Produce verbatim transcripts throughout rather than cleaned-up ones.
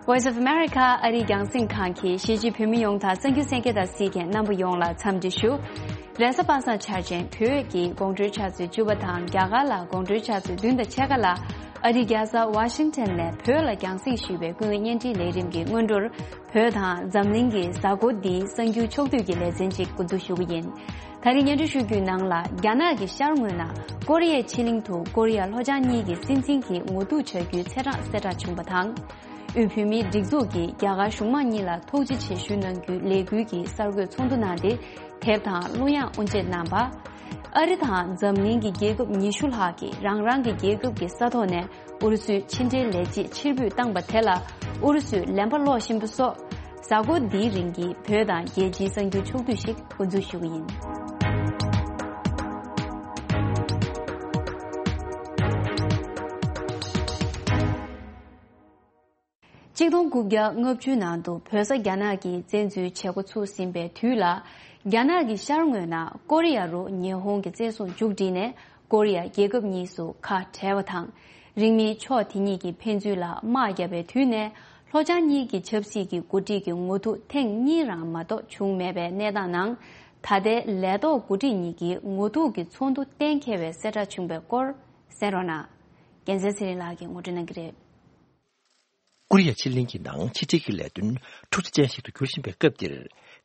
Voice of America ཨ་རིའི་རྒྱང་སྲིང་ཁང་གིས་གཞིས་བྱེས་བོད་མི་ཡོངས་དང་གསར་འགྱུར་གསན་མཁན་དང་གཟིགས་མཁན་རྣམ་པ་ཡོངས་ལ་འཚམས་འདྲི་ཞུ། རེས་གཟའ་པ་སངས་འཆར་ཅན་བོད་ཀྱི་དགོང་དྲོའི་ཆུ་ཚོད་བཅུ་པ་དང་རྒྱ་གར་ལ་དགོང་དྲོའི་ཆུ་ཚོད་བདུན་དང་ཕྱེད་ཀ་ལ་ཨ་རིའི་རྒྱལ་ས་ཝ་ཤིང་ཊོན་ནས་བོད་ལ་རྒྱང་སྲིང་ཞུས་པའི་ཀུན་གླེང་བརྙན་འཕྲིན་ལས་རིམ་གྱི་སྔོན་འགྲོར། བོད་དང་འཛམ་གླིང་གི་གཟའ་འཁོར་འདིའི་གསར་འགྱུར་ཕྱོགས་བསྡུས་ཀྱི་ལེ་ཚན་ཅིག་འགོ་འཛུགས་ཞུ་གི་ཡིན། ད་རིང་སྙན་སྒྲོན་ཞུ་རྒྱུའི་ནང་ལ། རྒྱ་ནག་གི་ཤར་ངོས་ན་ཀོ་རི་ཡའི་ཕྱེད་གླིང་དུ་ཀོ་རི་ཡ་ལྷོ་བྱང་གཉིས་ཀྱི་སྲིད་འཛིན་གྱི་ངོ་ཐུག་བྱ་རྒྱུའི་ཚེས་གྲངས་གསལ་བསྒྲགས་བྱུང་བ་དང་། དབུས་བོད་མིའི་སྒྲིག་འཛུགས་ཀྱིས་རྒྱ་གར་གཞུང་མང་གཉིས་ལ་ཐུགས་རྗེ་ཆེ་ཞུ་གནང་རྒྱུའི་ལས་འགུལ་གྱི་གསར་འགོད་ཚོགས་འདུ་གནང་སྟེ། དེབ་དང་གླུ་དབྱངས་དབུ་འབྱེད་གནང་བ། ཨ་རི་དང་འཛམ་གླིང་གི་རྒྱལ་ཁབ་ཉི་ཤུ་ལྷག་གིས་རང་རང་གི་རྒྱལ་ཁབ་ཀྱི་ས་ཐོག་ནས་ཨུ་རུ་སུའི་ཕྱི་འབྲེལ་ལས་བྱེད་ཕྱིར་འབུད་བཏང་པ་དེ་ལ་ཨུ་རུ་སུས་ལན་པ་སློག་བཞིན་པ་སོགས། གཟའ་འཁོར་འདིའི་རིང་གི་བོད་དང་རྒྱལ་སྤྱིའི་གསར་འགྱུར་ཕྱོགས་བསྡུས་ཤིག་འགོ་འཛུགས་ཞུ་གི་ཡིན། ཆིག་སྟོང་དགུ་བརྒྱ་ལྔ་བཅུ་ནང་དུ་བོད་ས་རྒྱ་ནག་གིས་བཙན་འཛུལ་བྱེད་འགོ་ཚུགས་ཟིན་པའི་དུས་ལ། རྒྱ་ནག་གི་ཤར་ངོས་ན་ཀོ་རི་ཡ་རུ་ཉི་ཧོང་གི་བཙན་བཟུང་མཇུག་བསྒྲིལ་ནས། ཀོ་རི་ཡ་རྒྱལ་ཁབ་གཉིས་སུ་ཁ་བྲལ་བ་དང་། རིང་མིན་ཕྱོགས་དེ་གཉིས་ཀྱི་ཕན་ཚུན་ལ་དམག་བརྒྱབ་པའི་དུས་ནས། ལྷོ་བྱང་གཉིས་ཀྱི་ཆབ་སྲིད་ཀྱི་འགོ་ཁྲིད་ཀྱི་ངོ་ཐུག་ཐེངས་གཉིས་རང་མ་གཏོགས་བྱུང་མེད་པའི་གནས་སྟངས་ནང་། ད་ལྟའི་ལས་ཐོག་འགོ་ཁྲིད་གཉིས་ཀྱི་ངོ་ཐུག་གི་ཚོགས་འདུ་གཏན་འཁེལ་བའི་གསལ་བསྒྲགས་བྱུང་བའི་སྐོར་གསན་རོགས་གནང་། རྒྱལ་མཚན་ཚེ་རིང་ལགས་ཀྱིས་ངོ་སྤྲོད་གནང་གི་རེད། ཀོ་རི་ཡ་ཕྱེད་གླིང་གི་ནང་ཕྱི་འབྲེལ་གྱི་ལས་དོན་འཁྲུག་ཆ་ཅན་ཞིག་ཏུ་འགྱུར་བཞིན་པའི་སྐབས་འདིར།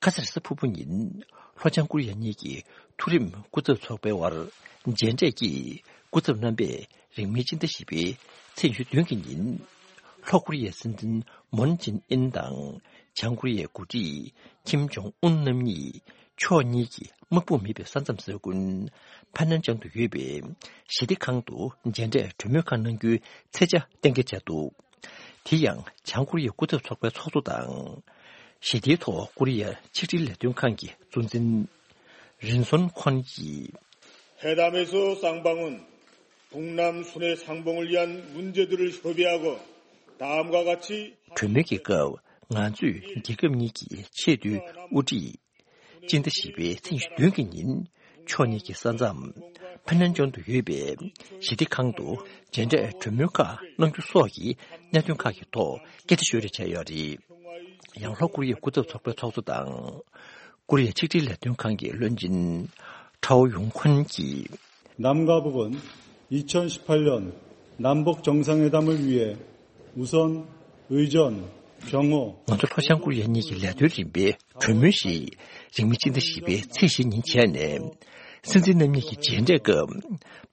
ཁ་སང་རེས་གཟའ་ཕུར་བུ་ཉིན། ལྷོ་བྱང་ཀོ་རི་ཡ་གཉིས་ཀྱི་མཐོ་རིམ་སྐུ་ཚབ་ཚོགས་པའི་དབར་མཇལ་འཕྲད་ཀྱིས། སྐུ་ཚབ་རྣམ་པས་རིང་མིན་སྤྱི་ཟླ་བཞི་པའི་ཚེས་ཉི་ཤུ་བདུན་གྱི་ཉིན། ལྷོ་ཀོ་རི་ཡའི་སྲིད་འཛིན་མོན་ཅིན་ཨིན་དང་། བྱང་ཀོ་རི་ཡའི་འགོ་ཁྲིད་ཁིམ་ཇོང་ཨུན་རྣམ་གཉིས་ཕྱོགས་གཉིས་ཀྱི་དམག་དཔུང་མེད་པའི་ས་མཚམས་ས་ཁུལ་ཕ་ནན་ཅང་དུ་ཡོད་པའི་ཞི་བདེ་ཁང་དུ་མཇལ་འཕྲད་གྲོས་མོལ་ཁག་གནང་རྒྱུའི་ཚེས་ཆ་གཏན་འཁེལ་བྱས་འདུག་དེ་ཡང་བྱང་ཀོ་རི་ཡའི་སྐུ་ཚབ་ཚོགས་པའི་ཚོགས་གཙོ་དང་། ཞི་བདེའི་ཐོག་ཀོ་རི་ཡ་ཆིག་སྒྲིལ་ལས་དོན་ཁང་གི་གཙོ་འཛིན་རིན་སོན་ཁོན་གྱིས། 회담에서 쌍방은 북남 순회 상봉을 위한 문제들을 협의하고 다음과 같이 གྲོས་མོལ་གྱི་སྐབས་ང་ཚོས་རྒྱལ་ཁབ་གཉིས་ཀྱི་ཆེས་མཐོའི་དབུ་ཁྲིད། སྤྱི་ཟླ་བཞི་པའི་ཚེས་ཉི་ཤུ་བདུན་གྱི་ཉིན། ཕྱོགས་གཉིས་ཀྱི་ས་མཚམས་ཕ་ནན་ཅོན་དུ་ཡོད་པའི་ཞི་བདེ་ཁང་དུ་མཇལ་འཕྲད་གྲོས་མོལ་ཁག་གནང་རྒྱུ་སོགས་ཀྱི་གནད་དོན་ཁག་གི་ཐོག་སྐད་ཆ་ཤོད་རེས་བྱས་ཡོད་རེད། ཡང་ལྷོ་ཀོ་རི་ཡའི་སྐུ་ཚབ་ཚོགས་པའི་ཚོགས་གཙོ་དང་། ཀོ་རི་ཡའི་ཆིག་སྒྲིལ་ལས་དོན་ཁང་གི་བློན་ཆེན་ཁྲའོ་ཡུང་ཁོན་གྱིས། 남과 북은 이천십팔 년 남북 정상회담을 위해 우선 의전, 경호, ང་ཚོ་ལྷོ་བྱང་ཀོ་རི་ཡ་གཉིས་ཀྱི་ལས་དོན་རིམ་པའི་གྲོས་མོལ་ཞིག་རིང་མིན་སྤྱི་ཟླ་བཞི་པའི་ཚེས་བཞི་ཉིན་བྱས་ནས། སྲིད་འཛིན་རྣམ་གཉིས་ཀྱི་མཇལ་འཕྲད་སྐབས།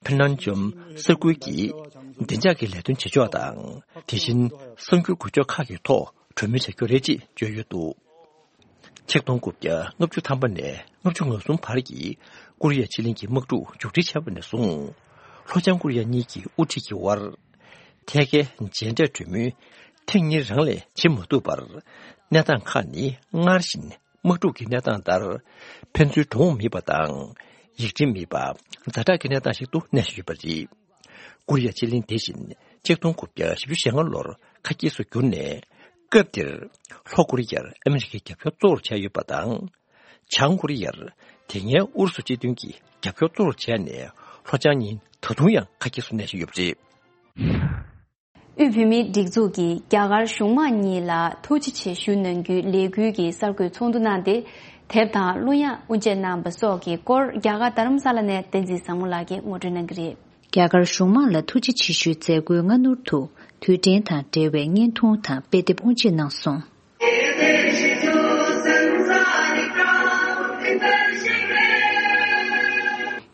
ཕི་ནན་ཅོམ་ས་ཁུལ་གྱི་བདེ་འཇགས་ཀྱི་ལས་དོན་བྱེད་ཕྱོགས་དང་། དེ་བཞིན་གསར་འགྱུར་འགུལ་སྐྱོད་ཁག་གི་ཐོག་གྲོས་མོལ་བྱ་རྒྱུ་རེད་ཅེས་བརྗོད་ཡོད་འདུག་ཆིག་སྟོང་དགུ་བརྒྱ་ལྔ་བཅུ་ཐམ་པ་ནས་ལྔ་བཅུ་ང་གསུམ་བར་གྱི་ཀོ་རི་ཡ་ཕྱེད་གླིང་གི་དམག་འཁྲུག་མཇུག་སྒྲིལ་བྱས་པ་ནས་བཟུང་། ལྷོ་བྱང་ཀོ་རི་ཡ་གཉིས་ཀྱི་དབུ་ཁྲིད་ཀྱི་དབར། ཐད་ཀའི་མཇལ་འཕྲད་གྲོས་མོལ་ཐེངས་གཉིས་རང་ལས་བྱེད་མ་ཐུབ་པར། གནས་སྟངས་ཁག་ནི་སྔར་བཞིན་དམག་འཁྲུག་གི་གནས་སྟངས་ལྟར། ཕན་ཚུན་འགྲོ་འོང་མེད་པ་དང་། ཡིག་ཕྲེང་མེད་པ། ཛ་དྲག་གི་གནས་སྟངས་ཤིག་ཏུ་གནས་བཞིན་ཡོད་པ་རེད། ཀོ་རི་ཡ་ཕྱེད་གླིང་དེ་བཞིན་ཆིག་སྟོང་དགུ་བརྒྱ་བཞི་བཅུ་ཞེ་ལྔ་ལོར་ཁ་གྱེས་སུ་གྱུར་ནས། སྐབས་དེར་ལྷོ་ཀོ་རི་ཡར་ཨ་མི་རི་ཀའི་རྒྱབ་སྐྱོར་གཙོ་བོར་བྱས་ཡོད་པ་དང་། བྱང་ཀོ་རི་ཡར་དེ་སྔའི་ཨུ་རུ་སུ་སྤྱི་མཐུན་གྱི་རྒྱབ་སྐྱོར་གཙོ་བོར་བྱས་ནས་ལྷོ་བྱང་གཉིས་ད་དུང་ཡང་ཁ་གྱེས་སུ་གནས་བཞིན་ཡོད་པ་རེད། དབུས་བོད་མིའི་སྒྲིག་འཛུགས་ཀྱིས་རྒྱ་གར་གཞུང་མང་གཉིས་ལ་ཐུགས་རྗེ་ཆེ་ཞུ་གནང་རྒྱུའི་ལས་འགུལ་གྱི་གསར་འགོད་ཚོགས་འདུ་གནང་སྟེ། དེབ་དང་གླུ་དབྱངས་དབུ་འབྱེད་གནང་བ་སོགས་ཀྱི་སྐོར། རྒྱ་གར་རྡ་རམ་ས་ལ་ནས་བསྟན་འཛིན་བཟང་མོ་ལགས་ཀྱིས་ངོ་སྤྲོད་གནང་གི་རེད། རྒྱ་གར་གཞུང་མང་ལ་ཐུགས་རྗེ་ཆེ་ཞུའི་མཛད་སྒོའི་སྔ་སྣུར་དུ། དུས་དྲན་དང་འབྲེལ་བའི་བརྙན་ཐུང་དང་དཔེ་དེབ་དབུ་འབྱེད་གནང་སོང་།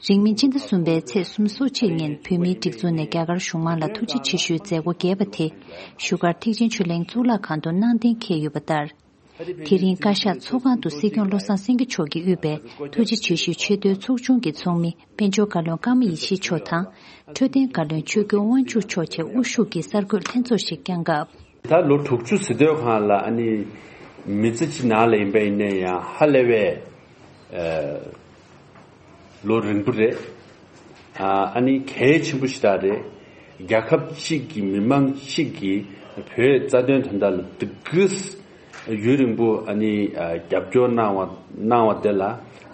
རིང་མིན་སྤྱི་ཟླ་གསུམ་པའི་ཚེས་སོ་གཅིག་ཉིན་བོད་མིའི་སྒྲིག་འཛུགས་ནས་རྒྱ་གར་གཞུང་མང་ལ་ཐུགས་རྗེ་ཆེ་ཞུའི་མཛད་སྒོ་རྒྱས་པ་དེ། བཞུགས་སྒར་ཐེག་ཆེན་ཆོས་གླིང་གཙུག་ལག་ཁང་དུ་གནང་གཏན་འཁེལ་ཡོད་པ་ལྟར། དེ་རིང་བཀའ་ཤག་ཚོགས་ཁང་དུ་སྲིད་སྐྱོང་བློ་བཟང་སེང་གེ་མཆོག་གིས་དབུས་པའི་ཐུགས་རྗེ་ཆེ་ཞུའི་ཆེས་མཐོའི་ཚོགས་ཆུང་གི་ཚོགས་མི་དཔལ་འབྱོར་བཀའ་བློན་ཀརྨ་ཡེ་ཤེས་མཆོག་དང་། འཕྲོད་བསྟེན་བཀའ་བློན་ཆོས་སྐྱོང་དབང་ཕྱུག་མཆོག་བཅས་དབུ་བཞུགས་ཀྱིས་གསར་འགོད་ལྷན་ཚོགས་ཤིག་བསྐྱངས་སྐབས། ད་ལོ་དྲུག་ཅུ་ཟིན་ཐོའི་སྒང་ལ་ཨ་ནི་མི་ཚེ་གཅིག་ནང་ལ་ཡིན་པ་ཡིན་ན་ཡང་ཧ་ལས་པའི་ཨ་ལོ་རིང་པོ་རེད། ཨ་ནི་གལ་ཆེན་པོ་ཞིག་རེད། རྒྱལ་ཁབ་གཅིག་གི་མི་མང་གཅིག་གིས་བོད་རྩ་དོན་དོན་དག་ལ་འདི་གིས་ཡུན་རིང་པོ་ཨ་ནི་རྒྱབ་སྐྱོར་གནང་བ་གནང་བ་དེ་ལ་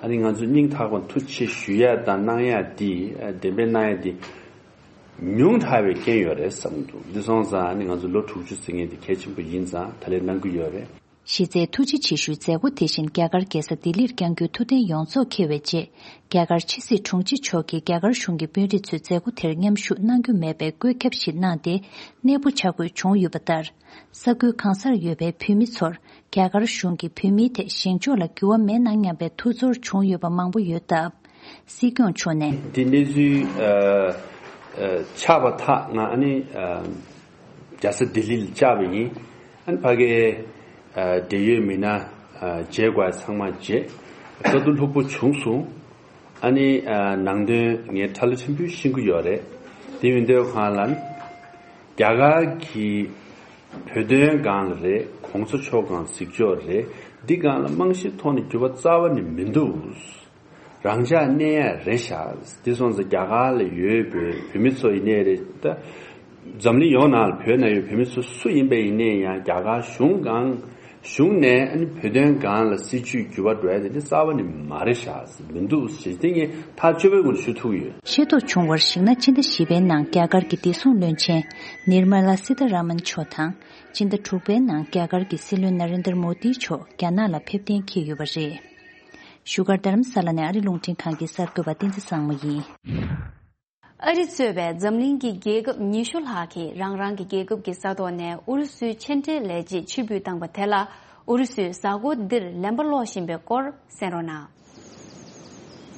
ཨ་ནི་ང་ཚོ་སྙིང་ཐག་པ་ཐུགས་རྗེ་ཆེ་ཞུ་ཡ་དང་གནང་ཡ་འདི་འདེམས་པའི་གནང་ཡ་འདི། ཉུང་དྲགས་པའི་རྐྱེན་ཡོད་རེད་བསམ་འདུག་འདི་སོང་ཙང་ནི་ང་ཚོ་ལོ་དྲུག་ཅུ་ཟེར་མཁན་དེ་གལ་ཆེན་པོ་ཡིན་ཙང་ད་ལན་གནང་གི་ཡོད་རེད། གཞི་རྩའི་ཐུགས་རྗེ་ཆེ་ཞུའི་མཛད་སྒོ་དེ་བཞིན་རྒྱ་གར་རྒྱལ་ས་ལྡི་ལིར་བསྐྱང་རྒྱུའི་ཐུགས་གཏན་ཡོངས་རྫོགས་འཁེལ་བའི་རྗེས། རྒྱ་གར་ཕྱི་སྲིད་དྲུང་ཆེ་མཆོག་གིས་རྒྱ་གར་གཞུང་གི་དཔོན་རིགས་ཚོས་མཛད་སྒོ་དེར་མཉམ་ཞུགས་གནང་རྒྱུ་མེད་པའི་བཀོད་ཁྱབ་ཞིག་གནང་སྟེ། གནས་སྤོ་བྱ་དགོས་བྱུང་ཡོད་པ་ལྟར། ས་ཁུལ་གང་སར་ཡོད་པའི་བོད་མི་ཚོར་རྒྱ་གར་གཞུང་གིས་བོད་མིའི་ཐད་བཞེངས་ཕྱོགས་ལ་འགྱུར་བ་མེད་ན་སྙམ་པའི་ཐུགས་ཚོར་བྱུང་ཡོད་པ་མང་པོ་ཡོད་སྟབས། སྲིད་སྐྱོང་མཆོག་ནས། འདི་གནས་ཚུལ་ཨ་ཨ་ཆགས་པ་ཐག་ང་ཨ་ནི་ཨ་རྒྱལ་ས་ལྡི་ལི་ལ་བཅར་བ་ཡིན། ཨ་ནི་ཕ་གིའི་ཨ་འབྲེལ་ཡོད་མི་སྣ་ཨ་མཇལ་དགོས་ཚང་མ་མཇལ། བཀའ་བསྡུར་ལྷུག་པོ་བྱུང་སོང་། ཨ་ནི་ཨ་ནང་དོན་ངས་ཁྲ་ལོ་ཆེན་པོས་ཤེས་ཀྱི་ཡོད་རེད། དེ་མིན་དུས་གང་ལ་ནི་རྒྱ་གར་གྱི་བོད་དོན་སྒང་ལ་རེད། གོང་ས་མཆོག་སྒང་གཟིགས་ཕྱོགས་རེད། འདི་སྒང་ལ་རྨང་གཞིའི་ཐོག་ནས་འགྱུར་བ་རྩ་བ་ནས་མི་འདུག་རང་འཇགས་གནས་ཡ་རེད་ཤག་འདི་སོང་ཙང་རྒྱ་གར་ལ་ཡོད་པའི་བོད་མི་ཚོ་ཡིན་ནའི་རེད་ད། འཛམ་གླིང་ཡོངས་ནང་ལ་བོད་ནང་ཡོད་བོད་མི་ཚོ་སུ་ཡིན་པ་ཡིན་ནའི་ཡང་རྒྱ་གར་གཞུང་སྒང་གཞུང་ནས་ཨ་ནི་བོད་དོན་སྒང་ལ་སྲིད་བྱུས་འགྱུར་བ་འགྲོ་ཡ་དེ་འདི་རྩ་བ་ནས་མ་རེད་ཤག་མི་འདུག་ཞེས་དེ་ངས་ཐག་ཆོད་པོའི་ངོས་ནས་ཞུ་ཐུབ་ཀྱི་ཡོད། ཤེས་རྟོགས་བྱུང་བར་གཞིགས་ན། ཕྱི་ཟླ་བཞི་པའི་ནང་རྒྱ་གར་གྱི་བདེ་སྲུང་བློན་ཆེན་ནིར་མ་ལ་སི་ཐ་ར་མན་མཆོག་དང་། ཕྱི་ཟླ་དྲུག་པའི་ནང་རྒྱ་གར་གྱི་སྲིད་བློན་ན་རེན་དར་མོ་དི་མཆོག་རྒྱ་ནག་ལ་ཕེབས་གཏན་འཁེལ་ཡོད་པ་རེད། བཞུགས་སྒར་རྡ་རམ་ས་ལ་ནས་ཨ་རི་རླུང་འཕྲིན་ཁང་གི་གསར་འགོད་པ་བསྟན་འཛིན་བཟང་མོ་ཡིན། ཨ་རི་གཙོས་པའི་འཛམ་གླིང་གི་རྒྱལ་ཁབ་ཉི་ཤུ་ལྷག་གིས་རང་རང་གི་རྒྱལ་ཁབ་ཀྱི་ས་ཐོག་ནས་ཨུ་རུ་སུའི་ཕྱི་འབྲེལ་ལས་བྱེད་ཕྱིར་འབུད་བཏང་པ་དེ་ལ། ཨུ་རུ་སུས་གཟའ་འཁོར་འདིར་ལན་པ་སློག་བཞིན་པའི་སྐོར་གསན་རོགས་གནང་།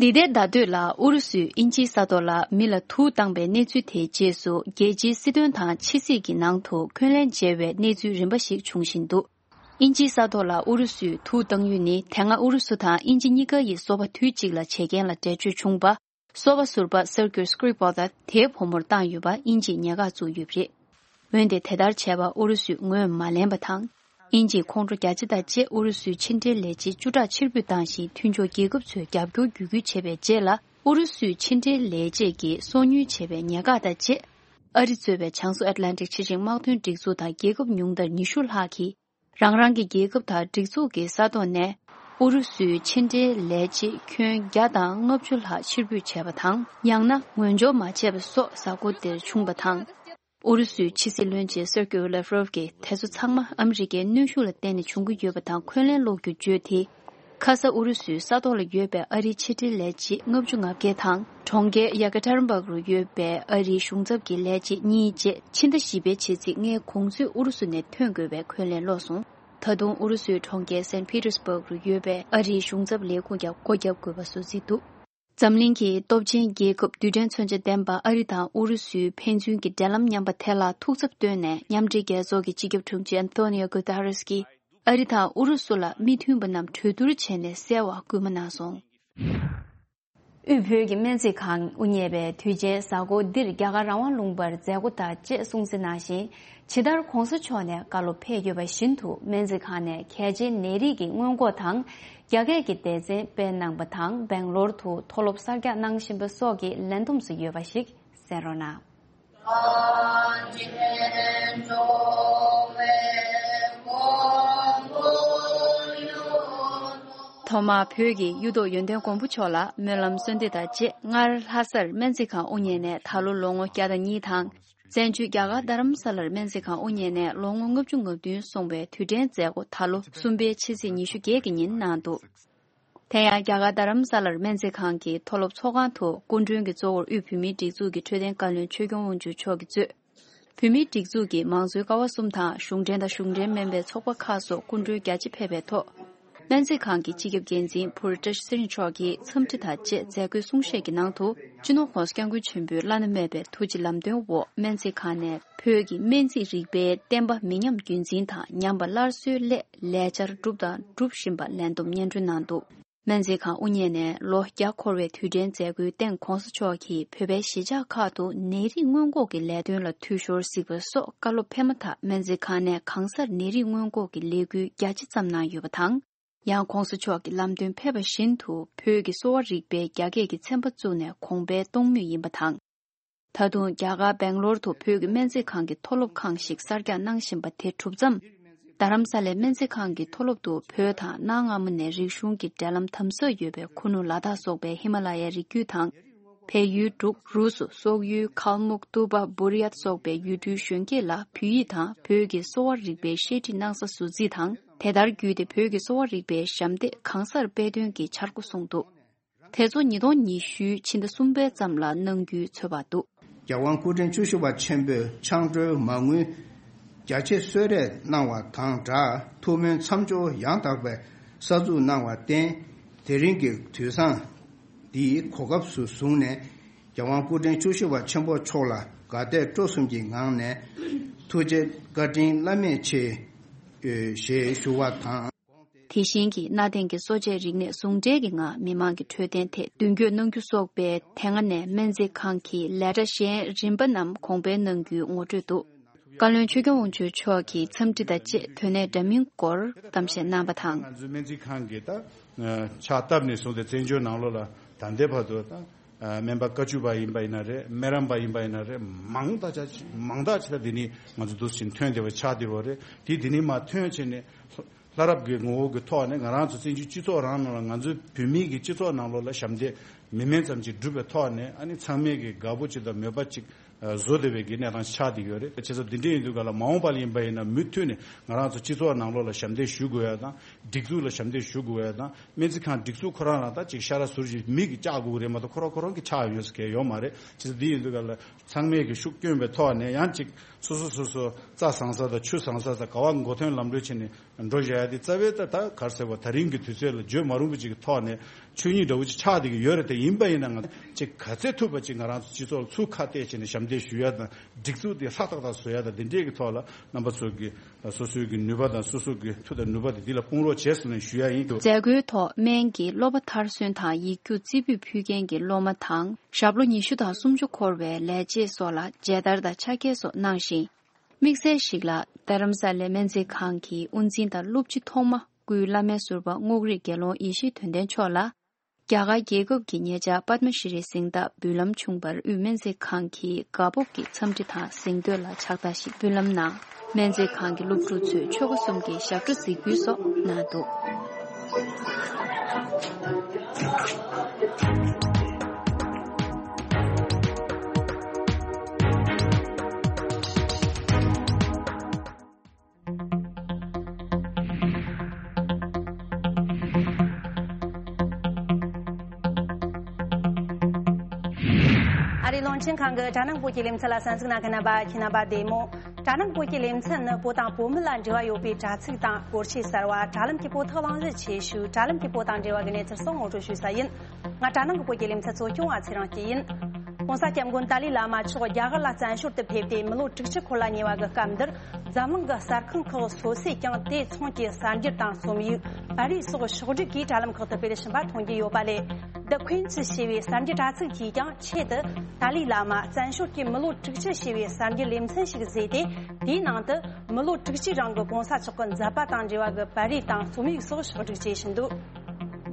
འདི་ཟླའི་ཟླ་སྟོད་ལ་ཨུ་རུ་སུས་དབྱིན་ཇིའི་ས་ཐོག་ལ་མི་ལ་དུག་བཏང་པའི་གནས་ཚུལ་དེའི་རྗེས་སུ། རྒྱལ་སྤྱིའི་སྲིད་དོན་དང་ཕྱི་སྲིད་ཀྱི་ནང་དུ་འཁོན་ལན་འཇལ་བའི་གནས་ཚུལ་རིམ་པ་ཞིག་འབྱུང་བཞིན་འདུག་དབྱིན་ཇིའི་ས་ཐོག་ལ་ཨུ་རུ་སུས་དུག་བཏང་ཡུལ་ནི། དེ་སྔ་ཨུ་རུ་སུ་དང་དབྱིན་ཇི་གཉིས་ཀ་ཡི་སོ་པ་དུས་གཅིག་ལ་བྱེད་མཁན་ལ་འགྲེལ་བརྗོད་བྱུང་བ། སོ་པ་ཟུར་པ་སར་ཀིར་སྐྲི་པོ་ལ་དེའི་བུ་མོར་བཏང་ཡོད་པ་དབྱིན་ཇིས་ཉེས་ཁ་བཙུགས་ཡོད་པ་རེད། འོན་ཏེ་དེ་ལྟར་བྱས་པ་ཨུ་རུ་སུས་ངོས་མ་ལེན་པ་དང་། དབྱིན་ཇིས་ཁོང་ཁྲོ་རྒྱ་ཆེ་དང་བཅས་ཨུ་རུ་སུའི་ཕྱི་འབྲེལ་ལས་བྱེད་བཅུ་ཕྲག་ཕྱིར་འབུད་བཏང་ཞིང་། མཐུན་ཕྱོགས་རྒྱལ་ཁབ་ཚོས་རྒྱབ་སྐྱོར་བརྒྱུད་སྐུལ་བྱས་པའི་རྗེས་ལ། ཨུ་རུ་སུའི་ཕྱི་འབྲེལ་ལས་བྱེད་ཀྱིས་སོ་ཉུལ་བྱས་པའི་ཉེས་ཁ་དང་བཅས། ཨ་རི་གཙོས་པའི་བྱང་སོ་ཨེཊ་ལན་ཊིག་ཆེ་ཆུང་དམག་དོན་སྒྲིག་འཛུགས་དང་རྒྱལ་ཁབ་ཉུང་མཐར་ཉི་ཤུ་ལྷག་གིས། རང་རང་གི་རྒྱལ་ཁབ་དང་སྒྲིག་འཛུགས་ཀྱི་ས་ཐོག་ནས་ཨུ་རུ་སུའི་ཕྱི་འབྲེལ་ལས་བྱེད་ཁྱོན་བརྒྱ་དང་ལྔ་བཅུ་ལྷག་ཕྱིར་འབུད་བྱས་པ་དང་། ཡང་ན་ངོས་སྦྱོར་མ་བྱས་པ་སོགས་གཟའ་འཁོར་འདིར་བྱུང་བ་དང་། ཨུ་རུ་སུའི་ཕྱི་སྲིད་བློན་ཆེན་སེར་ཀེ་ལེབ་རོབ་ཀྱིས་དེ་ཚོ་ཚང་མ་ཨ་མི་རི་ཀའི་གནོན་ཤུགས་ལ་བརྟེན་ནས་བྱུང་གི་ཡོད་པ་དང་། འཁོན་ལན་སློག་རྒྱུར་བརྗོད་དེ། ཁ་ས་ཨུ་རུ་སུའི་ས་ཐོག་ལ་ཡོད་པའི་ཨ་རིའི་ཕྱི་འབྲེལ་ལས་བྱེད་ལྔ་བཅུ་ང་བརྒྱད་དང་། གྲོང་ཁྱེར་ཡ་ཀ་ཏེ་རིན་སྦུག་རུ་ཡོད་པའི་ཨ་རིའི་གཞུང་ཚབ་ཀྱི་ལས་བྱེད་གཉིས་བཅས་ཕྱི་ཟླ་བཞི་པའི་ཕྱི་ཚེས་ལྔའི་གོང་ཚོད་ཨུ་རུ་སུ་ནས་ཐོན་དགོས་པའི་འཁོན་ལན་སློག་སོང་། ད་དུང་ཨུ་རུ་སུའི་གྲོང་ཁྱེར་སན་ཕི་ཏེར་སྦུག་རུ་ཡོད་པའི་ཨ་རིའི་གཞུང་ཚབ་ལས་ཁུངས་ཀྱང་སྒོ་བརྒྱབ་དགོས་པ་སུད་སི་འདུག་འཛམ་གླིང་གི་སྟོབས་ཆེན་རྒྱལ་ཁབ་རྡུལ་ཕྲན་མཚོན་ཆ་ལྡན་པ་ཨ་རི་དང་ཨུ་རུ་སུའི་ཕན་ཚུན་གྱི་འབྲེལ་ལམ་ཉམས་པ་དེ་ལ་ཐུགས་འཚབ་བཏོན་ནས། མཉམ་འབྲེལ་རྒྱལ་ཚོགས་ཀྱི་སྤྱི་ཁྱབ་དྲུང་ཆེ་ཨན་ཐོ་ནི་ཡོ་གུ་ཏ་རེས་ཀྱིས་ཨ་རི་དང་ཨུ་རུ་སུ་ལ་མི་མཐུན་པ་རྣམས་གྲོས་བསྡུར་བྱས་ནས་སེལ་བར་སྐུལ་མ་གནང་སོང་། དབུས་བོད་ཀྱི་སྨན་རྩིས་ཁང་དབུ་བརྙེས་པའི་དུས་ཆེན་གཟའ་འཁོར་འདིར་རྒྱ་གར་རང་དབང་ལུང་པར་མཛད་སྒོ་དང་བཅས་སྲུང་བརྩི་གནང་ཞིང་། ཇི་ལྟར་གོང་ས་མཆོག་ནས་བཀའ་སློབ་ཕེབས་ཡོད་པ་བཞིན་དུ། སྨན་རྩིས་ཁང་ནས་གལ་ཆེའི་ནད་རིགས་ཀྱི་སྔོན་འགོག་དང་། རྒྱ་སྐད་ཀྱི་སྡེ་ཚན་སྤེལ་གནང་པ་དང་། སྦེང་ལོར་དུ་མཐོ་སློབ་གསར་རྒྱག་གནང་བཞིན་པ་སོགས་ཀྱི་ལས་བསྡོམས་སུ་ཡོད་པ་ཞིག་གསན་རོགས་གནང་། ཐོག་མར་བོད་ཀྱི་གཡུ་ཐོག་ཡོན་ཏན་མགོན་པོ་མཆོག་ལ་སྨོན་ལམ་གསོལ་འདེབས་དང་བཅས། སྔར་ལྷ་སར་སྨན་རྩིས་ཁང་དབུ་བརྙེས་ནས་ད་ལོ་ལོ་ངོ་བརྒྱ་དང་གཉིས་དང་། བཙན་བྱོལ་རྒྱ་གར་རྡ་རམ་ས་ལར་སྨན་རྩིས་ཁང་དབུ་བརྙེས་ནས་ལོ་ངོ་ལྔ་བཅུ་ང་བདུན་སོང་བའི་དུས་དྲན་མཛད་སྒོ་ད་ལོ་གསུམ་པའི་ཕྱི་ཚེས་ཉི་ཤུ་བརྒྱད་ཀྱི་ཉིན་གནང་འདུག་དེ་ཡང་རྒྱ་གར་རྡ་རམ་ས་ལར་སྨན་རྩིས་ཁང་གི་མཐོ་སློབ་ཚོགས་ཁང་དུ་སྐུ་མགྲོན་གྱི་གཙོ་བོར་དབུས་བོད་མིའི་སྒྲིག་འཛུགས་ཀྱི་འཕྲོད་བསྟེན་བཀའ་བློན་ཆོས་སྐྱོང་དབང་ཕྱུག་མཆོག་གིས་གཙོས། བོད་མིའི་སྒྲིག་འཛུགས་ཀྱི་མང་གཙོའི་ཀ་བ་གསུམ་དང་གཞུང་འབྲེལ་དང་གཞུང་འབྲེལ་མིན་པའི་ཚོགས་པ་ཁག་སོགས་སྐུ་མགྲོན་རྒྱ་ཆེ་ཕེབས་པའི་ཐོག་སྨན་རྩིས་ཁང་གི་སྤྱི་ཁྱབ་འགན་འཛིན་བྷུ་རི་ཏྲ་ཤི་ཚེ་རིང་མཆོག་གིས་འཚམས་འདྲི་དང་བཅས་མཛད་སྒོའི་གསུང་བཤད་ཀྱི་ནང་དུ། སྤྱི་ནོར་༸གོང་ས་༸སྐྱབས་མགོན་ཆེན་པོའི་བླ་ན་མེད་པའི་ཐུགས་རྗེ་ལམ་སྟོན་འོག་སྨན་རྩིས་ཁང་ནས་བོད་ཀྱི་སྨན་རྩིས་རིག་པའི་བསྟན་པ་མི་ཉམས་རྒྱུན་འཛིན་དང་ཉམས་པ་སླར་གསོའི་སླད་ལས་འཆར་བསྒྲུབས་དང་སྒྲུབ་བཞིན་པ་ལན་འདེབས་སྙན་སྒྲོན་གནང་འདུག་སྨན་རྩིས་ཁང་དབུ་བརྙེས་ནས་ལོ་བརྒྱ་འཁོར་བའི་དུས་དྲན་མཛད་སྒོའི་སྟེང་༸གོང་ས་མཆོག་གིས་བོད་པའི་གཞིས་ཆགས་ཁག་ཏུ་ནད་རིགས་སྔོན་འགོག་གི་ལས་དོན་ལ་འཐུས་ཤོར་གཟིགས་པ་སོགས་བཀའ་སློབ་ཕེབས་མ་ཐག་སྨན་རྩིས་ཁང་ནས་གང་སར་ནད་རིགས་སྔོན་འགོག་གི་ལས་འགུལ་རྒྱ་ཆེ་བརྩམས་གནང་ཡོད་པ་དང་། ཡང་༸གོང་ས་མཆོག་གི་ལམ་སྟོན་ཕེབས་པ་བཞིན་དུ་བོད་ཀྱི་གསོ་བ་རིག་པའི་རྒྱ་སྐད་ཀྱི་ཚན་པ་བཙུགས་ནས་གོང་འཕེལ་གཏོང་མུས་ཡིན་པ་དང་། ད་དུང་རྒྱ་གར་སྦེང་ལོར་དུ་བོད་ཀྱི་སྨན་རྩིས་ཁང་གི་མཐོ་སློབ་ཁང་ཞིག་གསར་རྒྱག་གནང་བཞིན་པ་དེ་གྲུབ་མཚམས། རྡ་རམ་ས་ལའི་སྨན་རྩིས་ཁང་གི་མཐོ་སློབ་ཏུ་བོད་དང་གནའ་སྔ་མོ་ནས་རིག་གཞུང་གི་འབྲེལ་ལམ་དམ་ཟབ་ཡོད་པའི་ཁུ་ནུ་ལ་དྭགས་སོགས་པའི་ཧི་མ་ལ་ཡའི་རི་རྒྱུད་དང་། བལ་ཡུལ་འབྲུག་རུ་སུ་སོག་ཡུལ་ཁལ་མུག་ཏུ་པ་བུར་ཡ་སོགས་པའི་ཡུལ་གྲུའི་གཞོན་སྐྱེས་ལ་བོད་ཡིག་དང་བོད་ཀྱི་གསོ་བ་རིག་པའི་བཤད་ཁྲིད་གནང་ས་ཟུར་རྩིས་དང་། དེ་ལྟར་བརྒྱུད་དེ་བོད་ཀྱི་གསོ་བ་རིག་པའི་ཞབས་འདེགས་གང་སར་སྤེལ་དོན་གྱི་འཆར་སྒོ་བཟུང་འདུག་དེ་ཚོ་ཉིས་སྟོང་ཉི་ཤུའི་ཕྱི་ཟླ་གསུམ་པའི་མཚམས་ལ་གནང་རྒྱུའི་ཚོད་དཔག་འདུག་རྒྱལ་དབང་སྐུ་ཕྲེང་བཅུ་བཞི་པ་ཆེན་པོས་ཆང་གྲོན་མ་དངུལ་རྒྱ་ཆེ་གསོལ་རས་གནང་བ་དང་སྦྲགས་ཐུགས་སྨོན་མཚམས་སྦྱོར་ཡང་དག་པའི་གསར་འཛུགས་གནང་བར་བརྟེན། དེ་རིང་གི་དུས་བཟང་འདིའི་གོ་སྐབས་སུ་བཟུང་ནས། རྒྱལ་དབང་སྐུ་ཕྲེང་བཅུ་བཞི་པ་ཆེན་པོ་མཆོག་ལ་དགའ་དད་སྤྲོ་གསུམ་གྱི་ངང་ནས་ཐུགས་རྗེ་བཀའ་དྲིན་བླ་མེད་ཆེ་ཞེས་ཞུ་བ་དང་། དེ་བཞིན་གྱི་གནའ་དེང་གི་གསོ་དཔྱད་རིག་གནས་ཟུང་འབྲེལ་གྱི་ངང་མི་མང་གི་འཕྲོད་བསྟེན་ཐད་མདུན་སྐྱོད་གནང་རྒྱུ་སོགས་པའི་དེ་སྔ་ནས་སྨན་རྩིས་ཁང་གི་ལས་གྲྭ་གཞན་རིམ་པ་རྣམས་གོང་འཕེལ་གནང་རྒྱུའི་ངོ་སྤྲོད་འདུག་བཀའ་བློན་ཆོས་སྐྱོང་དབང་ཕྱུག་མཆོག་གིས་འཚམས་འདྲི་དང་བཅས་དོན་གནད་འདྲ་མིན་སྐོར་གཏམ་བཤད་གནང་བ་དང་། ང་ཚོའི་སྨན་རྩིས་ཁང་གི་ད་ཕྱག་བཏབ་ནས་བཟུང་སྟེ་བཙན་བྱོལ་ནང་ལོགས་ལ་ད་ལྟའི་བར་དུ་ད་སྨན་པ་བཀའ་བཅུ་པ་ཡིན་པ་ཡིན་ན་རེད། སྨན་རམས་པ་ཡིན་པ་ཡིན་ན་རེད། མང་དག་ཅིག་མང་དག་ཅིག་ད་འདི་ནས་ང་ཚོ་འདུག་ཕྱིན་ཐོན་བསྡད་པ་ཆགས་བསྡད་ཡོད་རེད། དེ་འདི་ནས་མར་ཐོན་ཕྱིན་ནས། ལྷ་རབ་ཀྱི་ངོ་བོ་གི་ཐོག་ནས་ང་རང་ཚོ་བཙན་བྱོལ་སྤྱི་ཚོགས་རང་ནང་ལ་ང་ཚོའི་བོད་མིའི་གི་སྤྱི་ཚོགས་ནང་ལོགས་ལ་ཞབས་འདེགས་མི་དམན་ཙམ་ཅིག་བསྒྲུབས་པའི་ཐོག་ནས། ཨ་ནི་ཚང་མས་གི་དགའ་པོ་ཅིག་དང་མོས་པ་ཅིག་བཟོ་བསྡད་པའི་གི་གནས་སྟངས་ཆགས་བསྡད་ཡོད་རེད། བྱས་ཙང་འདི་འདྲ་ཡིན་དུས་ག་ལ་མ་འོངས་པ་ལ་ཡིན་པ་ཡིན་ན་མུ་མཐུད་ནས་ང་རང་ཚོ་སྤྱི་ཚོགས་ནང་ལོགས་ལ་ཞབས་འདེགས་ཞུ་དགོས་ཡ་དང་། སྒྲིག་འཛུགས་ལ་ཞབས་འདེགས་ཞུ་དགོས་ཡ་དང་། སྨན་རྩིས་ཁང་སྒྲིག་འཛུགས་ཁོ་རང་རང་ད་ཅིག་ཤ་ར་ཟུར་ཞིག་མི་གི་བཅག་དགོས་རེད་མ་གཏོགས། ཁོ་རང་ཁོ་རང་གི་ཆགས་ཡོད་ཟེར་མཁན་ཡོད་མ་རེད། བྱས་ཙང་འདི་ཡིན་དུས་ག་ལ། ཚང་མས་ཀྱི་ཤུགས་བསྐྱོན་པའི་ཐོག་ནས་ཡང་ཅིག་སོ་སོ་སོ་སོ་རྩྭ་བཟང་ས་དང་ཆུ་བཟང་ས་དང་ག་བ་མགོ་ཐོན་ལམ་འགྲོ་བྱས་ནས་འགྲོ་བཞག་ཡ་དེ་རྩ་བའི་ད་ད་ག་རེ་ཟེར་བ། ད་རིང་གི་དུས་ཚོད་ལ་བརྗོད་མ་རུང་བ་ཅིག་གི་ཐོག་ནས་ཆོས་ཉིད་འདྲ་བོ་ཅིག་ཆགས་བསྡད་ཀྱི་ཡོད་རེད། དེ་ཡིན་པ་ཡིན་ན་ང་ཅིག་ག་ཚད་ཐུབ་པ་ཅིག་ང་རང་ཚོ་སྤྱི་ཚོགས་ལ་ཚུར་ཁ་གཏད་བྱས་ནས་ཞབས་འདེགས་ཞུ་ཡ་དང་། སྒྲིག་འཛུགས་དེ་ཧྲག་ཏག་ཏག་བཟོ་ཡ་དང་། དེ་འདྲས་ཀྱི་ཐོག་ལ་རྣམ་པ་ཚོ་གི་སོ་སོའི་གི་ནུས་པ་དང་སོ་སོ་གི་མཐུ་དང་ནུས་པ་དེ་འདི་ལ་སྤུངས་རོགས་བྱས་ཟེར་ནས་ཞུ་ཡ་ཡིན། མཛད་སྒོའི་ཐོག་སྨན་གྱི་སློབ་པ་མཐར་སོན་དང་ཡིག་རྒྱུགས་རྩེ་ཕུད་ཕུལ་མཁན་གྱི་སློབ་མ་དང་། ཞབས་ལོ་ཉི་ཤུ་དང་སུམ་ཅུ་འཁོར་བའི་ལས་བྱེད་སོགས་ལ་མཇལ་དར་དང་ཕྱག་འཁྱེར་སོགས་གནང་ཞིང་། དམིགས་བསལ་ཞིག་ལ་རྡ་རམ་ས་ལའི་སྨན་རྩིས་ཁང་གི་དབུ་འཛིན་དང་སློབ་སྤྱི་ཐོག་མ་སྐུའི་བླ་མའི་ཟུར་པ་རྔོག་རིགས་དགེ་སློང་ཡེ་ཤེས་དོན་ལྡན་མཆོག་ལ། རྒྱ་གར་རྒྱལ་ཁབ་ཀྱི་ཉེ་ཆར་པདྨ་ཤྲི་རིའི་གཟེངས་རྟགས་འབུལ་ལམ་བྱུང་བར་དབུས་སྨན་རྩིས་ཁང་གིས་དགའ་སྤོབས་ཀྱི་འཚམས་འདྲི་དང་གཟེངས་བསྟོད་ལ་ཕྱག་རྟགས་ཤིག་འབུལ་ལམ་གནང་། སྨན་རྩིས་ཁང་གི་སློབ་ཕྲུག་ཚོས་ཆོལ་ཁ་གསུམ་གྱི་ཞབས་བྲོ་གཟིགས་འབུལ་སོགས་གནང་འདུག་ཨ་རིའི་རླུང་འཕྲིན་ཁང་གི་དྲ་ནང་བོད་ཀྱི་ལེ་ཚན་ལ་གསན་གཟིགས་གནང་མཁན་རྣམ་པ་ཁྱེད་རྣམ་པ་བདེ་མོ། དྲ་ནང་བོད་ཀྱི་ལེ་ཚན་ནི་བོད་དང་བོད་མི་ལ་འབྲེལ་བ་ཡོད་པའི་དྲ་ཚིགས་དང་སྐོར་ཆས་གསར་བ། དྲ་ལམ་གྱི་བོད་ཐོག་གླེང་གཞི་ཆེ་ཤོས། དྲ་ལམ་གྱི་བོད་དང་འབྲེལ་བ་གི་གནས་ཚུལ་སོགས་ངོ་སྤྲོད་ཞུ་ས་ཡིན། ང་དྲ་ནང་གི་བོད་ཀྱི་ལེ་ཚན་གཙོ་སྐྱོང་བ་ཚེ་རིང་སྐྱིད་ཡིན། ༸གོང་ས་༸སྐྱབས་མགོན་ཏཱ་ལའི་བླ་མ་མཆོག་རྒྱ་གར་ལ་བཙན་བྱོལ་དུ་ཕེབས་ཏེ་མི་ལོ་དྲུག་ཅུ་འཁོར་ལ་ཉེ་བ་གི་སྐབས་འདིར། འཛམ་གླིང་གི་གསར་ཁང་ཁག་སོ་སོས་ཀྱང་དེ་མཚུངས་ཀྱི་གསར་འགྱུར་དང་རྩོམ་ཡིག་པར་རིས་སོགས་ཕྱོགས་བསྒྲིགས་ཀྱིས་དྲ་ལམ་ཁག་ཏུ་སྤེལ་བཞིན་པ་མཐོང་རྒྱུ་ཡོད་པ་ལས། The Queen's ཞེས་པའི་གསར་འགྱུར་དྲ་ཚིགས་ཀྱིས་ཀྱང་ཆེད་དུ་ཏཱ་ལའི་བླ་མ་བཙན་བྱོལ་གྱི་མི་ལོ་དྲུག་ཅུ་ཞེས་པའི་གསར་འགྱུར་ལེ་ཚན་ཞིག་བཟོས་ཏེ། དེའི་ནང་དུ་མི་ལོ་དྲུག་ཅུའི་རིང་གི་༸གོང་ས་མཆོག་གི་མཛད་པ་དང་འབྲེལ་བ་གི་པར་རིས་དང་རྩོམ་ཡིག་སོགས་ཕྱོགས་བསྒྲིགས་བྱེད་བཞིན་འདུག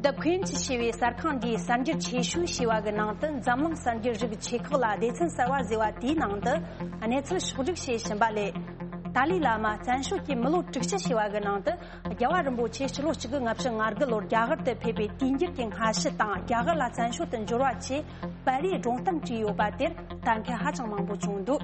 The Queen's ཞེས་པའི་གསར་ཁང་འདིའི་གསར་འགྱུར་ཆེ་ཤོས་ཞེས་པ་གི་ནང་དུ་འཛམ་གླིང་གསར་འགྱུར་རིགས་ཆེ་ཁག་ལ་སྡེ་ཚན་གསར་བ་བཟོས་པ་དེའི་ནང་དུ་གནས་ཚུལ་ཕྱོགས་བསྒྲིགས་བྱེད་བཞིན་པ་ལས། ཏཱ་ལའི་བླ་མ་བཙན་བྱོལ་གྱི་མི་ལོ་དྲུག་ཅུ་ཞེས་པ་གི་ནང་དུ་རྒྱལ་བ་རིན་པོ་ཆེ་སྤྱི་ལོ་གཅིག་དགུ་ལྔ་བཅུ་ང་དགུ་ལོར་རྒྱ་གར་དུ་ཕེབས་པའི་དུས་འགྱུར་གྱི་སྔ་ཕྱི་དང་། རྒྱ་གར་ལ་བཙན་བྱོལ་དུ་འབྱོར་བ་བཅས་པར་རིས་སྒྲུང་གཏམ་བྲིས་ཡོད་པ་དེར་ལྟ་མཁན་ཧ་ཅང་མང་པོ་བྱུང་འདུག་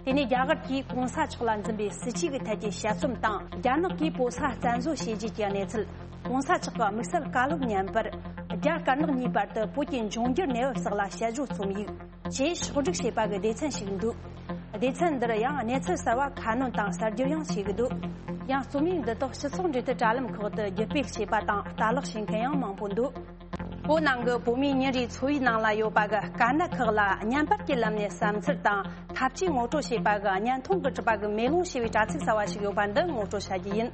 དེ་ནས་རྒྱ་གར་གྱིས་༸གོང་ས་མཆོག་ལ་འཛིན་པའི་སྲིད་ཇུས་ཀྱི་ཐད་ཀྱི་དཔྱད་རྩོམ་དང་། རྒྱ་ནག་གིས་བོད་ས་བཙན་བཟོ་བྱས་རྗེས་ཀྱི་གནས་ཚུལ། ༸གོང་ས་མཆོག་གི་དམིགས་བསལ་བཀའ་སློབ་བརྙན་པར། རྒྱ་དཀར་ནག་གཉིས་བར་དུ་བོད་ཀྱི་འབྱུང་འགྱུར་གནས་བབ་སོགས་ལ་དཔྱད་བརྗོད་རྩོམ་ཡིག་ཅེས་ཕྱོགས་བསྒྲིགས་བྱས་པ་གི་སྡེ་ཚན་ཞིག་འདུག་སྡེ་ཚན་འདིར་ཡང་གནས་ཚུལ་གསར་བ་ཁ་སྣོན་དང་གསར་བསྒྱུར་ཡང་བྱེད་ཀྱི་འདུག་ཡང་རྩོམ་ཡིག་འདི་དག་སྤྱི་ཚོགས་འབྲེལ་མཐུད་དྲ་ལམ་ཁག་ཏུ་བརྒྱུད་སྤེལ་བྱས་པ་དང་ལྟ་ཀློག་བྱེད་མཁན་ཡང་མང་པོ་འདུག་བོད་ནང་གི་བོད་མིའི་ཉིན་རེའི་འཚོ་བའི་ནང་ལ་ཡོད་པ་གི་དཀའ་གནད་ཁག་ལ་བརྙན་པར་གྱི་ལམ་ནས་བསམ་ཚུལ་དང་ཐབས་ཇུས་ངོ་སྤྲོད་བྱས་པ་གི་བརྙན་ཐུང་གི་གྲུབ་པ་གི་མེ་ལོང་ཞེས་པའི་དྲ་ཚིགས་གསར་བ་ཞིག་ཡོད་པ་འདི་ངོ་སྤྲོད་བྱ་རྒྱུ་ཡིན།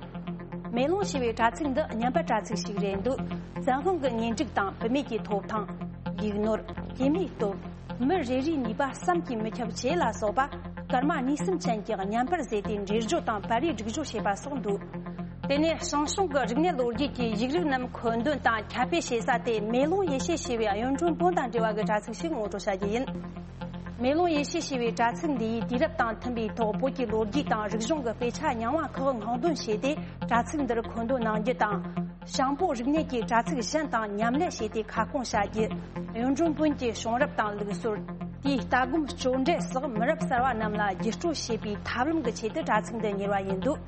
མེ་ལོང་ཞེས་པའི་དྲ་ཚིགས་འདི་བརྙན་པར་དྲ་ཚིགས་ཤིག་རེད་འདུག་བཙན་དབང་གི་གཉེན་སྒྲིག་དང་བུད་མེད་ཀྱི་ཐོབ་ཐང་། ཡིག་ནོར། སྐྱེས་མའི་སྟོབས། མི་རེ་རེའི་ནུས་པ་བསམ་གྱིས་མི་ཁྱབ་བཅས་ལ་སོགས་པ་སྐར་མ་གཉིས་གསུམ་ཅན་གྱི་བརྙན་པར་བཟོས་ཏེ་འགྲེལ་བརྗོད་དང་པར་རིས་སྒྲིག་སྦྱོར་བྱས་པ་སོགས་འདུག་དེ་ནས་ཞང་ཞུང་གི་རིག་གནས་ལོ་རྒྱུས་ཀྱི་ཡིག་རིགས་རྣམས་མཁོ་འདོན་དང་ཁྱབ་སྤེལ་བྱེད་ས་དེ་མེ་ལོང་ཡེ་ཤེས་ཞེས་པའི་གཡུང་དྲུང་བོན་དང་འབྲེལ་བ་གི་དྲ་ཚིགས་ཤིག་ངོ་སྤྲོད་བྱ་རྒྱུ་ཡིན། མེ་ལོང་ཡེ་ཤེས་ཞེས་པའི་དྲ་ཚིགས་འདིའི་དུས་རབས་དང་མཐུན་པའི་ཐོག་བོད་ཀྱི་ལོ་རྒྱུས་དང་རིག་གཞུང་གི་དཔེ་ཆ་རྙིང་བ་ཁག་སྔོག་འདོན་བྱས་ཏེ་དྲ་ཚིགས་འདིར་མཁོ་འདོན་གནང་རྒྱུ་དང་། ཞང་པོ་རིག་གནས་ཀྱི་དྲ་ཚིགས་གཞན་དང་མཉམ་ལས་བྱས་ཏེ་ཁ་སྐོང་བྱ་རྒྱུ། གཡུང་དྲུང་བོན་གྱི་བྱུང་རབས་དང་ལུགས་སྲོལ། དེའི་ལྟ་སྒོམ་སྤྱོད་འབྲས་སོགས་མི་རབས་གསར་བ་རྣམས་ལ་བརྒྱུད་སྤྲོད་བྱེད་པའི་ཐབས་ལམ་གྱི་ཆེད་དུ་དྲ་ཚིགས་འདི་གཉེར་བ་ཡིན་འདུག།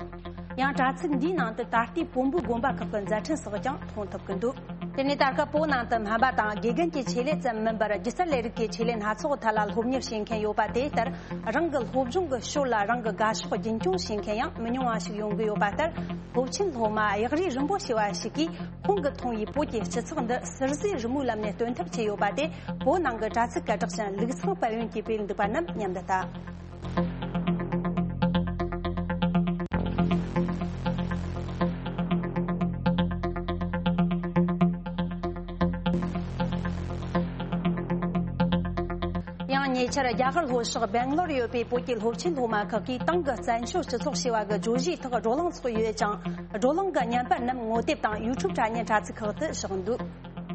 ཡང་དྲ་ཚིགས་འདིའི་ནང་དུ་ད་ལྟའི་བོན་པོའི་དགོན་པ་ཁག་གི་མཛད་འཕྲིན་སོགས་ཀྱང་མཐོང་ཐུབ་ཀྱི་འདུག། དེ་ནས་ད་སྐབས་བོད་ནང་དུ་སྨན་པ་དང་དགེ་རྒན་གྱི་ཆེད་ལས་ཙམ་མིན་པར་སྒྱུ་རྩལ་ལས་རིགས་ཀྱི་ཆེད་ལས་སྣ་ཚོགས་ཐད་ལ་སློབ་གཉེར་བྱེད་མཁན་ཡོད་པ་དེ་ལྟར། རང་གི་སློབ་སྦྱོང་གི་ཞོར་ལ་རང་གི་དགའ་ཕྱོགས་རྒྱུན་འཁྱོངས་བྱེད་མཁན་ཡང་མི་ཉུང་བ་ཞིག་ཡོང་གི་ཡོད་པ་ལྟར། སློབ་ཆེན་སློབ་མ་གཡག་རིགས་རིན་པོ་ཆེ་བ་ཞིག་གིས་ཁོང་གིས་མཐོང་བའི་བོད་ཀྱི་སྤྱི་ཚོགས་འདི་ཟུར་བཟོས་རི་མོའི་ལམ་ནས་སྟོན་ཐབས་བྱས་ཡོད་པ་དེ། བོད་ནང་གི་དྲ་ཚིགས་སྐད་གྲགས་ཅན་ལུགས་བཟང་དཔལ་ཡོན་གྱིས་སྤེལ་འདུག་པ་རྣམས་མཉམ་དུ་ལྟ། ཡང་ཉེ་ཆར་རྒྱ་གར་ལྷོ་ཕྱོགས་སྦེང་ལོར་ཡོད་པའི་བོད་ཀྱི་སློབ་ཆེན་སློབ་མ་ཁག་གིས་ཏང་གི་བཙན་བྱོལ་སྤྱི་ཚོགས་ཞེས་པ་གི་བརྗོད་གཞིའི་ཐོག་བགྲོ་གླེང་ཚོགས་ཡོད་ཅིང་། བགྲོ་གླེང་གི་བརྙན་པར་རྣམས་ངོ་དེབ་དང་ཡུ་ཊུབ་དྲ་བརྙན་དྲ་ཚིགས་ཁག་ཏུ་བཞག་འདུག།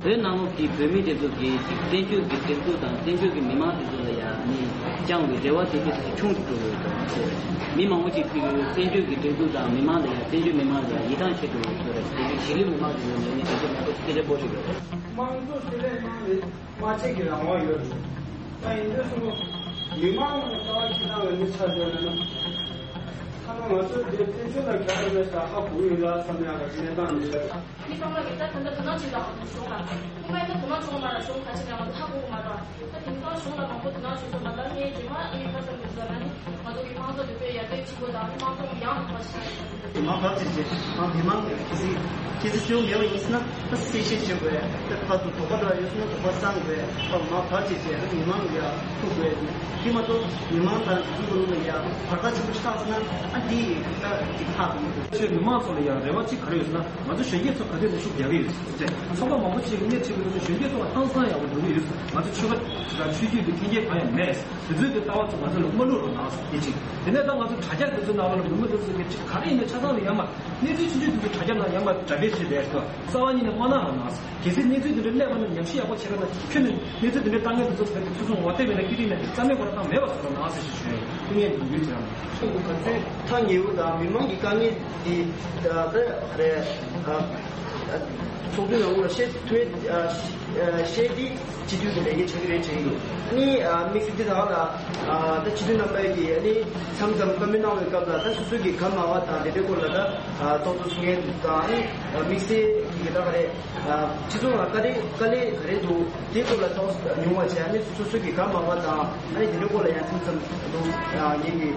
བོད་ནང་ལོགས་ཀྱི་བོད་མི་དེ་ཚོ་གིས་ཅིག་བཙན་བྱོལ་གྱི་སྒྲིག་འཛུགས་དང་བཙན་བྱོལ་གྱི་མི་མང་དེ་ཚོ་ལ་ཡང་ནི་བཅངས་པའི་རེ་བ་དེ་དེ་ཚོ་ཆུང་དུ་འགྲོ་ཡོད་དང་། མི་མང་པོ་ཅིག་གིས་བཙན་བྱོལ་གྱི་སྒྲིག་འཛུགས་དང་མི་མང་ལ་ཡང་བཙན་བྱོལ་མི་མང་ལ་ཡང་ཡིད་ཐང་ཆད་འགྲོ་ཡོད་ཟེར་བ་ཞིག་དེ་ཚོ་གཞིས་ལུས་མི་མང་དེ་ཚོ་ནས་ནི་དེ་ཚོ་མང་པོ་སྐད་ཆ་འབོར་ཞིག་ཡོད་རེད། དམངས་གཙོ་ཟེར་བའི་ནང་ནས་སྨྲ་བརྗོད་ཀྱི་རང་དབང་ཡོད་རེད། ད་ཡིན་དུས་སུ་མི་མང་གི་ལྟ་བ་ཅི་ལྟ་བའི་མི་ཆགས་ཡོད་ན་ན། ཐ་ན་ང་ཚོ་འདིར་བཙན་བྱོལ་ལ་ག་རེ་རེད་ཟེར་ཧ་གོ་ཡོད་ལ་བསམ་ཡག་གི་གནས་སྟངས་འདི་རེད། མི་ཚང་མ་གིས་ད་ད་ལྟ་དོ་སྣང་བྱེད་དང་གཞུང་ལ། སྔོན་མ་ཡིན་ན་དོ་སྣང་བྱུང་བ་མ་རེད། གཞུང་ག་ཅི་ལ་ང་ཚོ་ཧ་གོ་གི་མ་རེད། ད་དེང་སང་གཞུང་ལ་མང་པོ་དོ་སྣང་བྱེད་ཐུབ་པ་ལ་ངས་རྗེས་མ་ཨེ་ཁ་སང་གི་ཟེར་ན་ནི་ང་ཚོ་གི་དམངས་གཙོ་འདི་དཔེ་ཡར་རྒྱས་ཆེན་པོ་དང་དམངས་གཙོ་ཡང་དག་པ་ཞིག་ཡོང་གི་འདུག། མ་བར་ཆད་བྱས་ཨ་མི་མང་གི་ཁྱེད་ཚོས་ཁྱེད་ཚོ་ཞུ་མེད་པ་ཡིན་ཟེར་ན་ད་གསལ་བཤད་བྱེད་དགོས། ད་ཕར་ཚུར་དོགས་པ་འདྲ་ཡོད་ཟེར་ན་དོགས་པ་སངས་དགོས། ད་མ་བར་ཆད་བྱས་ཨ་མི་མང་གི་ཐུག་དགོས། དེ་མ་གཏོགས་མི་མང་དང་དེ་ཚོ་ནང་ལ་ཡང་བར་ཐག་ཆེན་པོ་ཆགས་སོང་ན་ཨ་འདི་ཡི་ད་ཅིག་ཧ་གོ་མི་འདུག། ཆོས་མི་མང་ཚོ་ལ་ཡང་རེ་བ་གཅིག་ག་རེ་ཡོད་ཟེར་ན་ང་ཚོ་གཞོན་སྐྱེས་ཚོ་ག་དུས་ནས་ཤུགས་རྒྱག་གི་ཡོད་ཟེར་ཚོགས་པ་མང་པོ་ཅིག་གིས་སྣེ་ཁྲིད་པའི་ཚོ་གཞོན་སྐྱེས་ཚོ་ལ་ཧང་སང་ཡག་པོ་འགྲོ་གི་ཡོད་ཟེར། ང་ཚོ་ཆོལ་ཁ་དང་ཆོས་བརྒྱུད་ཀྱི་འཐེན་འཁྱེར་གང་ཡང་མེད་ཟེར། དེ་ཚོའི་གི་ལྟ་བ་ཚོ་ང་ཚོ་ལ་མ་བླུག་རོགས་གནང་ཟེར་དེ་གཅིག། དེ་ནས་ད་ང་ཚོ་དྲ་རྒྱ་དེ་ཚོའི་ནང་ལ་མི་མང་དེ་ཚོ་གི་ཅིག་ག་རེ་ཡིན་ན་ཆ་ཚང་ལ་ཡང་མ་གནས་ཚུལ་ཆུང་ཆུང་དེ་ཚོ་དྲ་རྒྱ་ནང་ཡང་མ་དྲ་སྦྱོར་བྱས་བསྡད་ཟེར། རྩ་བ་ཉིད་ནས་མ་གནང་རོགས་གནང་ཟེར། གལ་སྲིད་གནས་ཚུལ་དེ་འདྲ་སླེབས་པ་ན་ཉམས་ཞིབ་ཡག་པོ་བྱེད་རོགས་གནང་། ཁྱོན་ནས་གནས་ཚུལ་དེ་འདྲ་བཏང་མཁན་དེ་ཚོ་བོད་དུ་ཚུར་སོང་ངོ་དེབ་ཡིན་ན་ཀི་རིང་ནས་རྩ་མེད་ཁོ་རང་བཏང་མེད་པ་བཟོ་རོགས་གནང་ཟེར་ཞུ་ཞུ་ཡིན། ཐུགས་ངེས་འདུག་ཡོད་ཀྱང་། ཁྱོད་ཀྱི་ག་ཚོད་ཐག་ཉེ་བོ་དང་མི་མང་གི་དཀའ་ངལ་དེ་ད་ད་རེད། ཨ་ཚོགས་འདུའི་ནང་ལ་བཤད་ཐུབ་ཨ་བཤད་དེ་སྤྱི་འཐུས་ཀྱི་ལས་ཀ་བྱེད་ཀྱི་རེད་དྲན་གྱི་འདུག། ཨ་ནི་ཨ་དམིགས་བསལ་དེ་ད་ལ་ཨ་ད་སྤྱི་འཐུས་རྣམ་པ་གིས་ཨ་ནི་མཚམས་མཚམས་བཀའ་མོལ་གནང་བའི་སྐབས་ལ་ད་སོ་སོ་གི་ག་མ་བ་དང་དེ་འདྲའི་སྐོར་ལ་ད་ཨ་རྟོག་བཟོ་ཚུགས་མཁན་དང་ཨ་ནི་དམིགས་བསལ་གྱི་ད་ག་རེད། སྤྱི་ཚོགས་ལ་དཀའ་ལས་དཀའ་ལས་ག་རེ་འདུག་དེའི་སྐོར་ལ་ཏོག་ཙམ་ཉུང་བ་བྱས། ཨ་ནི་སོ་སོ་གི་ག་མ་བ་དང་ཨ་ནི་དེ་འདྲའི་སྐོར་ལ་ཡང་ཐུགས་བསམ་འདུག་ངེད་ཀྱིས་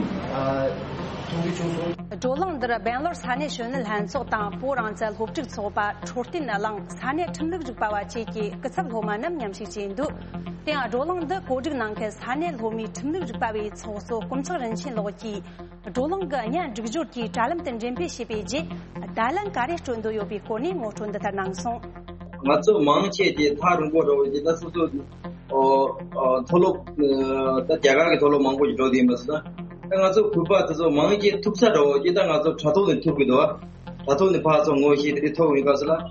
མཐོང་རྒྱུ་བྱུང་སོང་། བགྲོ་གླེང་འདིར་སྦེང་ལོར་ས་གནས་གཞོན་ནུ་ལྷན་ཚོགས་དང་བོད་རང་བཙན་སློབ་ཕྲུག་ཚོགས་པ། འཕྲོད་བསྟེན་གླིང་། ས་གནས་ཁྲིམས་ལུགས་རིག་པ་བ་བཅས་ཀྱི་སྐུ་ཚབ་སློབ་མ་རྣམས་མཉམ་ཞུགས་བྱས་འདུག། དེ་ཡང་བགྲོ་གླེང་འདི་གོ་སྒྲིག་གནང་མཁན་ས་གནས་སློབ་མའི་ཁྲིམས་ལུགས་རིག་པ་བའི་ཚོགས་གཙོ་དཀོན་མཆོག་རིན་ཆེན་ལགས་ཀྱིས། བགྲོ་གླེང་གི་བརྙན་སྒྲིག་སྦྱོར་གྱི་དྲ་ལམ་དུ་འགྲེམས་སྤེལ་བྱས་པའི་རྗེས། བརྡ་ལན་ག་རེ་སྤྲོད་འདོད་ཡོད་པའི་སྐོར་ནས་ངོ་སྤྲོད་འདི་ལྟར་གནང་སོང་། ང་ཚོ་མང་ཆེ་དེ་ཐག་རིང་པོ་འདྲ་བོ་ཅིག་ད་སོ་སོ་ཨོ་ཨོ་མཐོ་སློབ་ཨ་ད་རྒྱ་གར་གྱི་མཐོ་སློབ་མང་པོ་ཞིག་འགྲོ་བསྡད་ཡིན་པ་སོང་ན། ད་ང་ཚོ་བོད་པ་དེ་ཚོ་མང་ཆེ་ཐུག་ས་འདྲ་བོ་ཅིག་ད་ང་ཚོ་དྲ་ཐོག་ནས་ཐུག་གི་འདུག། ཨ་དྲ་ཐོག་ནས་ཕར་ཚུར་ངོ་ཤེས་དེ་ཐུག་ཡིན་པ་སོང་ན།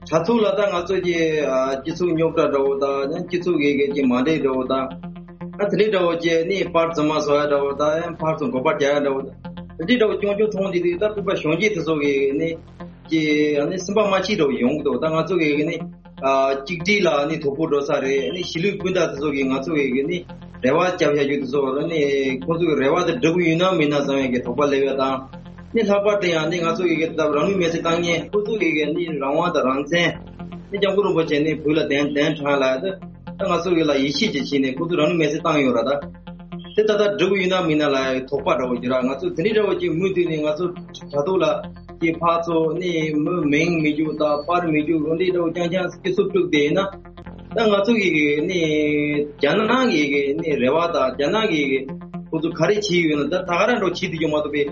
དྲ་ཐོག་ལ་ད་ང་ཚོ་གི་ཨ་སྤྱི་ཚོགས་རྙོག་དྲ་འདྲ་བོ་དང་ཡང་སྤྱི་ཚོགས་ཀྱི་གི་ཅིག་མ་འགྲིག་འདྲ་བོ་དང་། ཨ་དེ་འདྲའི་འདྲ་བོ་ཅིག་ནི་པར་རྫུན་མ་བཟོ་ཡ་འདྲ་བོ་དང་ཡང་ཕར་ཚུར་འགོག་པ་རྒྱག་ཡ་འདྲ་བོ་དང་། དེ་འདྲའི་འདྲ་བོ་ཅུང་ཅུང་མཐོང་དེ་དུས་ད་བོད་པ་གཞོན་སྐྱེས་དེ་ཚོ་གི་ནི་ཅིག་ཨ་ནི་སེམས་པ་མ་སྐྱིད་འདྲ་བོ་ཡོང་གི་འདུག། ད་ང་ཚོ་གི་ནི་ཨ་གཅིག་སྒྲིལ་ལ་ནི་དོ་ཕོག་འགྲོ་ས་རེད། ནི་གཞིས་ལུས་སྤུན་ཟླ་དེ་ཚོ་གི་ང་ཚོ་གི་གི་ནི་རེ་བ་བརྒྱབ་བཞག་རྒྱུ་དེ་ཚོ་ནི་ཁོང་ཚོ་གི་རེ་བ་དེ་འགྲུབ་ཀྱི་ཡོད་ན་མིན་ན་བསམ་ཡ་གི་དོགས་པ་སླེབས་ཡ་དང་། ནི་ལྷག་པར་དུ་ཡང་ནི་ང་ཚོ་གི་གི་ད་རང་ལུས་མེར་སྲེག་བཏང་མཁན་ཁོང་ཚོ་གི་གི་ནི་རང་དབང་དང་རང་བཙན་ནི་སྐྱབས་མགོན་རིན་པོ་ཆེ་ནི་བོད་ལ་གདན་གདན་དྲངས་ལ་ད་ང་ཚོ་གི་ལ་ཡིད་ཆེས་ཀྱི་ཆེད་ནས་ཁོང་ཚོ་རང་ལུས་མེར་སྲེག་བཏང་ཡོད་ར། ད་དེ་ད་ལྟ་འགྲུབ་ཀྱི་ཡོད་ན་མིན་ན་ལ་དོགས་པ་འདྲ་བོ་ཡོད་ར། ང་ཚོ་དེ་འདྲའི་འདྲ་བོ་ཅིག་མུ་མཐུད་ནས་ང་ཚོ་དྲ་ཐོག་ལ་ཅིག་ཕར་ཚུར་ནི་མི་མིང་མི་རྒྱུག་དང་པར་མི་རྒྱུག་འོ་འདྲའི་འདྲ་བོ་རྐྱང་རྐྱང་སྐྱིད་སུ་དཀྲུགས་བསྡད་ཡིན་ན། ད་ང་ཚོ་གི་ནི་རྒྱ་ནག་གི་ནི་རེ་བ་དང་རྒྱ་ནག་གི་ཁོ་ཚོ་ག་རེ་བྱེད་ཡོད་ན་ད་ད་ག་རང་འདྲ་བོ་བྱེད་ཐུབ་ཀྱི་མ་གཏོགས་པའི་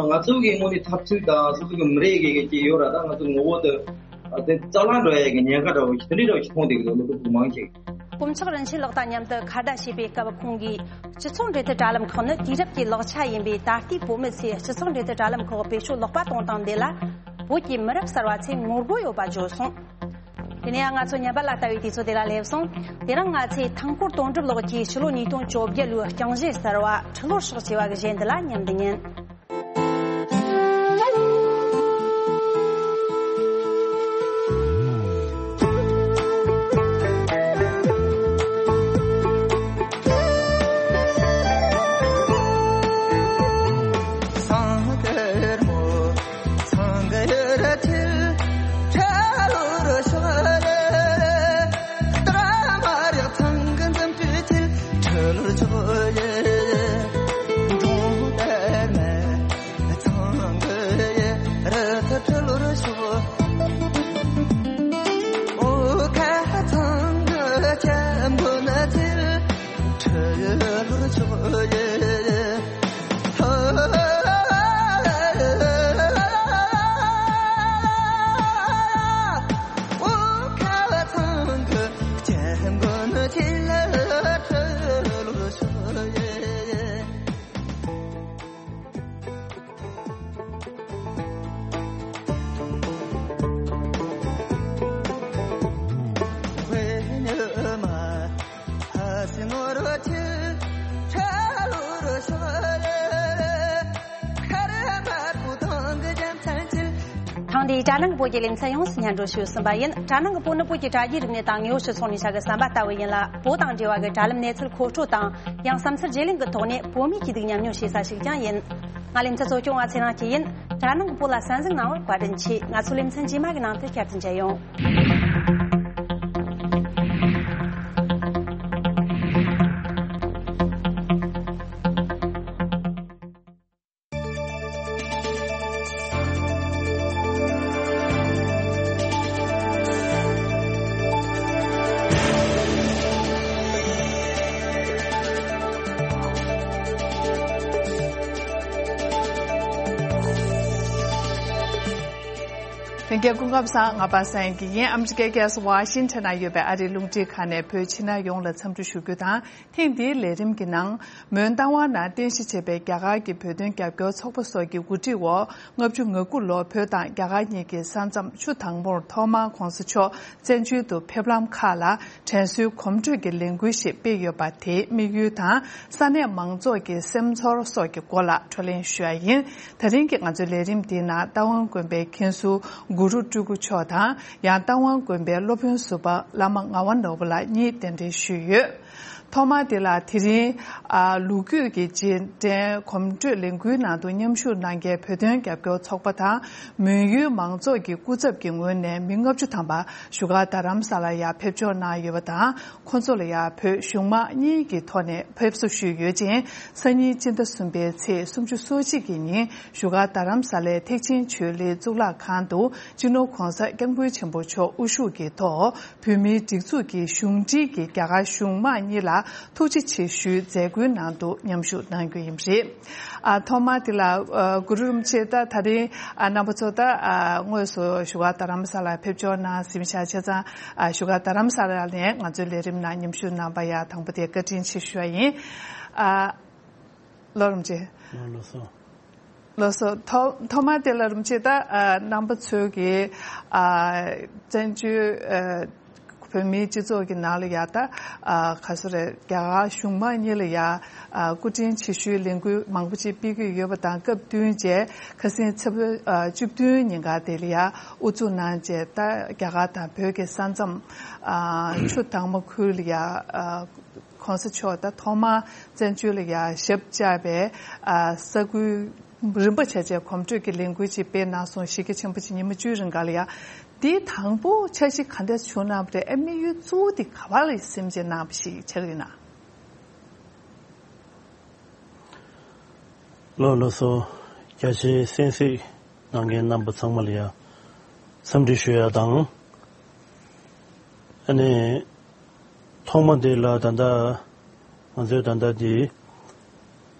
ང་ཚོ་གི་དངོས་གནས་འཐབ་རྩོད་དང་སོ་སོ་གི་མི་རིགས་ཀྱི་ཅིག་ཡོད་ར། ད་ང་ཚོ་ངོ་བོ་དེ་དེ་རྩ་བརླག་འགྲོ་ཡ་གི་ཉེན་ཁ་འདྲ་བོ་ཞིག་དེ་འདྲའི་འདྲ་བོ་ཞིག་མཐོང་བསྡད་ཀྱི་འདུག། སློབ་ཕྲུག་མང་ཆེ་གིས། དཀོན་མཆོག་རིན་ཆེན་ལགས་དང་མཉམ་དུ་ཁ་བརྡ་བྱས་པའི་སྐབས་ཁོང་གིས། སྤྱི་ཚོགས་འབྲེལ་མཐུད་དྲ་ལམ་ཁག་ནི་དུས་རབས་ཀྱི་ལེགས་ཆ་ཡིན་པས། ད་ལྟའི་བོད་མི་ཚོས་སྤྱི་ཚོགས་འབྲེལ་མཐུད་དྲ་ལམ་ཁག་བེད་སྤྱོད་ལོག་པ་གཏོང་སྟངས་འདི་ལ། བོད་ཀྱི་མི་རབས་གསར་བ་ཚོས་ངོ་རྒོལ་ཡོད་པ་བརྗོད་སོང་། དེ་ནས་ང་ཚོ་ཉམས་པ་ལ་ལྟ་བའི་དུས་ཚོད་དེ་ལ་སླེབས་སོང་། དེ་རིང་ང་ཚོས་ཐང་སྐོར་དོན་གྲུབ་ལགས་ཀྱིས་ཕྱི་ལོ་ཉིས་སྟོང་བཅོ་བརྒྱད་ལོའི་རྐྱང་གཞས་གསར་བ་ཁྲི་ལོར་ཕྱོགས་ཅེས་པ་གི་གཞས་འདི་ལ་ཉན་དུ་ཉན། འདི་དྲ་ནང་གི་བོད་ཀྱི་ལེ་ཚན་ཡོངས་སུ་སྙན་སྒྲོན་ཞུས་ཟིན་པ་ཡིན། དྲ་ནང་གི་བོད་ནི་བོད་ཀྱི་དྲ་རྒྱའི་རིག་གནས་དང་དངོས་ཡོད་སྤྱི་ཚོགས་ནས་བྱ་དགའ་ཟམ་པ་ལྟ་བུ་ཡིན་ལ། བོད་དང་འབྲེལ་བ་གི་དྲ་ལམ་གནས་ཚུལ་མཁོ་སྤྲོད་དང་། ཡང་བསམ་ཚུལ་བརྗེ་ལེན་གྱི་ཐོག་ནས་བོད་མིའི་སྐྱིད་སྡུག་མཉམ་མྱོང་བྱེད་ས་ཞིག་ཀྱང་ཡིན། ང་ལེ་ཚན་གཙོ་སྐྱོང་བ་ཚེ་རིང་སྐྱིད་ཡིན། དྲ་ནང་གི་བོད་ལ་གསན་གཟིགས་གནང་བར་བཀའ་དྲིན་ཆེ། ང་ཚོའི་ལེ་ཚན་རྗེས་མ་གི་ནང་དུ་བསྐྱར་དུ་མཇལ་ཡོང་། ལྷན་རྒྱས་སྐུ་ཁམས་བཟང་། ང་པ་སངས་སྐྱིད་ཡིན། ཨ་མི་རི་ཀའི་རྒྱལ་ས་ཝ་ཤིང་ཊོན་ན་ཡོད་པའི་ཨ་རིའི་རླུང་འཕྲིན་ཁང་ནས་བོད་ཕྱི་ནང་ཡོངས་ལ་འཚམས་འདྲི་ཞུ་རྒྱུ་དང་། ཐེངས་འདིའི་ལས་རིམ་གྱི་ནང་། མོན་རྟ་དབང་ནང་རྟེན་གཞི་བྱས་པའི་རྒྱ་གར་གྱི་བོད་དོན་རྒྱབ་སྐྱོར་ཚོགས་པ་སོགས་ཀྱི་འགོ་ཁྲིད་འོག་ལྔ་བཅུ་ང་དགུ་ལོར་བོད་དང་རྒྱ་གར་གཉིས་ཀྱི་ས་མཚམས་ཆུ་དྭངས་མོར་ཐོག་མར་༧གོང་ས་མཆོག་བཙན་བྱོལ་དུ་ཕེབས་ལམ་ཁག་ལ་དྲན་གསོའི་གོམ་བགྲོད་ཀྱི་ལས་འགུལ་ཞིག་སྤེལ་ཡོད་པ་དེའི་དམིགས་ཡུལ་དང་། ས་གནས་མང་ཚོགས་ཀྱི་སེམས་ཚོར་སོགས་ཀྱི་སྐོར་ལ་བགྲོ་གླེང་ཞུ་ཡ་ཡིན། ད་རིང་གི་ང་ཚོའི་ལས་རིམ་འདིའི་ནང་རྟ་དབང་དགོན་པའི་མཁན་ཟུར་གུ་རུ་སྤྲུལ་སྐུ་མཆོག་དང་། ཡང་རྟ་དབང་དགོན་པའི་སློབ་དཔོན་ཟུར་པ་བླ་མ་ངག་དབང་ནོར་བུ་ལགས་གཉིས་གདན་འདྲེན་ཞུས་ཡོད། ཐོག་མ་དེ་ལ་དེ་རིང་། ཨ། ལོ་རྒྱུས་ཀྱི་རྗེས་དྲན་གོམ་བགྲོད་ལས་འགུལ་ནང་དུ་མཉམ་ཞུགས་གནང་མཁན་བོད་དོན་རྒྱབ་སྐྱོར་ཚོགས་པ་དང་། མོན་ཡུལ་མང་ཚོགས་ཀྱི་སྐུ་ཚབ་ཀྱི་ངོས་ནས་མི་ལྔ་བཅུ་ཐམ་པ་བཞུགས་སྒར་རྡ་རམ་ས་ལར་ཡར་ཕེབས་འབྱོར་གནང་ཡོད་པ་དང་། ཁོང་ཚོ་ལ་ཡང་བོད་གཞུང་མང་གཉིས་ཀྱི་ཐོག་ནས་ཕེབས་བསུ་ཞུས་ཡོད་ཅིང་། སང་ཉིན་སྤྱི་ཟླ་གསུམ་པའི་ཚེས་སུམ་ཅུ་སོ་གཅིག་གི་ཉིན་བཞུགས་སྒར་རྡ་རམ་ས་ལའི་ཐེག་ཆེན་ཆོས་གླིང་གཙུག་ལག་ཁང་དུ་སྤྱི་ནོར་༧གོང་ས་༧སྐྱབས་མགོན་ཆེན་པོ་མཆོག་དབུ་བཞུགས་ཀྱི་ཐོག་བོད་མིའི་སྒྲིག་འཛུགས་ཀྱི་གཞུང་འབྲེལ་གྱི་རྒྱ་གར་གཞུང་མང་གཉིས་ལ་ཐུགས་རྗེ་ཆེ་ཞུའི་མཛད་སྒོའི་ནང་དུ་མཉམ་ཞུགས་གནང་རྒྱུ་ཡིན་པ་རེད། ཨ། ཐོག་མ་དེ་ལ། ཨ། གུ་རུ་རིན་པོ་ཆེ། ད་ད་རིང་། ཨ། རྣམ་པ་ཚོ་ད། ཨ། དངོས་སུ་བཞུགས་སྒར་རྡ་རམ་ས་ལར་ཕེབས་འབྱོར་གནང་ཟིན་བཞག་བྱས་ཙང་། ཨ། བཞུགས་སྒར་རྡ་རམ་ས་ལ་ནས་ང་ཚོའི་ལས་རིམ་ནང་མཉམ་ཞུགས་གནང་པ་ཡ་དང་པོ་དེ་བཀའ་དྲིན་ཆེ་ཞུ་བ་ཡིན། ཨ། ལགས་རིན་པོ་ཆེ། ལགས་སོ། ལགས་སོ། ཐོག་ཐོག་མ་དེ་ལ་རིན་པོ་ཆེ། ད། ཨ། རྣམ་པ་ཚོས་ཀྱི། ཨ། བཙན་བྱོལ། ཨ། བོད་མིའི་སྤྱི་ཚོགས་ཀྱི་ནང་ལ་ཡ། ད། ཨ། ག་ཚོད་རེད། རྒྱ་གར་གཞུང་མང་གཉིས་ལ་ཡ། ཨ། སྐུ་དྲིན་ཆེ་ཞུའི་ལས་འགུལ་མང་པོ་ཅིག་སྤེལ་གྱི་ཡོད་པ་དང་། སྐབས་བསྟུན་བྱས་ཁ་སང་ཚེས་པ། ཨ། བཅུ་བདུན་ཉིན་ཀ་དེ་ལ་ཡ་དབུ་འཛུགས་གནང་བྱས། ད་རྒྱ་གར་དང་བོད་ཀྱི་ས་མཚམས། ཨ། ཆུ་དྭངས་མ་ཁུལ་ལ་ཡ། ཨ། གོང་ས་མཆོག་ད་ཐོག་མར་བཙན་བྱོལ་ལ་ཡ་ཞབས་བཅགས་པའི། ཨ། ས་ཁུལ་རིམ་པ་བྱས་བྱས་གོམ་བགྲོད་ཀྱི་ལས་འགུལ་ཅིག་སྤེལ་གནང་སོང་། གཞིས་ཀ་ཆེན་པོ་ཅིག་ཉི་མ་བཅུའི་རིང་ག་ལ་ཡ། དེའི་དང་པོ་འཆར་གཞི་ག་འདྲ་བྱུང་གནང་བ་རེད། ཨ། དམིགས་ཡུལ་གཙོ་བོ་དེ་ག་བ་ལ་སེམས་ཅན་གནང་བ་ཞིག་ཆགས་ཡོད་ན། ལགས་ལགས་སོ། རྒྱ་ཆེའི་གསན་གཟིགས་གནང་མཁན་རྣམ་པ་ཚང་མ་ལ་ཡ་འཚམས་འདྲི་ཞུ་ཡ་དང་། ཨ་ནི། ཐོག་མ་དེ་ལ་ད་ལྟ་ང་ཚོས་ད་ལྟ་འདི་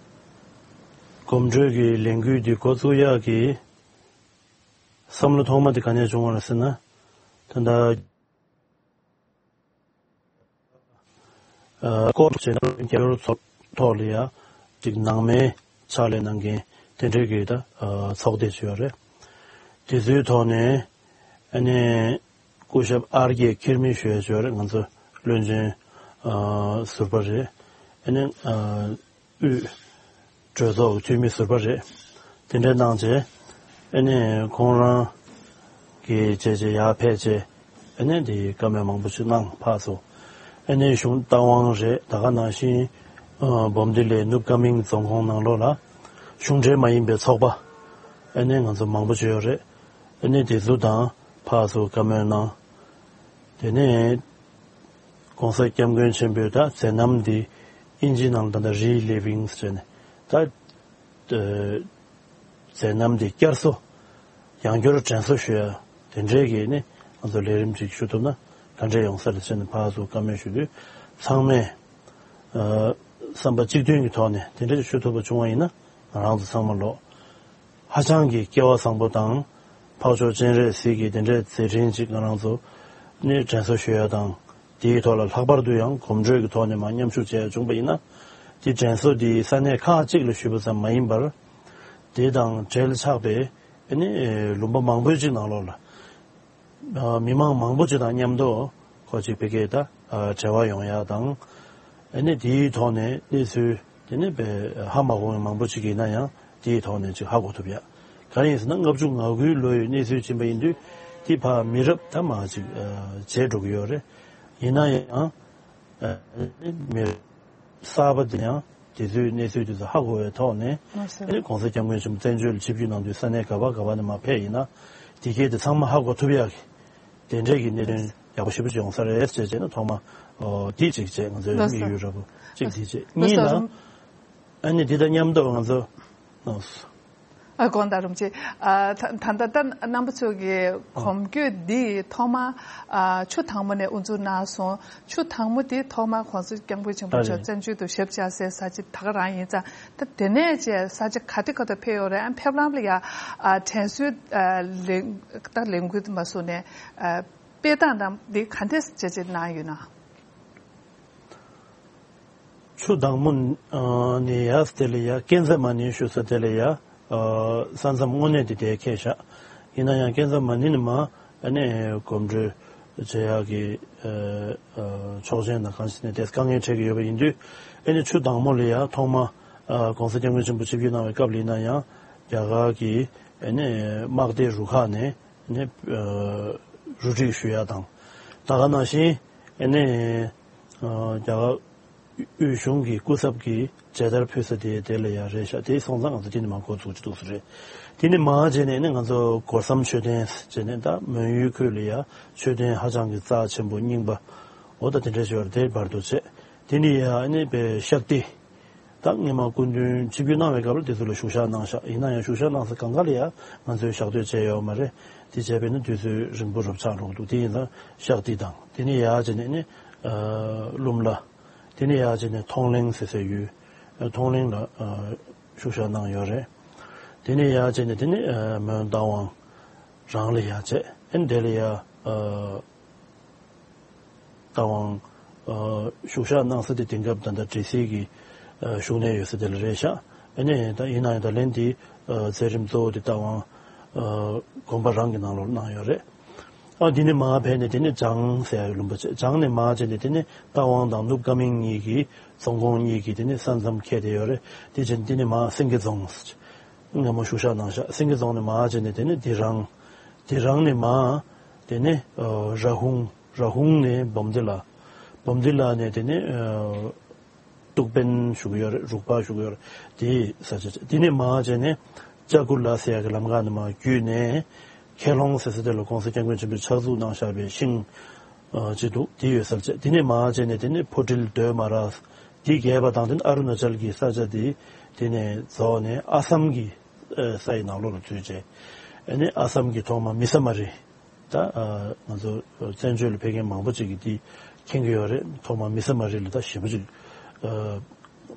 གོམ་བགྲོད་ཀྱི་ལས་འགུལ་འདི་འགོ་བཙུགས་ཡག་གི་བསམ་བློ་ཐོག་མ་དེ་ག་ནས་བྱུང་བ་རེད་ཟེར་ན། ད་ལྟ། ཨ། སྐོར་བྱས་ན་རྒྱ་གར་ཚོགས་ཐོག་ལ་ཡ་ཅིག་ནང་མའི་ཕྱག་ལས་གནང་མཁན་དེ་འདྲའི་གི་ད། ཨ། ཚོགས་སྡེ་ཅིག་ཡོད་རེད། དེ་ཚོའི་ཐོག་ནས་ཨ་ནི་སྐུ་ཞབས་ཨར་ཀེ་ཁེར་མི་ཞུ་ཡ་ཅིག་ཡོད་རེད། ང་ཚོ་བློན་ཆེན། ཨ། ཟུར་པ་རེད། ཨ་ནི། ཨ། དབུས་གྲོས་ཚོགས་ཀྱི་འཐུས་མི་ཟུར་པ་རེད། དེ་འདྲ་གནང་བྱས། ཨ་ནི་ཁོང་རང་གིས་བྱས་བྱས་ཡར་ཕེབས་བྱས། ཨ་ནི་འདི་བཀའ་མོལ་མང་པོ་ཞིག་གནང་ཕར་ཚུར། ཨ་ནི་གཞུང་རྟ་དབང་རེད། ད་ག་ནང་བཞིན། ཨ། འབུམ་སྡེ་ལའི་ནུབ་ཀ་མིང་རྫོང་ཁོངས་ནང་ལོགས་ལ་གཞུང་འབྲེལ་མ་ཡིན་པའི་ཚོགས་པ། ཨ་ནི་ང་ཚོ་མང་པོ་ཅིག་ཡོད་རེད། ཨ་ནི་དེ་ཚོ་དང་ཕར་ཚུར་བཀའ་མོལ་གནང་། དེ་ནས་༧གོང་ས་༧སྐྱབས་མགོན་ཆེན་པོས་ད་མཛད་རྣམ་འདི་ཨིན་ཇིའི་ནང་ལ་ད་ལྟ་རི་ལི་ཝིང་ཟེར་ནས་ད། ཨ། མཛད་རྣམ་འདི་བསྐྱར་གསོ། ཡང་བསྐྱར་དྲན་གསོ་ཞུ་ཡ་དེ་འདྲའི་གི་ནི་ང་ཚོ་ལས་རིམ་ཅིག་ཞུ་ཐུབ་ན་ག་འདྲས་ཡོང་ས་རེད་ཟེར་ནས་ཕར་ཚུར་བཀའ་མོལ་ཞུ་དུས། ཚང་མས། ཨ། བསམ་པ་གཅིག་མཐུན་གྱི་ཐོག་ནས་དེ་འདྲ་ཞུ་ཐུབ་པ་བྱུང་བ་ཡིན་ན། ང་རང་ཚོ་ཚང་མ་ལོ་ཧ་ཅང་གི་སྐལ་བ་བཟང་པོ་དང་། འཕགས་མཆོག་སྤྱན་རས་གཟིགས་ཀྱི་དེ་འདྲའི་མཛད་འཕྲིན་ཅིག་ང་རང་ཚོ་ནི་དྲན་གསོ་ཞུ་ཡ་དང་། དེའི་ཐོག་ལ་ལྷག་པར་དུ་ཡང་གོམ་བགྲོད་ཀྱི་ཐོག་ནས་མར་མཉམ་ཞུགས་བྱས་ཡ་བྱུང་པ་ཡིན་ན། དེ་དྲན་གསོ་དེ་ས་གནས་ཁག་ཅིག་ལ་ཞུས་པ་ཙམ་མ་ཡིན་པར། དེ་དང་འབྲེལ་ཆགས་པའི་ཨ་ནི་ལུང་པ་མང་པོའི་ཅིག་ནང་ལོགས་ལ། ཨ། མི་མང་མང་པོ་ཅིག་དང་མཉམ་དུ་ཁོ་ཅིག་བི་ཀའི་ད། ཨ། འབྲེལ་བ་ཡོང་ཡ་དང་། ཨ་ནི་དེའི་ཐོག་ནས་གནས་ཚུལ་དེ་ནི་དཔེ་ཧ་མ་གོ་བ་མང་པོ་ཅིག་ཡིན་ན་ཡང་དེའི་ཐོག་ནས་ཅིག་ཧ་གོ་ཐུབ་ཡ། ག་རེ་ཡིན་ཟེར་ན་ལྔ་བཅུ་ང་དགུའི་ལོ་ཡི་གནས་ཚུལ་ཕྱིན་པ་ཡིན་དུས་དེ་ཕར་མི་རབས་ད་མར་ཅིག་བརྗེས་འགྲོ་གི་ཡོད་རེད། ཡིན་ན་ཡང་མི་རབས་གསར་པ་དེ་ཡང་དེ་ཚོའི་གནས་ཚུལ་དེ་ཚོ་ཧ་གོ་བའི་ཐོག་ནས་ལགས་སོ། ཨ་ནི་གོང་ས་སྐྱབས་མགོན་ཆེན་པོ་བཙན་བྱོལ་ལ་ཆིབས་བསྒྱུར་གནང་དུས་ས་གནས་ག་པ་ག་པ་ནས་མར་ཕེབས་ཡིན་ན་དེ་གས་དེ་ཚང་མ་ཧ་གོ་ཐུབ་ཡག་གི་དེ་འདྲས་ཀྱི་གནད་དོན་ཡག་པོ་ཞེ་པོ་ཅིག་ཡོང་ས་རེད་ཅེས་བྱས་ན་ཐོག་མ་འདི་གཅིག་བྱས། ང་ཚོའི་ལགས་སོ། དམིགས་ཡུལ་ར་བོ་གཅིག་འདི་བྱས། ལགས་གཉིས་སོ། ལ་རུམ་ཨ་ནི་འདི་དང་མཉམ་དུ་ང་ཚོ་ཨ་དགོངས་དག་རུམ་ཆེ། ཨ་ད་ད་ལྟ་རྣམ་པ་ཚོ་གི་གོམ་བགྲོད་འདི་ཐོག་མ་ཨ་ཆུ་དྭངས་མོ་ནས་དབུ་འཛུགས་གནང་སོང་། ཆུ་དྭངས་མོ་དེ་ཐོག་མ་གོང་ས་སྐྱབས་མགོན་ཆེན་པོ་ཨ་མཆོག་རེད། བཙན་བྱོལ་དུ་ཞབས་བཅགས་སའི་ས་ཆ་ད་ག་རང་ཡིན་ཙང་། ད་དེ་ནས་བཅས་ས་ཆ་ག་དེ་ག་དུ་ཕེབས་ཡོད་རེད། ཨ་ཕེབས་ལམ་ལ་ཡ་ཨ་དྲན་གསོའི་ཨ་ལས་ད་ལས་འགུལ་མ་སོང་ནས་ཨ་དཔེ་སྟངས་དང་འདི་ག་འདྲས་བྱས་བྱས་གནང་ཡོད་ན། ཆུ་དྭངས་མོ་ནས་ཡར་དེ་ལ་ཡ་ཀན་ཛ་མ་ནི་ཞུ་ས་དེ་ལ་ཡ་ས་མཚམས་དངོས་གནས་དེ་དེ་ཁེལ་ཤག་ཡིན་ན་ཡང་ཀན་ཛ་མ་ནི་ནས་མར་ཨ་ནི་གོམ་བགྲོད་བྱེད་ཡག་གི་ཆོག་མཆན་དང་གང་ཞིག་ནས་དེ་དཀའ་ངལ་འཕྲད་ཀྱི་ཡོད་པ་ཡིན་དུས། ཨ་ནི་ཆུ་དྭངས་མོ་ལ་ཡ་ཐོག་མ་གོང་ས་སྐྱབས་མགོན་ཆེན་པོ་ཆིབས་བསྒྱུར་གནང་བའི་སྐབས་ལ་ཡིན་ན་ཡང་རྒྱ་གར་གྱི་ཨ་ནི་དམག་སྡེ་རུ་ཁག་ནས་ནས་རུ་སྒྲིག་ཞུ་ཡ་དང་། ད་ག་ནང་བཞིན་ཨ་ནི་རྒྱ་གར་དབུས་གཞུང་གི་སྐུ་ཚབ་ཀྱིས་མཇལ་དར་ཕུལ་ས་དེ་དེ་ལ་ཡང་རེད་ཤག་དེ་སོང་ཙང་ང་ཚོ་དེ་ནས་མར་འགོ་ཚུགས་ཀྱི་འདུག་ས་རེད། དེ་ནས་མར་བྱས་ནས་ནི་ང་ཚོ་སྒོ་ཟམ་མཆོད་རྟེན་བྱས་ནས་ད་མོན་ཡུལ་ཁུལ་ལ་ཡང་མཆོད་རྟེན་ཧ་ཅང་གི་རྩ་ཆེན་པོ་རྙིང་པ་འོ་ད་དེ་འདྲ་ཞིག་ཡོད་རེད། དེ་བར་དུ་བྱས། དེ་ནས་ཡང་ནི་པའི་ཤག་ཏི། ད་སྔོན་མ་སྐུ་མདུན་ཆིབས་བསྒྱུར་གནང་བའི་སྐབས་ལ་དེ་ཚོ་ལ་བཞུགས་ཞག་གནང་ཤག་ཡིན་ན་ཡང་བཞུགས་ཞག་གནང་ས་གང་ག་ལ་ཡང་ང་ཚོས་ཞག་སྡོད་བྱས་ཡོད་མ་རེད། དེ་བྱས་པས་ན་དུས་ཚོད་རིང་པོ་རུབ་ཆགས་འགྲོ་གི་འདུག་དེ་ཡིན་ཙང་ཤག་ཏི་དང་དེ་ནས་ཡར་བྱས་ནས་ནི་ཨ་ཀླུ་མ་ལ། དེ་ནས་ཡར་བྱས་ནས་ཐོང་ལེང་ཟེར་སའི་ཡུལ། ཨ་ཐོང་ལེང་ལ་ཨ་བཞུགས་ཞག་གནང་ཡོད་རེད། དེ་ནས་ཡར་བྱས་ནས་དེ་ནས་ཨ་མོན་རྟ་དབང་རང་ལ་ཡར་བྱས། ཨ་ནི་དེ་ལ་ཡར་ཨ། རྟ་དབང་ཨ་བཞུགས་ཞག་གནང་ས་དེ་དེང་སྐབས་ད་ལྟ་འབྲི་སིལ་གྱི་ཨ་བཞུགས་གནས་ཡོད་ས་དེ་ལ་རེད་ཤག་ཨ་ནི་ད་ཡིན་ན་ཡང་ད་ལན་དེ་ཨ་མཛད་རིམ་གཙོ་བོ་དེ་རྟ་དབང་ཨ་དགོན་པ་རང་གི་ནང་ལོགས་གནང་ཡོད་རེད། ཨ་འདི་ནས་མར་ཕེབས་ནས་དེ་ནས་བྱང་ཟེར་ཡག་ལུང་པ་བྱས། བྱང་ནས་མར་བྱས་ནས་དེ་ནས་རྟ་དབང་དང་ནུབ་ཀ་མིང་གཉིས་ཀྱི་རྫོང་ཁོངས་གཉིས་ཀྱི་དེ་ནས་ས་མཚམས་ཁེལ་བསྡད་ཡོད་རེད། དེ་བྱས་ནས་དེ་ནས་མར་སེང་གེ་རྫོང་སྔ་མོ་བཞུགས་ཞག་གནང་ཤག་སེང་གེ་རྫོང་ནས་མར་བྱས་ནས་དེ་ནས་དི་རང་། དི་རང་ནས་མར་དེ་ནས་ཨ་ར་ཧུང་། ར་ཧུང་ནས་འབུམ་སྡེ་ལ། འབུམ་སྡེ་ལ་ནས་དེ་ནས་ཨ་གཏུག་དཔོན་བཞུགས་ཡོད་རེད། རུག་པ་བཞུགས་ཡོད་རེད། དེའི་ས་ཆ་བྱས། དེ་ནས་མར་བྱས་ནས་ལྕགས་ཀུ་ལ་ཟེར་ཡག་གི་ལམ་ཁ་ནས་མར་བརྒྱུད་ནས་ཁེ་ལོང་ཟེར་ས་དེ་ལ་གོང་ས་སྐྱབས་མགོན་ཆེན་པོས་ཕྱག་འཛུགས་གནང་བཞག་པའི་ཤིང་ཨ་ཅིག་འདུག་དེ་ཡོད་ས་བྱས། དེ་ནས་མར་བྱས་ནས་དེ་ནས་ཕོ་ཊིལ་སྡོད་མ་ར་དེ་བརྒལ་བ་དང་དེ་ནས་ཨ་རུ་ན་ཅལ་གྱི་ས་ཆ་དེ་དེ་ནས་རྫོགས་ནས་ཨ་སམ་གྱི་ས་ཡི་ནང་ལོགས་ལ་ཚུད་བྱས། ཨ་ནི་ཨ་སམ་གྱི་ཐོག་མ་མི་ས་མ་རི། ད་ཨ་ང་ཚོ་བཙན་བྱོལ་ལ་ཕེབས་མཁན་མང་པོ་ཅིག་གིས་འདི་མཁྱེན་གྱི་ཡོད་རེད། ཐོག་མ་མི་ས་མ་རི་ལ་ད་ཞེ་པོ་ཅིག་ཨ་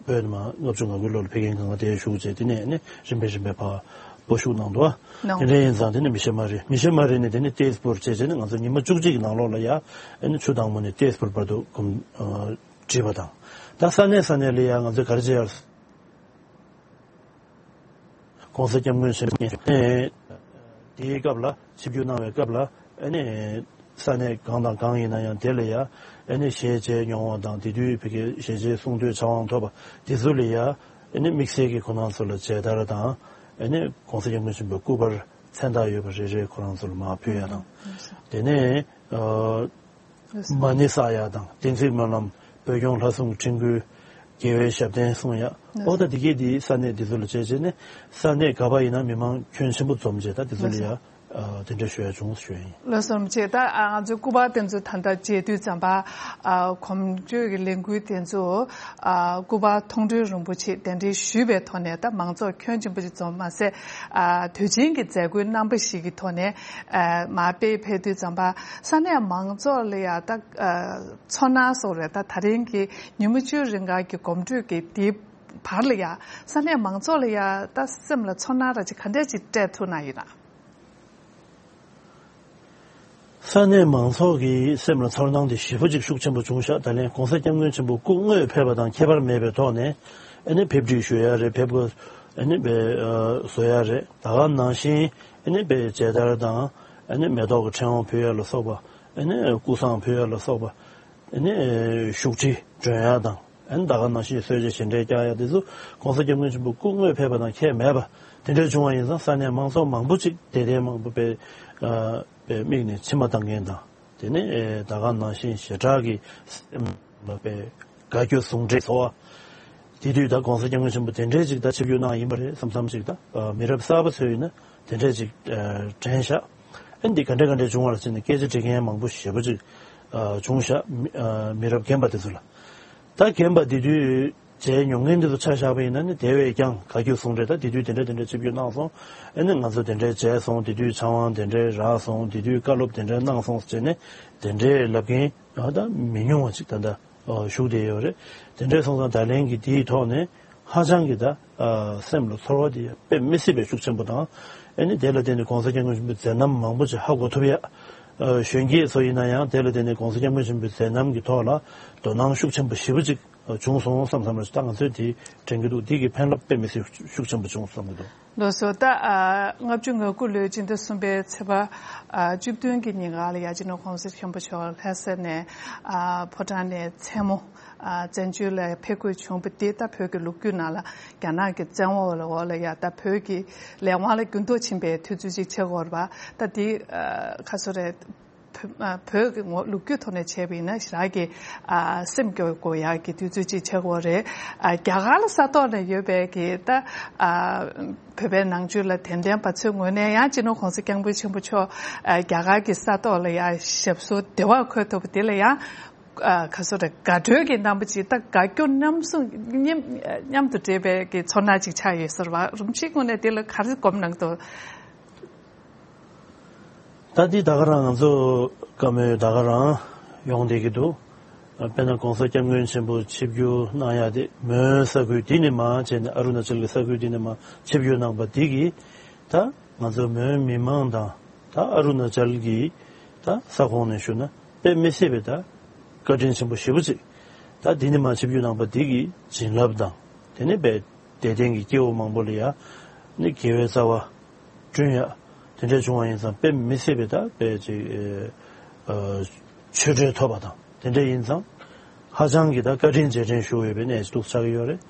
བོད་ནས་མར་ལྔ་བཅུ་ང་དགུའི་ལོ་ལ་ཕེབས་མཁན་གང་ག་དེ་བཞུགས་བྱས། དེ་ནས་ནི་རིམ་པས་རིམ་པས་ཕར་སྤོ་བཞུགས་གནང་འདུག་ཨ། གནང་། དེ་འདྲ་ཡིན་ཙང་དེ་ནས་མི་ཤ་མ་རི། མི་ཤ་མ་རི་ནས་དེ་ནས་ཏེས་པུར་བྱས་བྱས་ནས་ང་ཚོ་ཉི་མ་བཅུ་གཅིག་གི་ནང་ལོགས་ལ་ཡ་ཨ་ནི་ཆུ་དྭངས་མོ་ནས་ཏེས་པུར་བར་དུ་གོམ་ཨ་བྲིས་པ་དང་། ད་ས་གནས་ས་གནས་ལ་ཡ་ང་ཚོས་ག་རེ་བྱས་ཡོད། གོང་ས་སྐྱབས་མགོན་ཆེན་པོ་མཉམ་དེའི་སྐབས་ལ་ཆིབས་བསྒྱུར་གནང་བའི་སྐབས་ལ་ཨ་ནི་ས་གནས་གང་དང་གང་ཡིན་ན་ཡང་དེ་ལ་ཡ་ཨ་ནི་ཞལ་མཇལ་མྱོང་བ་དང་དེ་དུས་ཕ་གི་ཞལ་མཇལ་གསུང་ཐོས་བྱ་དབང་ཐོབ་པ་དེ་ཚོ་ལ་ཡ་ཨ་ནི་དམིགས་བསལ་གྱི་ཁོ་རང་ཚོ་ལ་མཇལ་དར་དང་ཨ་ནི་གོང་ས་སྐྱབས་མགོན་ཆེན་པོའི་སྐུ་པར་མཚན་རྟགས་ཡོད་པ་རེ་རེ་ཁོ་རང་ཚོ་ལ་མར་ཕུལ་ཡ་དང་། དེ་ནས་ཨ། མ་ཎི་བསགས་ཡག་དང་བསྟན་རྩིས་སྨོན་ལམ། བོད་སྐྱོང་ལྷ་སྲུང་ཁྲི་འགུལ། རྒྱལ་བའི་ཞབས་བརྟན་གསུང་ཡག་འོ་ད་འདི་གས་འདི་ས་གནས་འདི་ཚོ་ལ་བྱས་བྱས་ནས་ས་གནས་ག་པ་ཡིན་ན་མི་མང་ཁྱོན་ཆེན་པོ་འཛོམས་བྱས་ད་འདི་ཚོ་ལ་ཡ་དེ་འདྲ་ཞུ་ཡ་བྱུང་ཞུ་ཡ་ཡིན། ལགས་སོ་རིན་པོ་ཆེ། ད་ང་ཚོའི་སྐུ་པར་དེ་ཚོ་ད་ལྟ་མཇལ་དུས་ཙམ་པ་གོམ་བགྲོད་ཀྱི་ལས་འགུལ་དེ་ཚོ་སྐུ་པར་མཐོང་གྲོལ་རིན་པོ་ཆེ་གདན་འདྲེན་ཞུས་པའི་ཐོག་ནས་ད་མང་ཚོགས་ཁྱོན་ཆེན་པོ་ཞིག་འཛོམས་མ་ཟད་དུས་ཆེན་གྱི་མཛད་སྒོའི་རྣམ་པ་ཞིག་གི་ཐོག་ནས། ཨ་མར་དཔེ་ཕེབས་དུས་ཙམ་པ་ས་གནས་མང་ཚོགས་ལ་ཡ་ད་ཨ་ཚོར་སྣང་སོགས་རེད། ད་ད་རིང་གི་ཉིན་མོ་བཅུ་རིང་ག་གི་གོམ་བགྲོད་ཀྱི་དེའི་བར་ལ་ཡ་ས་གནས་མང་ཚོགས་ལ་ཡ་ད་སེམས་ལ་ཚོར་སྣང་ར་ཅིག་ག་འདྲས་ཅིག་སྤྲད་ཐུབ་ན་ཡིན་ན། ས་གནས་མང་ཚོགས་ཀྱི་སེམས་ལ་ཚོར་སྣང་དེ་ཞེ་པོ་ཅིག་ཤུགས་ཆེན་པོ་བྱུང་ཤག་ད་ལན་གོང་ས་སྐྱབས་མགོན་ཆེན་པོ་སྐུ་དངོས་ཕེབས་པ་དང་ཁྱད་པར་མེད་པའི་ཐོག་ནས་ཨ་ནི་ཕེབས་སྒྲིག་ཞུ་ཡ་རེད། ཕེབས་སྒོ་ཨ་ནི་བཟོ་ཡ་རེད། ད་ག་ནང་བཞིན། ཨ་ནི་དཔེ་མཇལ་དར་དང་ཨ་ནི་མེ་ཏོག་གི་ཕྲེང་བ་ཕུལ་ཡ་ལ་སོགས་པ། ཨ་ནི་སྐུ་བསང་ཕུལ་ཡ་ལ་སོགས་པ། ཨ་ནི་བཞུགས་ཁྲི་སྒྲོན་ཡ་དང་ཨ་ནི་ད་ག་ནང་བཞིན་གསོལ་ཇ་བཞེས་འདྲ་རྒྱག་ཡ་དེ་ཚོ་གོང་ས་སྐྱབས་མགོན་ཆེན་པོ་སྐུ་དངོས་ཕེབས་པ་དང་ཁྱད་མེད་པ་ དེ་འདྲ་བྱུང་བ་ཡིན་ཙང་ས་གནས་མང་ཚོགས་མང་པོ་ཅིག་དད་ལྡན་མང་པོ་པའི་ཨ་པའི་མིག་ནས་མཆི་མ་བཏང་མཁན་དང་དེ་ནས་ཨེ་ད་ག་ནང་བཞིན་ཞེ་དྲག་གི་སེམས་ལ་པའི་དགའ་སྐྱོ་ཟུང་འབྲེལ་ཚོར་བ། དེ་དུས་ད་༸གོང་ས་༸སྐྱབས་མགོན་ཆེན་པོ་དེ་འདྲའི་ཅིག་ད་ཆིབས་བསྒྱུར་གནང་ཡིན་པ་རེད་བསམ་བསམ་ཅིག་ད་ཨ་མི་རབས་གསར་པ་ཚོས་ཡིན་ན་དེ་འདྲའི་ཅིག་ཨ་དྲན་ཤག་ཨ་འདི་ག་འདྲ་ག་འདྲ་བྱུང་བ་ལ་བྱས་ནས་སྐད་ཆ་འདྲི་མཁན་མང་པོ་ཞེ་པོ་ཅིག་ཨ་བྱུང་ཤག་མི་ཨ་མི་རབས་རྒན་པ་དེ་ཚོ་ལ། ད་རྒན་པ་དེ་དུས་མཇལ་མྱོང་མཁན་དེ་ཚོ་ཆ་བཞག་པ་ཡིན་ན་ནི་དེ་བས་ཀྱང་དགའ་སྐྱོ་ཟུང་འབྲེལ་ད་དེ་དུས་དེ་འདྲ་དེ་འདྲ་ཆིབས་བསྒྱུར་གནང་སོང་། ཨ་ནི་ང་ཚོ་དེ་འདྲ་མཇལ་སོང་། དེ་དུས་ཆང་བང་དེ་འདྲ་རག་སོང་། དེ་དུས་བཀའ་སློབ་དེ་འདྲ་གནང་སོང་ཟེར་ནས་དེ་འདྲའི་ལབ་མཁན་ཨ་ད་མི་ཉུང་བ་ཅིག་ད་ལྟ་ཨ་བཞུགས་བསྡད་ཡོད་རེད། དེ་འདྲ་སོང་ཙང་ད་ལན་གྱི་དེའི་ཐོག་ནས་ཧ་ཅང་གི་ད་ཨ་སེམས་ལ་ཚོར་བ་དེ་དཔེ་མི་སྲིད་པའི་ཤུགས་ཆེན་པོ་དང་། ཨ་ནི་དེ་ལ་བརྟེན་ནས་༸གོང་ས་༸སྐྱབས་མགོན་ཆེན་པོའི་མཛད་རྣམ་མང་པོ་ཅིག་ཧ་གོ་ཐུབ་ཡ། ཨ་གཞོན་སྐྱེས་ཚོ་ཡིན་ན་ཡང་དེ་ལ་བརྟེན་ནས་༸གོང་ས་༸སྐྱབས་མགོན་ཆེན་པོའི་མཛད་རྣམ་གྱི་ཐོག་ལ་དོ་སྣང་ཤུགས་ཆེན་པོ་ཞེ་པོ་ཅིག་བྱུང་སོང་བསམ་བསམ་རེད། ད་ང་ཚོས་དེ་དྲན་གྱི་འདུག་འདི་གི་ཕན་རླབས་དཔེ་མི་སྲིད་ཤུགས་ཆེན་པོ་བྱུང་བསམ་གྱི་འདུག་ལགས་སོ། ད་ཨ་ལྔ་བཅུ་ང་དགུ་ལོའི་སྤྱི་ཟླ་གསུམ་པའི་ཚེས་པ་ཨ་བཅུ་བདུན་གྱི་ཉིན་ག་ལ་ཡ་སྤྱི་ནོར་༸གོང་ས་སྐྱབས་མགོན་ཆེན་པོ་མཆོག་ལྷ་ས་ནས་ཨ་ཕོ་བྲང་ནས་མཚན་མོ་ཨ་བཙན་བྱོལ་ལ་ཕེབས་དགོས་བྱུང་བ་འདི་ད་བོད་ཀྱི་ལོ་རྒྱུས་ནང་ལ་རྒྱ་ནག་གི་བཙན་འོག་ལ་འོག་ལ་ཡ་ད་བོད་ཀྱི་ལས་དབང་ལ་འགྱུར་ལྡོག་ཕྱིན་པའི་དུས་ཚོད་ཅིག་ཆགས་ཀྱི་ཡོད་རེད་པ། ད་འདི་ཨ་ག་ཚོད་རེད། བོད་ཨ་བོད་ཀྱི་ངོ་ལོ་རྒྱུས་ཐོག་ནས་བྱས་པ་ཡིན་ན་ཞེ་དྲག་གི་ཨ་སེམས་སྐྱོ་དགོས་ཡག་གི་དུས་ཚོད་ཅིག་ཆགས་ཀྱི་ཡོད་རེད། ཨ་རྒྱ་གར་ལ་ས་ཐོག་ནས་ཡོད་པའི་གི་ད་ཨ་བོད་པའི་ནང་ཆོས་ལ་དད་ལྡན་པ་ཚོའི་ངོས་ནས་ཡང་སྤྱི་ནོར་༸གོང་ས་༸སྐྱབས་མགོན་ཆེན་པོ་མཆོག་ཨ་རྒྱ་གར་གྱི་ས་ཐོག་ལ་ཡང་ཞབས་སོར་བདེ་བར་འཁོད་ཐུབ་པ་དེ་ལ་ཡང་ཨ་ག་ཚོད་རེད། དགའ་སྤྲོའི་གི་རྣམ་པ་ཅིག་ད་དགའ་སྐྱོ་མཉམ་གསུམ་མཉམ་མཉམ་དུ་འདྲེས་པའི་གི་ཚོར་སྣང་ཅིག་ཆགས་ཡོད་ཟེར་བ། རིན་པོ་ཆེའི་ངོས་ནས་དེ་ལ་ག་རེ་སྒོམ་གནང་འདུག་ད་འདི་ད་ག་རང་ང་ཚོ་བཀའ་མོལ་ད་ག་རང་ཡོང་བསྡད་ཀྱི་འདུག་དཔེར་ན་༸གོང་ས་༸སྐྱབས་མགོན་ཆེན་པོ་ཆིབས་བསྒྱུར་གནང་ཡ་དེ་མོན་ས་ཁུལ་འདི་ནས་མར་བྱས་ནས་ཨ་རུ་ན་ཅལ་གྱི་ས་ཁུལ་འདི་ནས་མར་ཆིབས་བསྒྱུར་གནང་པ་འདི་གིས་ད་ང་ཚོ་མོན་མི་མང་དང་ད་ཨ་རུ་ན་ཅལ་གྱི་ད་ས་ཁོངས་ནས་ཞུ་ན་དཔེ་མི་སྲིད་པའི་ད་བཀའ་དྲིན་ཆེན་པོ་ཞེ་པོ་ཅིག་ད་འདི་ནས་མར་ཆིབས་བསྒྱུར་གནང་པ་འདི་གི་བྱིན་རླབས་དང་དེ་ནས་དཔེ་དད་ལྡན་གྱི་སྐྱེ་བོ་མང་པོ་ལ་ཡ་ནི་དགེ་བའི་རྩ་བ་བསྐྲུན་ཡ། དེ་འདྲ་བྱུང་བ་ཡིན་ཙང་དཔེ་མི་སྲིད་པའི་ད་དཔེ་ཅིག་ཨ་ཆོས་འབྲེལ་ཐོབ་པ་དང་དེ་འདྲ་ཡིན་ཙང་ཧ་ཅང་གི་ད་བཀའ་དྲིན་རྗེས་དྲན་ཞུ་འོས་པའི་གནས་ཤིག་ཏུ་ཆགས་ཀྱི་ཡོད་རེད།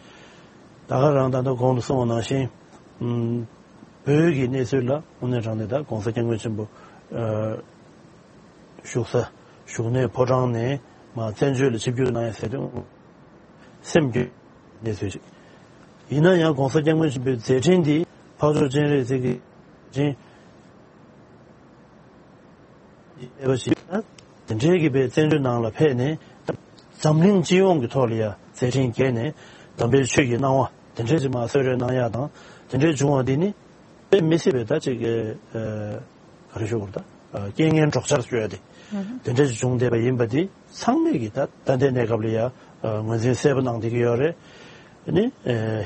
ད་ག་རང་ད་ལྟ་གོང་དུ་གསུངས་པ་ནང་བཞིན་ཨུམ་བོད་ཀྱི་གནས་ཚུལ་ལ་དངོས་གནས་དྲང་གནས་ད་༸གོང་ས་༸སྐྱབས་མགོན་ཆེན་པོ་ཨ་བཞུགས་ས་བཞུགས་གནས་ཕོ་བྲང་ནས་མར་བཙན་བྱོལ་ལ་ཆིབས་བསྒྱུར་གནང་ཡ་ཟེར་དུས་སེམས་སྐྱོ་གནས་ཚུལ་ཞིག་ཡིན་ན་ཡང་༸གོང་ས་༸སྐྱབས་མགོན་ཆེན་པོའི་མཛད་འཕྲིན་འདི་འཕགས་མཆོག་སྤྱན་རས་གཟིགས་ཀྱི་མཛད་འཕྲིན་ཡོད་པ་ཞིག་ན་དེ་འདྲའི་གི་པའི་བཙན་བྱོལ་ནང་ལ་ཕེབས་ནས་འཛམ་གླིང་སྤྱི་ཡོངས་ཀྱི་ཐོག་ལ་ཡ་མཛད་འཕྲིན་རྒྱས་ནས་དམ་པའི་ཆོས་ཀྱི་སྣང་བ་དེ་འདྲའི་ཅིག་མར་གསོལ་རས་གནང་ཡ་དང་དེ་འདྲའི་བྱུང་བ་འདི་ནི་དཔེ་མི་སྲིད་པའི་ད་ཅིག་གི་ཨ་ག་རེ་ཞུ་དགོས་རེད། ད་རྐྱེན་ངན་གྲོགས་ཆར་ཞུ་ཡ་དེ་དེ་འདྲ་ཞིག་བྱུང་བསྡད་པ་ཡིན་པ་དེ་ཚང་མས་ཀྱི་ད་ད་ལྟའི་གནས་སྐབས་ལ་ཡ་ངོས་འཛིན་གསལ་པོ་གནང་བསྡད་ཀྱི་ཡོད་རེད། ནི་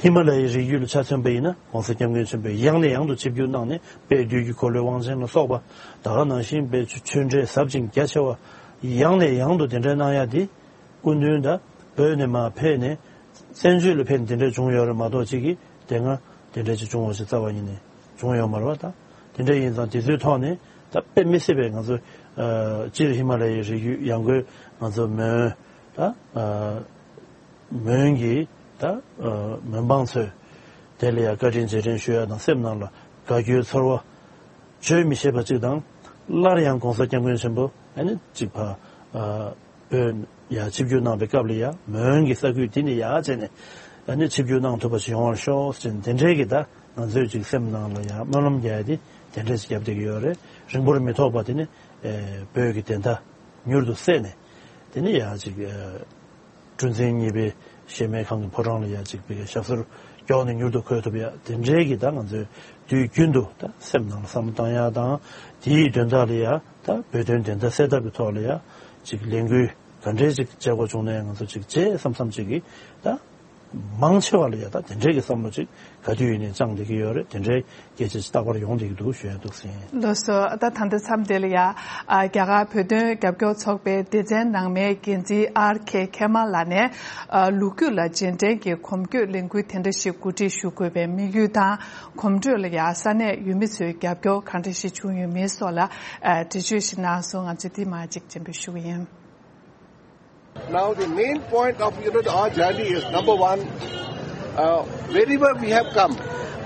ཧི་མ་ལ་ཡའི་རི་རྒྱུད་ལ་ཆ་མཚོན་པ་ཡིན་ན་༸གོང་ས་༸སྐྱབས་མགོན་ཆེན་པོས་ཡང་ནས་ཡང་དུ་ཆིབས་བསྒྱུར་གནང་ནས་དཔལ་དུས་ཀྱི་འཁོར་ལོའི་དབང་ཆེན་ལ་སོགས་པ་ད་ག་ནང་བཞིན་དཔལ་ཆོས་འབྲེལ་ཟབ་ཅིང་རྒྱ་ཆེ་བ་ཡང་ནས་ཡང་དུ་དེ་འདྲ་གནང་ཡ་དེ། སྐུ་མདུན་ད་བོད་ནས་མར་ཕེབས་ནས་བཙན་བྱོལ་ལ་ཕེབས་ནས་དེ་འདྲ་བྱུང་ཡོད་རེད་མ་གཏོགས་ཅིག་གིས་དེ་སྔ་དེ་འདྲ་ཅིག་བྱུང་བ་ཞིག་རྩ་བ་ཉིད་ནས་བྱུང་ཡོད་མ་རེད་བ། ད་དེ་འདྲ་ཡིན་ཙང་དེ་ཚོའི་ཐོག་ནས་ད་དཔེ་མི་སྲིད་པའི་ང་ཚོ་ཨ་སྤྱིར་ཧི་མ་ལ་ཡའི་རི་རྒྱུད་ཡང་སྒོས་ང་ཚོ་མོན་ད་ཨ་མོན་གྱི་ད་ཨ་མོན་འབངས་ཚོས་དེ་ལ་ཡང་བཀའ་དྲིན་རྗེས་དྲན་ཞུ་ཡ་དང་སེམས་ནང་ལ་དགའ་སྐྱོའི་ཚོར་བ། བརྗོད་མི་ཤེས་པ་གཅིག་དང་། སླར་ཡང་༸གོང་ས་༸སྐྱབས་མགོན་ཆེན་པོ་ཨ་ནི་གཅིག་ཕ་ཨ་བོད་ཡར་ཆིབས་བསྒྱུར་གནང་པའི་སྐབས་ལ་ཡང་མོན་གྱི་ས་ཁུལ་འདི་ནས་ཡར་བྱས་ནས་ཨ་ནི་ཆིབས་བསྒྱུར་གནང་ཐུབ་པ་ཞིག་ཡོང་བར་ཤོག་ཅེས་དེ་འདྲའི་གི་ད་ང་ཚོས་ཅིག་སེམས་ནང་ལ་ཡང་སྨོན་ལམ་རྒྱག་ཡ་དེ་དེ་འདྲ་ཞིག་བརྒྱབ་བསྡད་ཀྱི་ཡོད་རེད། རིང་པོར་མི་ཐོགས་པ་དེ་ནི་ཨེ་བོད་ཀྱི་བདེན་མཐའ་མྱུར་དུ་གསལ་ནས་དེ་ནི་ཡང་ཅིག་ཨེ། གྲུ་འཛིན་གཉིས་པའི་གཞལ་མེད་ཁང་གི་ཕོ་བྲང་ལ་ཡ་གཅིག་པའི་ཞབས་སོར་མགྱོགས་ནས་མྱུར་དུ་འཁོད་ཐུབ་ཡ་དེ་འདྲའི་གི་ད་ང་ཚོས་དུས་རྒྱུན་དུ་ད་སེམས་ནང་ལ་བསམ་བློ་བཏང་ཡ་དང་དེའི་དོན་དག་ལ་ཡ་ད་བོད་དོན་བདེན་མཐའ་གསལ་ཐབས་ཀྱི་ཐོག་ལ་ཡ་གཅིག་ལས་འགུལ་ག་འདྲའི་གཅིག་བྱེད་དགོས་བྱུང་ནའི་ང་ཚོ་གཅིག་བྱེད་བསམ་བསམ་གཅིག་གི་ད་མང་ཆེ་བ་ལ་ཡ་ད་དེ་འདྲའི་གི་བསམ་བློ་གཅིག་ག་དུས་ཡིན་ནའི་བཅངས་བསྡད་ཀྱི་ཡོད་རེད། དེ་འདྲའི་སྐད་ཆ་ཅིག་རྟག་པར་ཡོང་བསྡད་ཀྱི་འདུག་ཞུ་ཡ་འདུག་ཟིན། ལགས་སོ། ད་ད་ལྟ་མཚམས་དེ་ལ་ཡ་ཨ་རྒྱ་གར་བོད་དོན་རྒྱབ་སྐྱོར་ཚོགས་པའི་སྡེ་ཚན་ནང་མའི་འགན་འཛིན་ཨར་ཁེ་ཁེ་མ་ལགས་ནས་ཨ་ལོ་རྒྱུས་ལ་རྗེས་དྲན་གྱི་གོམ་བགྲོད་ལས་འགུལ་དེ་འདྲ་ཞིག་གོ་སྒྲིག་ཞུ་དགོས་པའི་དམིགས་ཡུལ་དང་། གོམ་བགྲོད་ལ་ཡ་ས་གནས་ཡུལ་མི་ཚོའི་རྒྱབ་སྐྱོར་གང་འདྲ་ཞིག་བྱུང་ཡོད་མེད་སོགས་ལ་ཨ་འགྲེལ་བརྗོད་ཞིག་གནང་སོང་། ང་ཚོས་འདི་མ་གཅིག་སྤྱན་འབུལ་ཞུ་གི་ཡིན། Now the main point of, you know, our journey is, number one, uh, wherever we have come,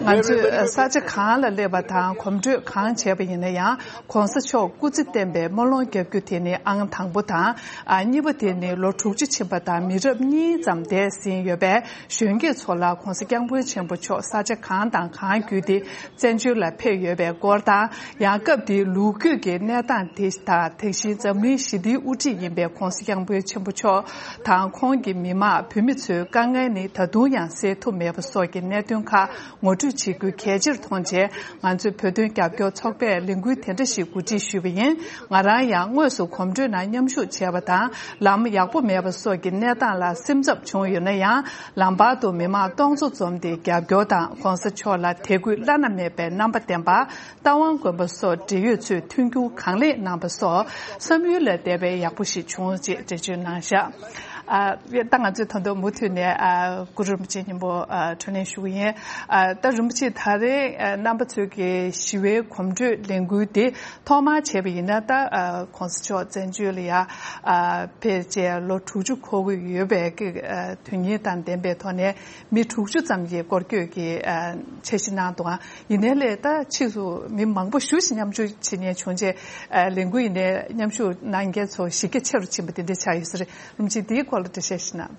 ང་ཚོས་ས་ཆ་གང་ལ་སླེབས་པ་དང་གོམ་བགྲོད་གང་བྱས་པ་ཡིན་ན་ཡང་གོང་ས་མཆོག་སྐུ་ཚེ་བརྟན་པའི་སྨོན་ལམ་རྒྱབ་རྒྱུ་དེ་ནི་ཨང་དང་པོ་དང་། ཨ། གཉིས་པ་དེ་ནི་ལོ་དྲུག་ཅུ་ཕྱིན་པ་དང་མི་རབས་གཉིས་ཙམ་འདས་ཟིན་ཡོད་པས་གཞོན་སྐྱེས་ཚོ་ལ་གོང་ས་སྐྱབས་མགོན་ཆེན་པོ་མཆོག་ས་ཆ་གང་དང་གང་བརྒྱུད་དེ་བཙན་བྱོལ་ལ་ཕེབས་ཡོད་པའི་སྐོར་དང་། ཡང་སྐབས་དེའི་ལོ་རྒྱུས་ཀྱི་གནས་སྟངས་དེ་དང་དེ་བཞིན་འཛམ་གླིང་ཞི་བདེའི་དབུ་ཁྲིད་ཡིན་པའི་གོང་ས་སྐྱབས་མགོན་ཆེན་པོ་མཆོག་དང་ཁོང་གི་མི་མང་བོད་མི་ཚོའི་དཀའ་ངལ་ནི་ད་དུང་ཡང་སེལ་ཐུབ་མེད་པ་སོགས་ཀྱི་གནད་དོན་ཁག་ངོ་སྤྲོད་བྱེད་རྒྱུ་གལ་ཆེར་མཐོང་རྗེས་ང་ཚོའི་བོད་དོན་རྒྱབ་སྐྱོར་ཚོགས་པས་ལས་འགུལ་དེ་འདྲ་ཞིག་གོ་སྒྲིག་ཞུས་པ་ཡིན། ང་རང་ཡང་དངོས་སུ་གོམ་བགྲོད་ནང་མཉམ་ཞུགས་བྱས་པ་དང་ལམ་ཡག་པོ་མེད་པ་སོགས་ཀྱི་གནས་སྟངས་ལ་སེམས་འཚབ་བྱུང་ཡོད་ན་ཡང་ལམ་བར་དུ་མི་མང་སྟོང་ཚོ་འཛོམས་ཏེ་རྒྱབ་སྐྱོར་དང་གོང་ས་མཆོག་ལ་དད་གུས་བླ་ན་མེད་པའི་རྣམ་པ་ལྡན་པ། རྟ་དབང་དགོན་པ་སོགས་འབྲེལ་ཡོད་ཚོས་མཐུན་འགྱུར་གང་ལེགས་གནང་པ་སོགས་བསམ་ཡུལ་ལས་འདས་པའི་ཡག་པོ་ཞིག་བྱུང་ཅེས་འགྲེལ་བརྗོད་གནང་བཞག་ཨ། ད་ང་ཚོས་ད་དུང་མུ་མཐུད་ནས་ཨ། གུ་རུ་རིན་པོ་ཆེ་མཉམ་པོ་ཨ། འཕྲོ་ལེན་ཞུ་གི་ཡིན། ཨ། ད་རིན་པོ་ཆེ་ད་རེས་ཨ། རྣམ་པ་ཚོས་ཀྱི་ཞི་བའི་གོམ་བགྲོད་ལས་འགུལ་དེ་ཐོག་མར་བྱས་པ་ཡིན་ན་ད་ཨ། གོང་ས་མཆོག་བཙན་བྱོལ་ལ་ཡ་ཨ། ཕེབས་རྗེས་ལོ་དྲུག་ཅུ་འཁོར་གྱི་ཡོད་པའི་ཨ། དོན་སྙིང་དང་ལྡན་པའི་ཐོག་ནས། མི་དྲུག་ཅུ་ཙམ་གྱིས་སྐོར་སྐྱོད་ཀྱི་ཨ། འཆར་གཞི་གནང་འདུག་ཨ། ཡིན་ནའི་ལས་ད་ཕྱིས་སུ་མི་མང་པོ་ཞེ་ཅིག་མཉམ་ཞུགས་བྱེད་མཁན་བྱུང་རྗེས་ཨ། ལས་འགུལ་ཡིན་ནའི་མཉམ་ཞུགས་གནང་མཁན་ཚོ་གཞི་རྒྱ་ཆེ་རུ་ཕྱིན་པ་དེ་འདྲ་ཆགས་ཡོད་ས་རེད། རིན་པོ་ཆེ་དེའི་སྐོར་ལ་འགྲེལ་བཤད་ཞིག་གནང་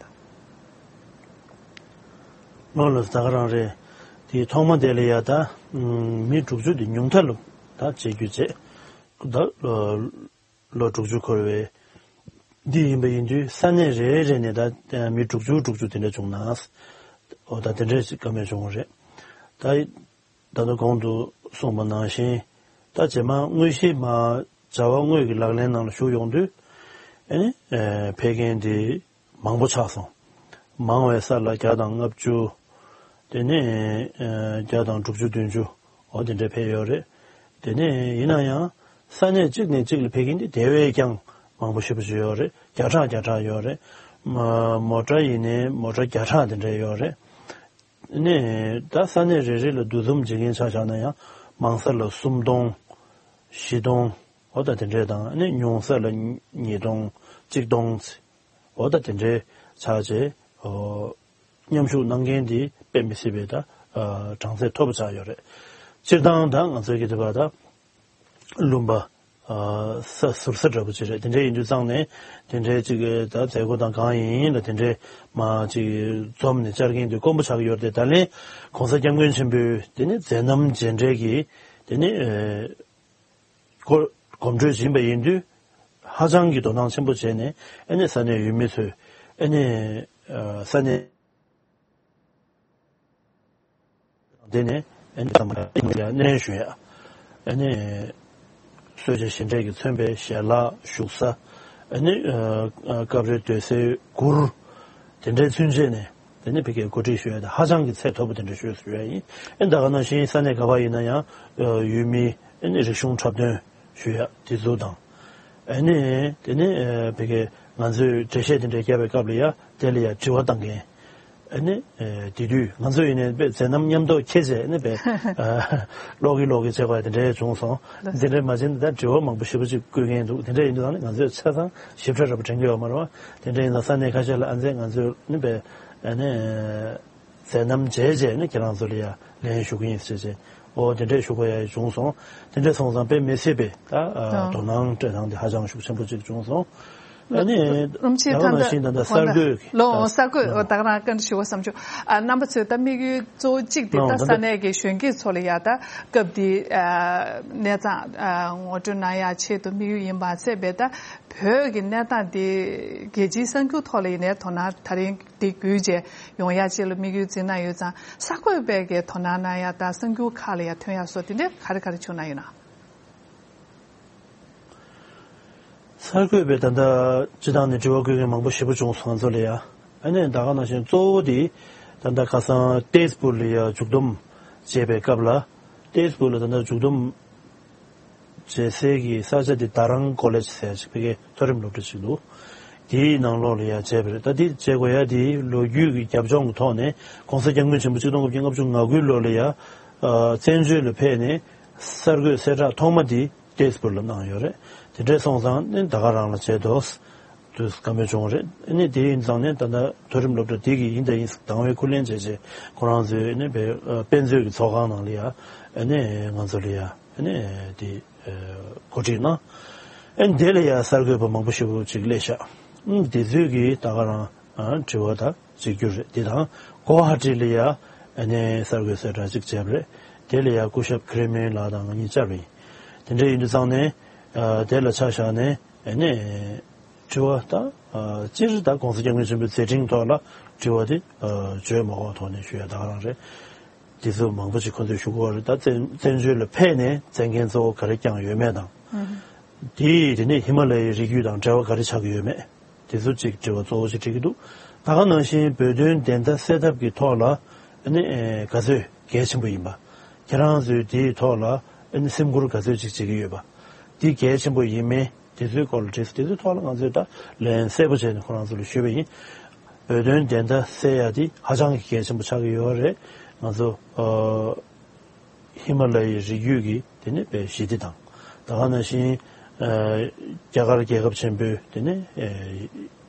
དང་། ལགས་ལགས། ད་ག་རང་རེད། དེའི་ཐོག་མ་དེ་ལ་ཡ་ད་མི་དྲུག་ཅུ་དེ་ཉུང་མཐའ་ལ་ད་བྱེད་རྒྱུ་བྱས། ད་ལོ་དྲུག་ཅུ་འཁོར་བའི་འདི་ཡིན་པ་ཡིན་དུས་ས་གནས་རེ་རེ་ནས་ད་མི་དྲུག་ཅུ་དྲུག་ཅུ་དེ་འདྲ་བྱུང་ན། འོ་ད་དེ་འདྲ་ཞིག་བཀའ་མོལ་བྱུང་བ་རེད། ད་ད་ལྟ་གོང་དུ་གསུངས་པ་ནང་བཞིན་ད་རྗེས་མ་དངོས་གཞི་མར་བྱ་བ་དངོས་ཀྱི་ལག་ལེན་ནང་ལ་ཞུགས་ཡོང་དུས་ཨེ་ནི་ཕེབས་མཁན་དེ་མང་པོ་ཆགས་སོང་། མང་བའི་ས་ལ་བརྒྱ་དང་ལྔ་བཅུ། དེ་ནས་ཨ། བརྒྱ་དང་དྲུག་ཅུ་བདུན་ཅུ། འོ་དེ་འདྲ་ཕེབས་ཡོད་རེད། དེ་ནས་ཡིན་ན་ཡང་ས་གནས་གཅིག་ནས་གཅིག་ལ་ཕེབས་མཁན་དེ་དེ་བས་ཀྱང་མང་པོ་ཞེ་པོ་ཅིག་ཡོད་རེད། བརྒྱ་ཕྲག་བརྒྱ་ཕྲག་ཡོད་རེད། མ་མོ་ཊ་ཡིན་ནའི་མོ་ཊ་བརྒྱ་ཕྲག་དེ་འདྲ་ཡོད་རེད། ནས་ད་ས་གནས་རེ་རེ་ལ་འདུ་འཛོམས་བྱེད་མཁན་ཆ་བཞག་ན་ཡང་མང་ས་ལ་སུམ་སྟོང་། བཞི་སྟོང་། འོ་ད་དེ་འདྲས་དང་ནི་ཉུང་ས་ལ་ཉིས་སྟོང་། གཅིག་སྟོང་། འོ་ད་དེ་འདྲས་ཆགས་རྗེས་མཉམ་ཞུགས་གནང་མཁན་དེ་དཔེ་མི་སྲིད་པའི་ད་གྲངས་ཚད་མཐོ་པོ་ཆགས་ཡོད་རེད། སྤྱིར་བཏང་ད་ང་ཚོའི་གི་དེ་བ་ད་ལུང་པ་ས་ཟུར་ས་འདྲ་པོ་ཅིག་རེད། དེ་འདྲས་ཡིན་དུས་ཙང་ནས་དེ་འདྲས་ཅིག་ད་མཛད་སྒོ་དང་གང་ཡིན་ལ་དེ་འདྲས་མ་ཅིག་འཛོམས་ནས་བཅར་མཁན་དེ་དཀོན་པོ་ཆགས་ཡོད་རེད། ད་ལན་གོང་ས་སྐྱབས་མགོན་ཆེན་པོའི་དེ་ནི་མཛད་རྣམ་མཇལ་འཕྲད་ཀྱི་དེ་ནི་སྐོར་གོམ་བགྲོད་ཕྱིན་པ་ཡིན་དུས་ཧ་ཅང་གི་དོ་སྣང་ཆེན་པོ་བྱས་ནས་ཨ་ནི་ས་གནས་ཡུལ་མི་ཚོས་ཨ་ནི་ས་གནས་དེ་ནས་ཨ་ནི་ས་མ་ཡ་གནས་ཞུ་ཡ་ཨ་ནི་གསོལ་ཇ་བཞེས་འབྲས་ཀྱིས་མཚོན་པའི་ཞལ་ལག་བཞུགས་ས་ཨ་ནི་སྐབས་རེ་སྡོད་སའི་གུར་དེ་འདྲའི་ཚུན་ཆད་ནས། དེ་ནས་ཕ་གིར་གོ་སྒྲིག་ཞུ་ཡ་དེ་ཧ་ཅང་གི་ཚད་མཐོ་པོ་དེ་འདྲ་ཞུས་ཞུ་ཡ་ཡིན། ཨེ་ད་ག་ནང་བཞིན་ས་གནས་ག་པར་ཡིན་ན་ཡང་ཡུལ་མི་ཨེ་ནི་རིག་གཞུང་འཁྲབ་སྟོན་ཞུ་ཡ་དེ་ཚོ་དང་། ཨེ་ནི་དེ་ནས་ཕ་གིར་ང་ཚོས་འགྲེལ་བཤད་དེ་འདྲ་བརྒྱབ་པའི་སྐབས་ལ་ཡ་དེ་ལ་ཡ་དྲི་བ་བཏང་མཁན། ཨེ་ནི་དེ་དུས་ང་ཚོ་ཡིན་ནའི་དཔེ་མཛད་རྣམ་མཉམ་དུ་འཁྱེར་བྱས་ཨེ་ནི་དཔེ་ཀློག་གི་ཀློག་གི་བྱེད་དགོས་ཡ་དེ་འདྲ་བྱུང་སོང་། དེ་འདྲ་མ་བྱས་ན་ད་དྲི་བ་མང་པོ་ཞེ་པོ་ཅིག་བཀོད་མཁན་འདུག་དེ་འདྲ་ཡིན་དུས་ད་ནི་ང་ཚོས་ཆ་ཚང་ཞིབ་ཕྲ་འདྲ་པོ་དྲན་གྱི་ཡོད་མ་རེད་བ། དེ་འདྲ་ཡིན་ཙང་ས་གནས་ཁ་ཤས་ལ་ཨ་མཛད་ང་ཚོས་ནི་པའི་ཨ་ནི་མཛད་རྣམ་མཇལ་རྗེས་ནི་ཁྱེད་རང་ཚོ་ལ་ཡ་ལན་ཞུ་གི་ཡིན་ཟེར་བྱས། ཨོ་དེ་འདྲས་ཞུ་དགོས་ཡ་བྱུང་སོང་། དེ་འདྲས་སོང་ཙང་དཔེ་མི་སྲིད་པའི་ད་ཨ་དོ་སྣང་སྤྲད་སྟངས་དེ་ཧ་ཅང་ཤུགས་ཆེན་པོ་ཅིག་བྱུང་སོང་། ཨ་ནི་རིན་པོ་ཆེ་ད་ག་ནང་བཞིན་ད་ལྟ་གསར་འགོད་ཀྱི་ལོ་གསར་འགོད་ད་ག་རང་བཀའ་འདྲི་ཞུ་བ་བསམ་བྱུང་། ཨ་རྣམ་པ་ཚོས་ད་དམིགས་ཡུལ་གཙོ་བོ་གཅིག་དེ་ད་ས་གནས་ཀྱི་གཞོན་སྐྱེས་ཚོ་ལ་ཡ་ད་སྐབས་འདི་གནས་སྟངས་ངོ་སྤྲོད་གནང་ཡ་ཆེད་དུ་དམིགས་ཡུལ་ཡིན་མ་ཚད་པའི་ད། བོད་ཀྱི་གནས་སྟངས་འདི་རྒྱལ་སྤྱིའི་གསར་འགྱུར་ཐོག་ལ་ཡིན་ནའི་དོ་སྣང་ད་རིང་འདི་བརྒྱུད་བྱས་ཡོང་ཡ་ཅིག་ལ་དམིགས་ཡུལ་འཛིན་གནང་ཡོད་ཙང་གསར་འགོད་པས་ཀྱི་དོ་སྣང་གནང་ཡ་དང་གསར་འགྱུར་ཁག་ལ་ཡ་ཐོན་ཡ་སོགས་དེ་འདྲའི་ག་རེ་ག་རེ་བྱུང་གནང་ཡོད་ན། གསར་འགོད་པས་ད་ལྟ་སྤྱི་བཏང་ནས་དྲི་བ་བཀོད་མཁན་མང་པོ་ཞེ་པོ་བྱུང་སོང་ང་ཚོ་ལ་ཡ། ཨ་ནི་ད་ག་ནང་བཞིན་གཙོ་བོ་དེ་ད་ལྟ་ཁ་སང་ཏེས་པུར་ལ་ཡ་མཇུག་བསྡོམས་བྱས་པའི་སྐབས་ལ་ཏེས་པུར་ལ་ད་ལྟ་མཇུག་བསྡོམས། བྱེད་སའི་གི་ས་ཆ་དེ་དཱ་རང་ཀོ་ལེཇ་ཟེར་ཅིག་ཕ་གིའི་མཐོ་རིམ་སློབ་གྲྭ་ཅིག་འདུག་དེའི་ནང་ལོགས་ལ་ཡ་བྱས་པ་རེད། ད་དེ་བྱེད་དགོས་ཡ་དེ་ལོ་རྒྱུས་ཀྱི་རྒྱབ་ལྗོངས་ཀྱི་ཐོག་ནས་གོང་ས་སྐྱབས་མགོན་ཆེན་པོ་གཅིག་སྟོང་དགུ་བརྒྱ་ལྔ་བཅུ་ང་དགུའི་ལོ་ལ་ཡ་བཙན་བྱོལ་ལ་ཕེབས་ནས་གསར་འགོད་གསལ་བསྒྲགས་ཐོག་མ་དེ་ཏེས་པུར་ལ་གནང་ཡོད་རེད། དེ་འདྲས་སོང་ཙང་ནི་ད་ག་རང་ལ་བྱས་འདུག་དུས་བཀའ་མོལ་བྱུང་བ་རེད། ཨ་ནི་དེ་ཡིན་ཙང་ནས་ད་ལྟ་མཐོ་རིམ་སློབ་གྲྭ་དེ་གི་ཡིན་དང་ཡིན་དང་བའི་ཁུར་ལེན་བྱས་རྗེས་ཁོ་རང་ཚོའི་ཨ་ནི་དཔེ་དཔེ་མཛོད་ཀྱི་ཚོགས་ཁང་ནང་ལ་ཡ་ཨ་ནི་ང་ཚོ་ལ་ཡ་ཨ་ནི་དེ་གོ་སྒྲིག་གནང་། ཨ་ནི་དེ་ལ་ཡ་གསར་འགོད་པ་མང་པོ་ཞེ་པོ་ཅིག་སླེབས་ཤག་ཨ་ནི་དེ་ཚོས་ཀྱིས་ད་ག་རང་དྲི་བ་དང་གཅིག་གྱུར་རེད། དེ་དང་གོ་ཧ་ཊི་ལ་ཡ་ཨ་ནི་གསར་འགོད་གསལ་བསྒྲགས་གཅིག་བྱས་པ་རེད། དེ་ལ་ཡ་སྐུ་ཞབས་ཁི་རེ་མིན་ལགས་དང་ང་གཉིས་བཅར་བ་ཡིན། དེ་འདྲ་ཡིན་དུས་ཙང་ནས་དེ་ལ་ཆ་བཞག་ནས་ཨ་ནི། དྲི་བ་དང་། སྤྱིར་ད་༸གོང་ས་༸སྐྱབས་མགོན་ཆེན་པོའི་མཛད་འཕྲིན་ཐོག་ལ་དྲི་བ་དེ་བརྗོད་མ་དགོས་ཐོག་ནས་ཞུ་ཡ་ད་ག་རང་རེད། དེ་ཚོ་མང་པོ་ཞིག་ཁོ་ཚོས་ཞུ་གི་ཡོད་རེད། ད་བཙན་བཙན་བྱོལ་ལ་ཕེབས་ནས་མཛད་འགན་གཙོ་བོ་ག་རེ་བསྐྱངས་ཡོད་མེད་དང་། དེ་དེ་ནས་ཧི་མ་ལ་ཡའི་རི་རྒྱུད་དང་འབྲེལ་བ་ག་རེ་ཆགས་ཀྱི་ཡོད་མེད། དེ་ཚོ་གཅིག་དྲི་བ་གཙོ་བོ་ཞིག་དྲི་གི་འདུག་ད་ག་ནང་བཞིན་བོད་དོན་བདེན་མཐའ་གསལ་ཐབས་ཀྱི་ཐོག་ལ་ཨ་ནི་ག་ཚོད་གལ་ཆེན་པོ་ཡིན་པ། ཁྱེད་རང་ཚོས་དེའི་ཐོག་ལ་ཨ་ནི་སེམས་ཁུར་ག་ཚོད་ཅིག་བྱེད་ཀྱི་ཡོད་པ། དེ་གལ་ཆེན་པོ་ཡིན་མིན། དེ་ཚོའི་སྐོར་ལ་དྲིས་སོང་། དེ་ཚོའི་ཐོག་ལ་ང་ཚོས་ད་ལན་གསལ་པོ་བྱས་ནས་ཁོ་རང་ཚོ་ལ་ཞུས་པ་ཡིན། བོད་དོན་བདེན་མཐའ་གསལ་ཡ་དེ་ཧ་ཅང་གི་གལ་ཆེན་པོ་ཆགས་ཀྱི་ཡོད་རེད། ང་ཚོ་ཨ་ཧི་མ་ལ་ཡའི་རི་རྒྱུད་ཀྱི་དེ་ནས་པའི་ཞི་བདེ་དང་། ད་ག་ནང་བཞིན་ཨ་རྒྱ་གར་རྒྱལ་ཁབ་ཆེན་པོའི་དེ་ནས་ཨ་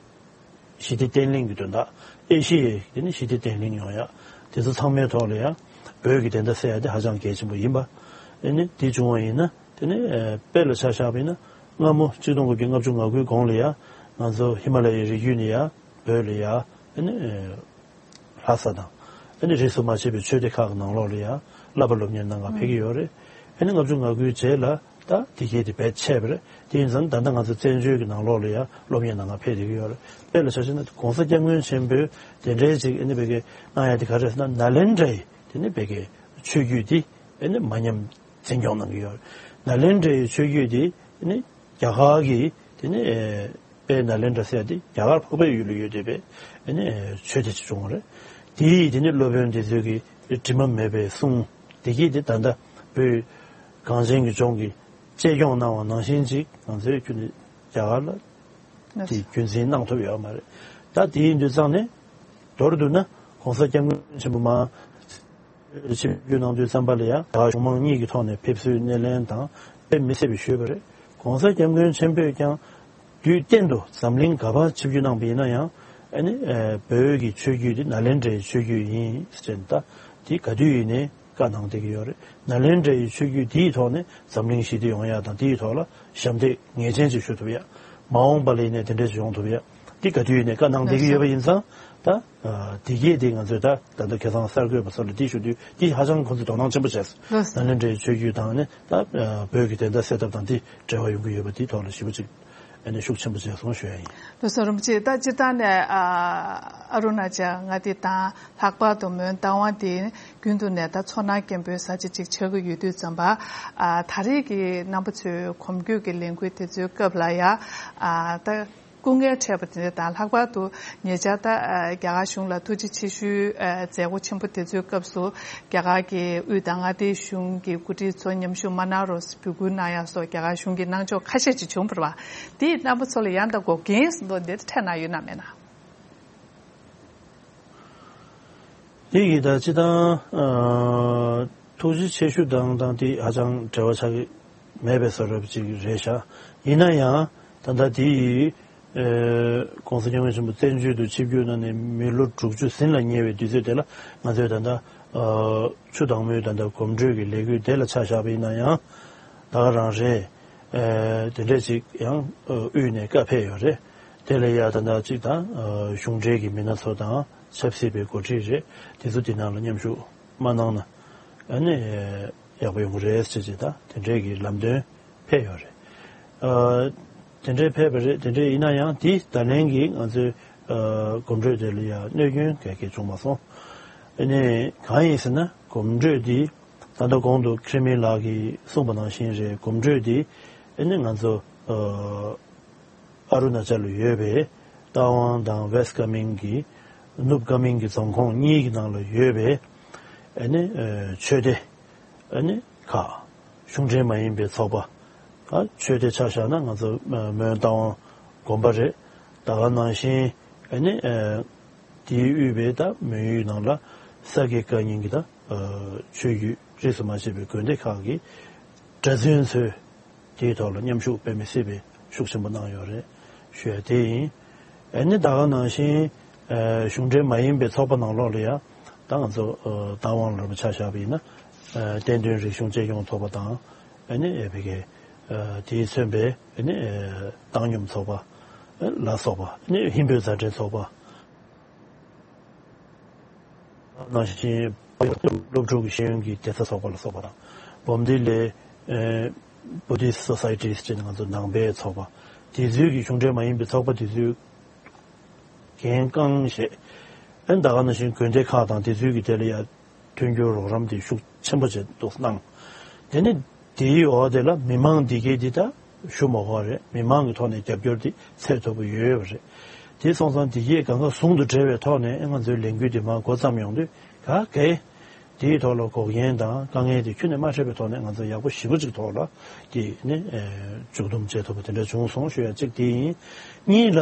ཞི་བདེ་བརྟན་ལྷིང་གི་དོན་དག་ཨེ་ཤི་ཡའི་དེ་ནས་ཞི་བདེ་བརྟན་ལྷིང་ཡོང་ཡ། དེ་ཚོ་ཚང་མའི་ཐོག་ལ་ཡ་བོད་ཀྱི་བདེན་མཐའ་གསལ་ཡ་དེ་ཧ་ཅང་གལ་ཆེན་པོ་ཡིན་པ། ཨ་ནི་དེ་བྱུང་བ་ཡིན་ན། དེ་ནས་ཨ་དཔེ་ལ་ཆ་བཞག་པ་ཡིན་ན་སྔ་མོ་ཆིག་སྟོང་དགུ་བརྒྱ་ལྔ་བཅུ་ང་དགུའི་གོང་ལ་ཡ་ང་ཚོ་ཧི་མ་ལ་ཡའི་རི་རྒྱུད་ནས་ཡ་བོད་ལ་ཡ་ཨ་ནི་ཨ་ལྷ་ས་དང་ཨ་ནི་རིས་སུ་མ་ཆད་པའི་ཆོས་སྡེ་ཁག་གི་ནང་ལོགས་ལ་ཡ་བསླབ་པ་སློབ་གཉེར་གནང་ག་ཕེབས་ཀྱི་ཡོད་རེད། ཨ་ནི་ལྔ་བཅུ་ང་དགུའི་རྗེས་ལ་ད་དེ་གའི་དེ་བེད་ཆད་པ་རེད། དེ་ཡིན་ཙང་ད་ལྟ་ང་ཚོ་བཙན་བྱོལ་གྱི་ནང་ལོགས་ལ་ཡ་སློབ་གཉེར་གནང་ག་ཕེབས་བསྡད་ཀྱི་ཡོད་རེད། དཔེ་ལ་ཆ་བཞག་ན་༸གོང་ས་༸སྐྱབས་མགོན་ཆེན་པོས་དེ་འདྲའི་ཅིག་ཨ་ནི་བོད་སྐད་གནང་ཡ་དེ་ག་རེ་རེད་ཟེར་ན་ནཱ་ལེནྡྲའི་དེ་ནི་བོད་སྐད་ཆོས་བརྒྱུད་དེ་ཨ་ནི་མ་ཉམས་འཛིན་སྐྱོང་གནང་གི་ཡོད་རེད། ནཱ་ལེནྡྲའི་ཆོས་བརྒྱུད་དེ་ཨ་ནི་རྒྱ་གར་གྱི་དེ་ནི་ཨེ་དཔལ་ནཱ་ལེནྡྲ་ཟེར་ཡ་དེ་རྒྱ་གར་འཕགས་པའི་ཡུལ་ལ་ཡོད་བསྡད་པའི་ཨ་ནི་ཨེ་ཆོས་སྡེ་ཅིག་བྱུང་བ་རེད། དེ་ཡི་དེ་ནི་སློབ་དཔོན་དེ་ཚོས་ཀྱི་དྲི་མ་མེད་པའི་གསུང་དེ་གྱིས་དེ་ད་ལྟ་བོད་གངས་ཅན་གྱི་ལྗོངས་ཀྱི་གཅེས་སྐྱོང་གནང་བ་ནང་བཞིན་ཅིག་ང་ཚོའི་ཁྱོན་ནས་རྒྱ་གར་ལ་དེ་རྒྱུན་འཛིན་གནང་ཐུབ་ཡོད་མ་རེད། ད་དེ་ཡིན་དུས་ཙང་ནས་མདོར་བསྡུ་ན་༸གོང་ས་༸སྐྱབས་མགོན་ཆེན་པོ་མར་ཆིབས་བསྒྱུར་གནང་དུས་ཙམ་པ་ལ་ཡང་རྒྱ་གར་གཞུང་མང་གཉིས་ཀྱི་ཐོག་ནས་ཕེབས་བསུའི་སྣེ་ལེན་དང་དཔེ་མི་སྲིད་པའི་ཞུས་པ་རེད། ༸གོང་ས་༸སྐྱབས་མགོན་ཆེན་པོས་ཀྱང་དུས་གཏན་དུ་འཛམ་གླིང་ག་པར་ཆིབས་བསྒྱུར་གནང་པ་ཡིན་ན་ཡང་ཨ་ནི་ཨ་བོད་ཀྱི་ཆོས་བརྒྱུད་འདི་ནཱ་ལེནྡྲའི་ཆོས་བརྒྱུད་ཡིན་ཟེར་ནས་ད་དེ་ག་དུས་ཡིན་ནའི་བཀའ་གནང་བསྡད་ཀྱི་ཡོད་རེད། ནཱ་ལེནྡྲའི་ཆོས་བརྒྱུད་དེའི་ཐོག་ནས་འཛམ་གླིང་ཞི་བདེ་ཡོང་ཡ་དང་དེའི་ཐོག་ལ་ཞབས་འདེགས་ངེས་ཅན་ཅིག་ཞུ་ཐུབ་ཡ། མ་འོངས་པ་ལ་ཡིན་ནའི་དེ་འདྲ་ཅིག་ཡོང་ཐུབ་ཡ། འདི་ག་དུས་ཡིན་ནའི་བཀའ་གནང་བསྡད་ཀྱི་ཡོད་པ་ཡིན་ཙང་ད་ཨ་དེ་གས་དེ་ང་ཚོས་ད་ད་ལྟ་ཁ་སང་གསར་འགོད་པ་ཚོ་ལ་འདི་ཞུ་དུས་འདི་ཧ་ཅང་ཁོང་ཚོས་དོ་སྣང་ཆེན་པོ་བྱས་སོང་། ལགས་སོ། ནཱ་ལེནྡྲའི་ཆོས་བརྒྱུད་དང་ནི་ད་ཨ་བོད་ཀྱི་བདེན་མཐའ་གསལ་ཐབས་དང་འདི་འབྲེལ་བ་ཡོང་གི་ཡོད་པ་འདིའི་ཐོག་ལ་ཞེ་པོ་ཅིག་ཨ་ནི་ཤུགས་ཆེན་པོ་བྱས་སོང་ཞུ་ཡ་ཡིན། ལགས་སོ། རིན་པོ་ཆེ། ད་སྤྱིར་བཏང་ནས་ཨ་ཨ་རུ་ན་ཅལ་མངའ་སྡེ་དང་ལྷག་པར་དུ་མོན་རྟ་དབང་དེ་རྒྱུན་དུ་ནས་ད་ཚོར་སྣང་སྐྱེན་པོའི་ས་ཆ་ཅིག་ཆགས་ཀྱི་ཡོད་དུས་ཙམ་པ། ཨ་ད་རེས་ཀྱི་རྣམ་པ་ཚོའི་གོམ་བགྲོད་ཀྱི་ལས་འགུལ་དེ་ཚོའི་སྐབས་ལ་ཡ་ཨ་ད་སྐུ་ངལ་འཕྲད་པ་དེ་འདྲ་དང་། ལྷག་པར་དུ་ཉེ་ཆར་ད་ཨ་རྒྱ་གར་གཞུང་ལ་ཐུགས་རྗེ་ཆེ་ཞུའི་ཨ་མཛད་སྒོ་ཆེན་པོ་དེ་ཚོའི་སྐབས་སུ་རྒྱ་གར་གྱི་དབུས་དང་མངའ་སྡེའི་གཞུང་གི་འགོ་ཁྲིད་ཚོ་མཉམ་ཞུགས་མ་གནང་རོགས་ཟེར་འབོད་སྐུལ་གནང་ཡག་སོགས་རྒྱ་གར་གཞུང་གིས་གནང་ཕྱོགས་ཁ་ཤས་ཅིག་བྱུང་བ་རེད་པ། དེས་རྣམ་པ་ཚོ་ལ་ཡང་དག་འགོག་རྐྱེན་ཟེར་མདོག་འདི་འཕྲད་གནང་ཡོད་ན་མེད་ན། དེ་གི་ད་སྤྱིར་བཏང་ཨ་ཐུགས་རྗེ་ཆེ་ཞུ་དང་དང་དེ་ཧ་ཅང་འབྲེལ་བ་ཆགས་ཀྱི་མེད་པའི་བཟོ་འདྲ་ཅིག་རེད་ཤག་ཡིན་ན་ཡང་ད་ལྟ་དེ་ཡི་ཨ་༸གོང་ས་༸སྐྱབས་མགོན་ཆེན་པོ་བཙན་བྱོལ་དུ་ཆིབས་བསྒྱུར་གནང་ནས་མི་ལོ་དྲུག་ཅུ་ཟིན་ལ་ཉེ་བའི་དུས་ཚོད་དེ་ལ་ང་ཚོས་ད་ལྟ་ཨ་ཆུ་དྭངས་མོའི་ད་ལྟ་གོམ་བགྲོད་ཀྱི་ལས་འགུལ་དེ་ལ་ཆ་བཞག་པ་ཡིན་ན་ཡང་ད་ག་རང་རེད། ཨ་དེ་འདྲས་ཅིག་ཡང་ཨ་དབུས་ནས་བཀའ་ཕེབས་ཡོད་རེད། དེ་ལ་ཡ་ད་ལྟ་ཅིག་དང་ཨ་གཞུང་འབྲེལ་གྱི་མི་སྣ་ཚོ་དང་ཆབ་སྲིད་པའི་འགོ་ཁྲིད་རེད། དེ་ཚོ་དེ་ནང་ལ་མཉམ་ཞུགས་མ་གནང་ན་ཨ་ནི་ཡག་པོ་ཡོང་གི་རེད་ཟེར་ཅིག་ད་དེ་འདྲས་ཀྱི་ལམ་སྟོན་ཕེབས་ཡོད་རེད། ཨ་དེ་འདྲས་ཕེབས་པ་རེད། དེ་འདྲས་ཡིན་ན་ཡང་དེ་ད་ལན་གྱི་ང་ཚོའི་ཨ་གོམ་བགྲོད་དེ་ལ་ཡ་གནོད་སྐྱོན་ག་གེ་བྱུང་མ་སོང་། ཨ་ནི་གང་ཡིན་ཟེར་ན་གོམ་བགྲོད་དེ་ད་ལྟ་གོང་དུ་ཁི་རི་མི་ལགས་ཀྱིས་གསུངས་པ་ནང་བཞིན་རེད། གོམ་བགྲོད་དེ་ཨ་ནི་ང་ཚོ་ཨ་ཨ་རུ་ན་ཅལ་ལ་ཡོད་པའི་རྟ་དབང་དང་ཝེ་སི་ཀ་མིང་གི་ནུབ་ཀ་མིང་གི་རྫོང་ཁོངས་གཉིས་ཀྱི་ནང་ལ་ཡོད་པའི་ཨ་ནི་ཨ་ཆོས་སྡེ་ཨ་ནི་ཁག་གཞུང་འབྲེལ་མ་ཡིན་པའི་ཚོགས་པ། ཨ་ཆོས་སྡེ་ཆ་བཞག་ན་ང་ཚོ་ཨ་མོན་རྟ་དབང་དགོན་པ་རེད། ད་ག་ནང་བཞིན་ཨ་ནི་ཨ་དེའི་དབུས་པའི་ད་མོན་ཡུལ་ནང་ལ་ས་དགེ་བཀའ་རྙིང་གི་ད་ཨ་ཆོས་བརྒྱུད་རིས་སུ་མ་ཆད་པའི་དགོན་སྡེ་ཁག་གི་གྲྭ་བཙུན་ཚོས་དེའི་ཐོག་ལ་མཉམ་ཞུགས་དཔེ་མི་སྲིད་པའི་ཤུགས་ཆེན་པོ་གནང་ཡོད་རེད། ཞུ་ཡ་དེ་ཡིན། ཨ་ནི་ད་ག་ནང་བཞིན་ཨ་གཞུང་འབྲེལ་མ་ཡིན་པའི་ཚོགས་པ་ནང་ལོགས་ལ་ཡང་ད་ང་ཚོ་ཨ་བདག་དབང་ལ་རམ་ཆ་བཞག་པ་ཡིན་ན་ཨ་བསྟན་དོན་རིག་གཞུང་གཅེས་སྐྱོང་ཚོགས་པ་དང་ཨ་ནི་ཨ་ཕ་གི་ཨ་དེས་མཚོན་པའི་ཨ་ནི་ཨ་བཏང་སྙོམས་ཚོགས་པ་ཨ་ལ་སོགས་པ་ཨ་ནི་ཧིན་བོད་མཛའ་འབྲེལ་ཚོགས་པ། ནང་བཞིན་སློབ་ཕྲུག་གི་ཤེས་ཡོན་གྱི་བདེ་རྩ་ཚོགས་པ་ལ་སོགས་པ་དང་། འབུམ་སྡེ་ལས་ཨེ་Buddhist Societies ཅེས་ང་ཚོ་ནང་པའི་ཚོགས་པ། དེ་ཚོའི་གི་གཞུང་འབྲེལ་མ་ཡིན་པའི་ཚོགས་པ་དེ་ཚོའི་འགན་རྐང་བཞེས། ཨེ་ད་ག་ནང་བཞིན་དགོན་སྡེ་ཁག་དང་དེ་ཚོའི་གི་དེ་ལ་ཡ་མཐུན་འགྱུར་རོགས་རམ་དེ་ཤུགས་ཆེན་པོ་བྱས་འདུག་གནང་། དེ་ནི་དེའི་འོག་དེ་ལ་མི་མང་འདི་གས་འདི་ད་ཞུ་མ་དགོས་རེད། མི་མང་གི་ཐོག་ནས་རྒྱབ་སྐྱོར་འདི་ཚད་མཐོ་པོ་ཡོད་ཡོད་པ་རེད། དེ་སོང་ཙང་འདི་གས་གང་ག་ཟུང་དུ་འབྲེལ་བའི་ཐོག་ནས་ང་ཚོའི་ལས་འགུལ་འདི་མར་འགོ་བརྩམས་ཡོང་དུས་ག་གེ་དེའི་ཐོག་ལ་འགོག་རྐྱེན་དང་དཀའ་ངལ་དེ་ཁྱོན་ནས་མ་འཕྲད་པའི་ཐོག་ནས་ང་ཚོ་ཡག་པོ་ཞེ་པོ་ཅིག་ཐོག་ལ་དེ་ནི་མཇུག་བསྡོམས་བྱེད་ཐུབ་པ་དེ་འདྲ་བྱུང་སོང་ཞུ་ཡ་གཅིག་དེ་ཡིན། གཉིས་ལ་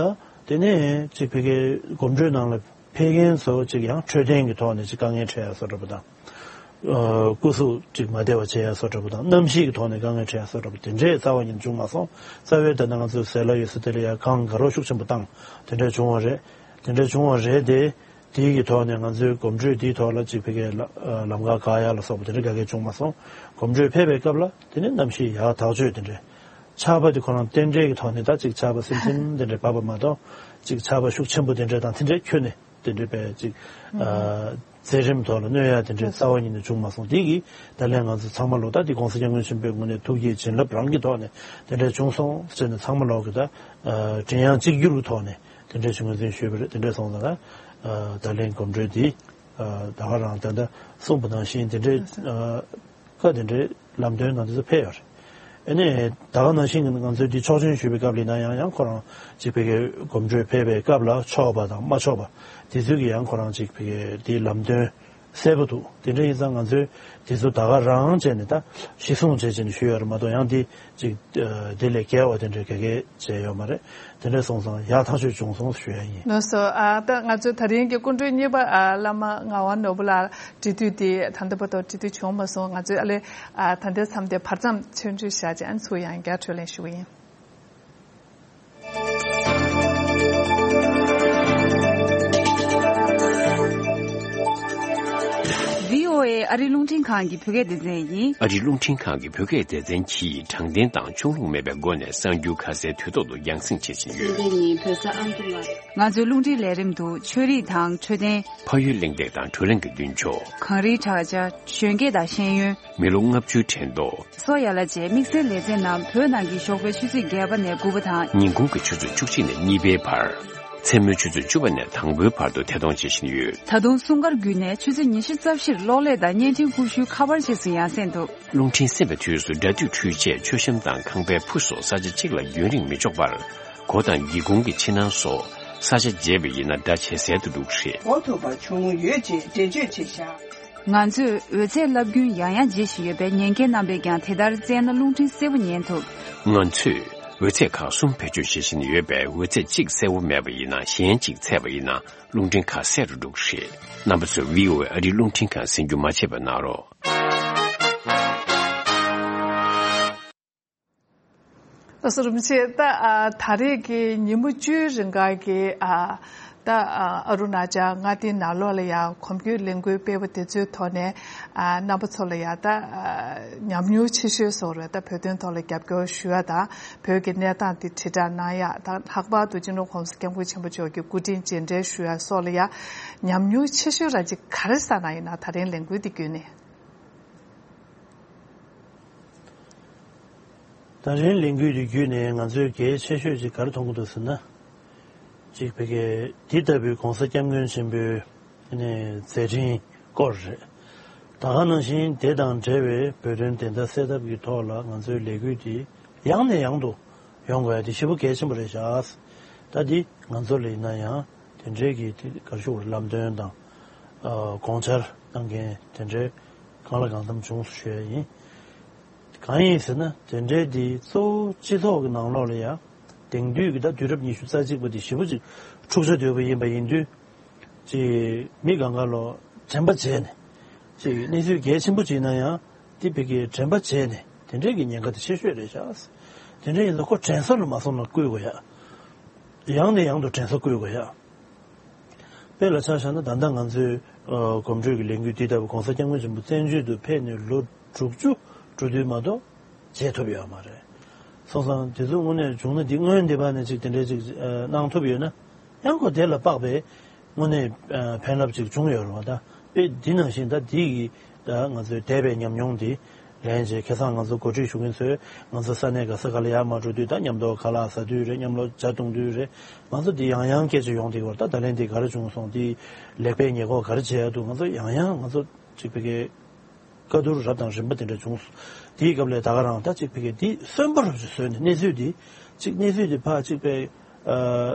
དེ་ནས་གཅིག་ཕ་གིའི་གོམ་བགྲོད་ནང་ལ་ཕེབས་མཁན་ཚོ་གཅིག་ཡང་འཕྲོད་བསྟེན་གྱི་ཐོག་ནས་གཅིག་དཀའ་ངལ་འཕྲད་ཡ་བཟོ་འདྲ་པོ་དང་། ཨ་སྐུ་གཟུགས་གཅིག་མ་བདེ་བ་བྱེད་ཡ་བཟོ་འདྲ་པོ་དང་། གནམ་གཤིས་ཀྱི་ཐོག་ནས་དཀའ་ངལ་འཕྲད་ཡ་བཟོ་འདྲ་པོ་དེ་འདྲས་རྩ་བ་ཉིད་བྱུང་མ་སོང་། རྩ་བའི་ད་ལྟ་ང་ཚོའི་ཟས་ལ་ཡོད་ས་དེ་ལ་ཡ་གངས་དགའ་རོགས་ཤུགས་ཆེན་པོ་བཏང་དེ་འདྲས་བྱུང་བ་རེད། དེ་འདྲས་བྱུང་བ་རེད་དེ། དེའི་གི་ཐོག་ནས་ང་ཚོའི་གོམ་བགྲོད་དེའི་ཐོག་ལ་གཅིག་ཕ་གིའི་ལ་ཨ་ལམ་ཁ་བཀག་ཡ་ལ་སོགས་པ་དེ་འདྲས་ག་གེ་བྱུང་མ་སོང་། གོམ་བགྲོད་ཕེབས་པའི་སྐབས་ལ་དེ་ནས་གནམ་གཤིས་ཡག་ཐག་ཆོད་དེ་འདྲས། ཆར་པ་དེ་ཁོ་རང་རྟེན་འབྲེལ་གྱི་ཐོག་ནས་ད་ཅིག་ཆར་པ་སིམ་སིམ་དེ་འདྲས་བབས་པ་མ་གཏོགས་ཅིག་ཆར་པ་ཤུགས་ཆེན་པོ་དེ་འདྲས་དང་དེ་འདྲས་ཁྱོན་ནས་དེ་འདྲས་པའི་ཅིག་ཨ་མཛད་རིམ་ཐོག་ལ་གནོད་ཡ་དེ་འདྲས་རྩ་བ་ཉིད་ནས་བྱུང་མ་སོང་། དེ་གིས་ད་ལན་ང་ཚོ་ཚང་མ་ལོ་ད་དེ་༸གོང་ས་༸སྐྱབས་མགོན་ཆེན་པོའི་ངོས་ནས་ཐུགས་བསྐྱེད་བྱིན་རླབས་རང་གི་ཐོག་ནས་དེ་འདྲས་བྱུང་སོང་ཟེར་ནས་ཚང་མ་ལོག་གི་ད་ཨ་མགྲིན་དབྱངས་གཅིག་གྱུར་གྱི་ཐོག་ནས་དེ་འདྲས་ཅིག་ངོས་འཛིན་ཞུས་པ་རེད། དེ་འདྲས་སོང་ཙང་ད་ཨ་ད་ལན་གོམ་བགྲོད་དེ་ཨ་ད་ག་རང་ད་ལྟ་གསུངས་པ་ནང་བཞིན་དེ་འདྲས་ཨ། ཁ་དེ་འདྲའི་ལམ་སྟོན་དང་དེ་ཚོ་ཕེབས་ཡོད་རེད། ཨ་ནི་ད་ག་ནང་བཞིན་ང་ཚོས་འདི་ཆོག་མཆན་ཞུས་པའི་སྐབས་ལ་ཡིན་ན་ཡང་ཡང་ཁོ་རང་ཅིག་ཕ་གིའི་གོམ་བགྲོད་ཕེབས་པའི་སྐབས་ལ་ཆོག་པ་དང་མ་ཆོག་པ་དེ་ཚོའི་གི་ཡང་ཁོ་རང་ཅིག་ཕ་གིའི་དེའི་ལམ་སྟོན་གསལ་པོ་འདུག་དེ་འདྲ་ཡིན་ཙང་ང་ཚོས་དེ་ཚོ་ད་ག་རང་བྱས་ནས་ད་གཞི་བཟུང་བྱས་བྱས་ནས་ཞུས་ཡོད་རེད་མ་གཏོགས་ཡང་དེ་ཅིག་དེ་ལས་བརྒལ་བ་དེ་འདྲ་ག་གེ་བྱས་ཡོད་མ་རེད། དེ་འདྲ་སོང་ཙང་ཡག་ཐག་ཆོད་བྱུང་སོང་ཞུ་ཡ་ཡིན། ལགས་སོ། ཨ་ད་ང་ཚོའི་ད་རིང་གི་སྐུ་མགྲོན་གཉིས་པ་ཨ་བླ་མ་ངག་དབང་ནོར་བུ་ལགས་འབྲེལ་མཐུད་དེ་ད་ལྟ་བར་དུ་འབྲེལ་མཐུད་བྱུང་མ་སོང་། ང་ཚོས་ཨ་ལས་ཨ་ད་ལྟའི་མཚམས་དེ་བར་མཚམས་ཆོས་འབྲེལ་བཞག་ཅིང་ཚུར་ཡང་བསྐྱར་འཕྲོས་ལེན་ཞུ་གི་ཡིན། བྷི་ཨོ་ཨེ་ཨ་རི་རླུང་འཕྲིན་ཁང་གི་བོད་སྐད་སྡེ་ཚན་ཡིན། ཨ་རིའི་རླུང་འཕྲིན་ཁང་གི་བོད་སྐད་སྡེ་ཚན་གྱིས་དྲང་བདེན་དང་ཕྱོགས་ལྷུང་མེད་པའི་སྒོ་ནས་གསར་འགྱུར་ཁ་གསལ་དུས་ཐོག་ཏུ་རྒྱང་སྲིང་བྱེད་བཞིན་ཡོད། སྲིད་འཛིན་ཉིན་བོད་ས་ཨང་ཀི་ལ། ང་ཚོའི་རླུང་འཕྲིན་ལས་རིམ་དུ་ཆོས་རིག་དང་འཕྲོད་བསྟེན། ཕ་ཡུལ་གླེང་སྟེགས་དང་བགྲོ་གླེང་གི་མདུན་ཅོག་གངས་རིའི་བྲག་ཅ། གཞོན་སྐྱེས་དང་ཤེས་ཡོན། མི་ལོ་ལྔ་བཅུའི་དྲན་ཐོ། སོགས་ཡ་ལ་བཅས་དམིགས་བསལ་ལེ་ཚན་རྣམས་བོད་ནང་གི་ཞོགས་པའི་ཆུ་ཚོད་བརྒྱད་པ་ནས་དགུ་པ་དང་། ཉིན་གུང་གི་ཆུ་ཚོད་བཅུ་གཅིག་ནས་གཉིས་པའི་བར། མཚན་མོའི་ཆུ་ཚོད་བཅུ་པ་ནས་དང་པོའི་བར་དུ་ཐད་གཏོང་བྱེད་བཞིན་ཡོད། ད་དུང་སྲུང་སྐར་བརྒྱུད་ནས་ཆུ་ཚོད་ཉི་ཤུ་རྩ་བཞིར་གློག་ཀླད་དང་བརྙན་འཕྲིན་ཀུ་ཤུའི་ཁ་པར་རྗེས་སུ་ཡང་སེང་འདུག་རླུང་འཕྲིན་གསན་པའི་དུས་སུ་སྒྲ་སྡུད་འཕྲུལ་ཆས། མཆོད་བཤམས་དང་ཁང་པའི་ཕུ་སོགས་ས་ཆ་གཅིག་ལ་རྒྱུན་རིང་མི་འཇོག་པར། སྒོ་དང་སྒེའུ་ཁུང་གི་ཕྱི་ནང་སོགས་ས་ཆ་བརྗེ་བ་ཡིན་ན་སྒྲ་ཇེ་གསལ་དུ་འགྲོ་གི་རེད། གོ་ཐུབ་པ་བྱུང་ཡོད་ཅེས་འགྲེལ་བརྗོད་བྱས་བཞག་ང་ཚོས་འོད་ཚད་རླབས་རྒྱུན་ཡང་ཡང་འབྱེད་བཞིན་ཡོད་པས་ཉན་མཁན་རྣམ་པས་ཀྱང་དེ་ལྟར་བཙལ་ན་རླུང་འཕྲིན་གསལ་པོ་ཉན་ཐུབ། ང་ཚོས་འོད་ཚད་ཁག་གསུམ་བེད་སྤྱོད་བྱེད་བཞིན་ཡོད་པས། འོད་ཚད་གཅིག་གསལ་པོ་མེད་པ་ཡིན་ན་གཞན་གཅིག་ཚད་པ་ཡིན་ན་རླུང་འཕྲིན་ཁ་གསལ་རུ་འགྲོ་གི་རེད། རྣམ་པ་ཚོས་བྷི་ཨོ་ཨེ་ཨ་རིའི་རླུང་འཕྲིན་ཁང་གསན་རྒྱུ་མ་བརྗེད་པ་གནང་རོགས། ལགས་སོ། རིན་པོ་ཆེ། ད་ཨ་ད་རེས་ཀྱི་ཉིན་མོ་བཅུའི་རིང་ག་གི་ཨ་ད་ཨ་ཨ་རུ་ན་ཅལ་མངའ་སྡེའི་ནང་ལོགས་ལ་ཡང་གོམ་བགྲོད་ལས་འགུལ་སྤེལ་བ་དེ་ཚོའི་ཐོག་ནས་ཨ་རྣམ་པ་ཚོ་ལ་ཡང་ད་ཨ་ཉམས་མྱོང་ཆེ་ཤོས་བཟོ་འདྲ། ད་བོད་དོན་ཐོག་ལ་རྒྱབ་སྐྱོར་ཞུ་ཡ་དང་བོད་ཀྱི་གནས་སྟངས་དེ་དྲིལ་བསྒྲགས་གནང་ཡ་དང་། ལྷག་པར་དུ་སྤྱི་ནོར་༸གོང་ས་༸སྐྱབས་མགོན་ཆེན་པོ་མཆོག་གི་སྐུ་དྲིན་རྗེས་དྲན་ཞུ་ཡ་སོགས་ལ་ཡང་ཉམས་མྱོང་ཆེ་ཤོས་རང་ཅིག་ག་རེ་བསགས་གནང་ཡིན་ན། ད་རིང་ལས་འགུལ་འདི་བརྒྱུད་ནས། ད་རིང་ལས་འགུལ་འདི་བརྒྱུད་ནས་ང་ཚོས་གལ་ཆེ་ཤོས་ཅིག་ག་རེ་མཐོང་གི་འདུག་ཟེར་ན། གཅིག་ཕ་གི་འདི་ལྟ་བུའི་༸གོང་ས་༸སྐྱབས་མགོན་ཆེན་པོའི་ནས་མཛད་འཕྲིན་སྐོར་རེད། ད་ག་ནང་བཞིན་དེ་དང་འབྲེལ་བའི་བོད་དོན་བདེན་མཐའ་གསལ་ཐབས་ཀྱི་ཐོག་ལ་ང་ཚོའི་ལས་འགུལ་འདི་ཡང་ནས་ཡང་དུ་ཡོང་དགོས་ཡ་དེ་ཞེ་པོ་གལ་ཆེན་པོ་རེད་ཤག་ད་འདི་ང་ཚོ་ལ་ཡིན་ན་ཡང་དེ་འདྲའི་གི་དེ་ག་རེ་ཞུ་དགོས་རེད། ལམ་སྟོན་དང་ཨ་དགོངས་འཆར་གནང་མཁན་དེ་འདྲའི་གང་ལ་གང་འཚམ་བྱུང་སོང་ཞུ་ཡ་ཡིན། གང་ཡིན་ཟེར་ན་དེ་འདྲའི་དེ་གཙོ་བོ་སྤྱི་ཚོགས་ཀྱི་ནང་ལོགས་ལ་ཡང་དེང་དུས་ཀྱི་ད་དུས་རབས་ཉི་ཤུ་རྩ་གཅིག་པ་དེ་ཞེ་པོ་ཅིག་འཁྲུག་ཆ་དོད་པོ་ཡིན་པ་ཡིན་དུས། ཅིག་མི་གང་ག་ལོ་དྲན་པ་བརྗེད་ནས། ཅིག་གནས་ཚུལ་གལ་ཆེན་པོ་ཅིག་ཡིན་ན་ཡང་དེ་ཕ་གིའི་དྲན་པ་བརྗེད་ནས་དེ་འདྲའི་གི་ཉེན་ཁ་དེ་ཆེ་ཤོས་རེད་ཤག་དེ་འདྲ་ཡིན་ཙང་ཁོ་དྲན་གསོ་ལ་མ་སོང་ན་བསྐུལ་དགོས་ཡ། ཡང་ནས་ཡང་དུ་དྲན་གསོ་བསྐུལ་དགོས་ཡ། དཔེ་ལ་ཆ་བཞག་ན་ད་ལྟ་ང་ཚོའི་ཨ་གོམ་བགྲོད་ཀྱི་ལས་འགུལ་འདི་ལྟ་བུ་༸གོང་ས་༸སྐྱབས་མགོན་ཆེན་པོ་བཙན་བྱོལ་དུ་ཕེབས་ནས་ལོ་དྲུག་ཅུ་འགྲོ་དུས་མ་གཏོགས་བྱེད་ཐུབ་ཡོད་མ་རེད། སོང་ཙང་དེ་ཚོ་དངོས་གནས་བྱུང་ན་འདི་སྔོན་འདི་བར་ནས་ཅིག་དེ་འདྲའི་ཅིག་ཨ་གནང་ཐུབ་ཡོད་ན་ཡང་ཁོ་དེ་ལ་དཔག་པའི་དངོས་གནས་ཨ་ཕན་རླབས་ཅིག་བྱུང་ཡོད་རེད་བ། ད་དཔེ་འདི་ནང་བཞིན་ད་འདི་ཡི་ད་ང་ཚོའི་འདས་པའི་ཉམས་མྱོང་འདི་ལན་རྗེས་ཁ་སང་ང་ཚོ་གོ་སྒྲིག་ཞུ་མཁན་ཚོས་ང་ཚོ་ས་གནས་ག་ས་ག་ལ་ཡར་མར་འགྲོ་དུས་ད་མཉམ་དུ་ཁ་ལག་ཟ་དུས་རེད། མཉམ་དུ་ཇ་འཐུང་དུས་རེད། ང་ཚོ་འདི་ཡང་ཡང་སྐད་ཆ་ཡོང་དེ་བར་ད་ད་ལན་འདི་ག་རེ་བྱུང་སོང་། འདི་ལེགས་སྤེལ་ཉེས་འགོག་ག་རེ་བྱེད་ཡ་འདུག་ང་ཚོ་ཡང་ཡང་ང་ཚོ་གཅིག་པའི་གི་བཀའ་བསྡུར་རབ་དང་རིམ་པ་དེ་འདྲ་བྱུང་སོང་། དེའི་སྐབས་ལ་ད་ག་རང་ད་གཅིག་པའི་གི་འདི་གསོན་པོ་རུ་བཟོས་ནས་གནས་ཚུལ་འདི་གཅིག་གནས་ཚུལ་འདི་ཕར་གཅིག་པའི་ཨ་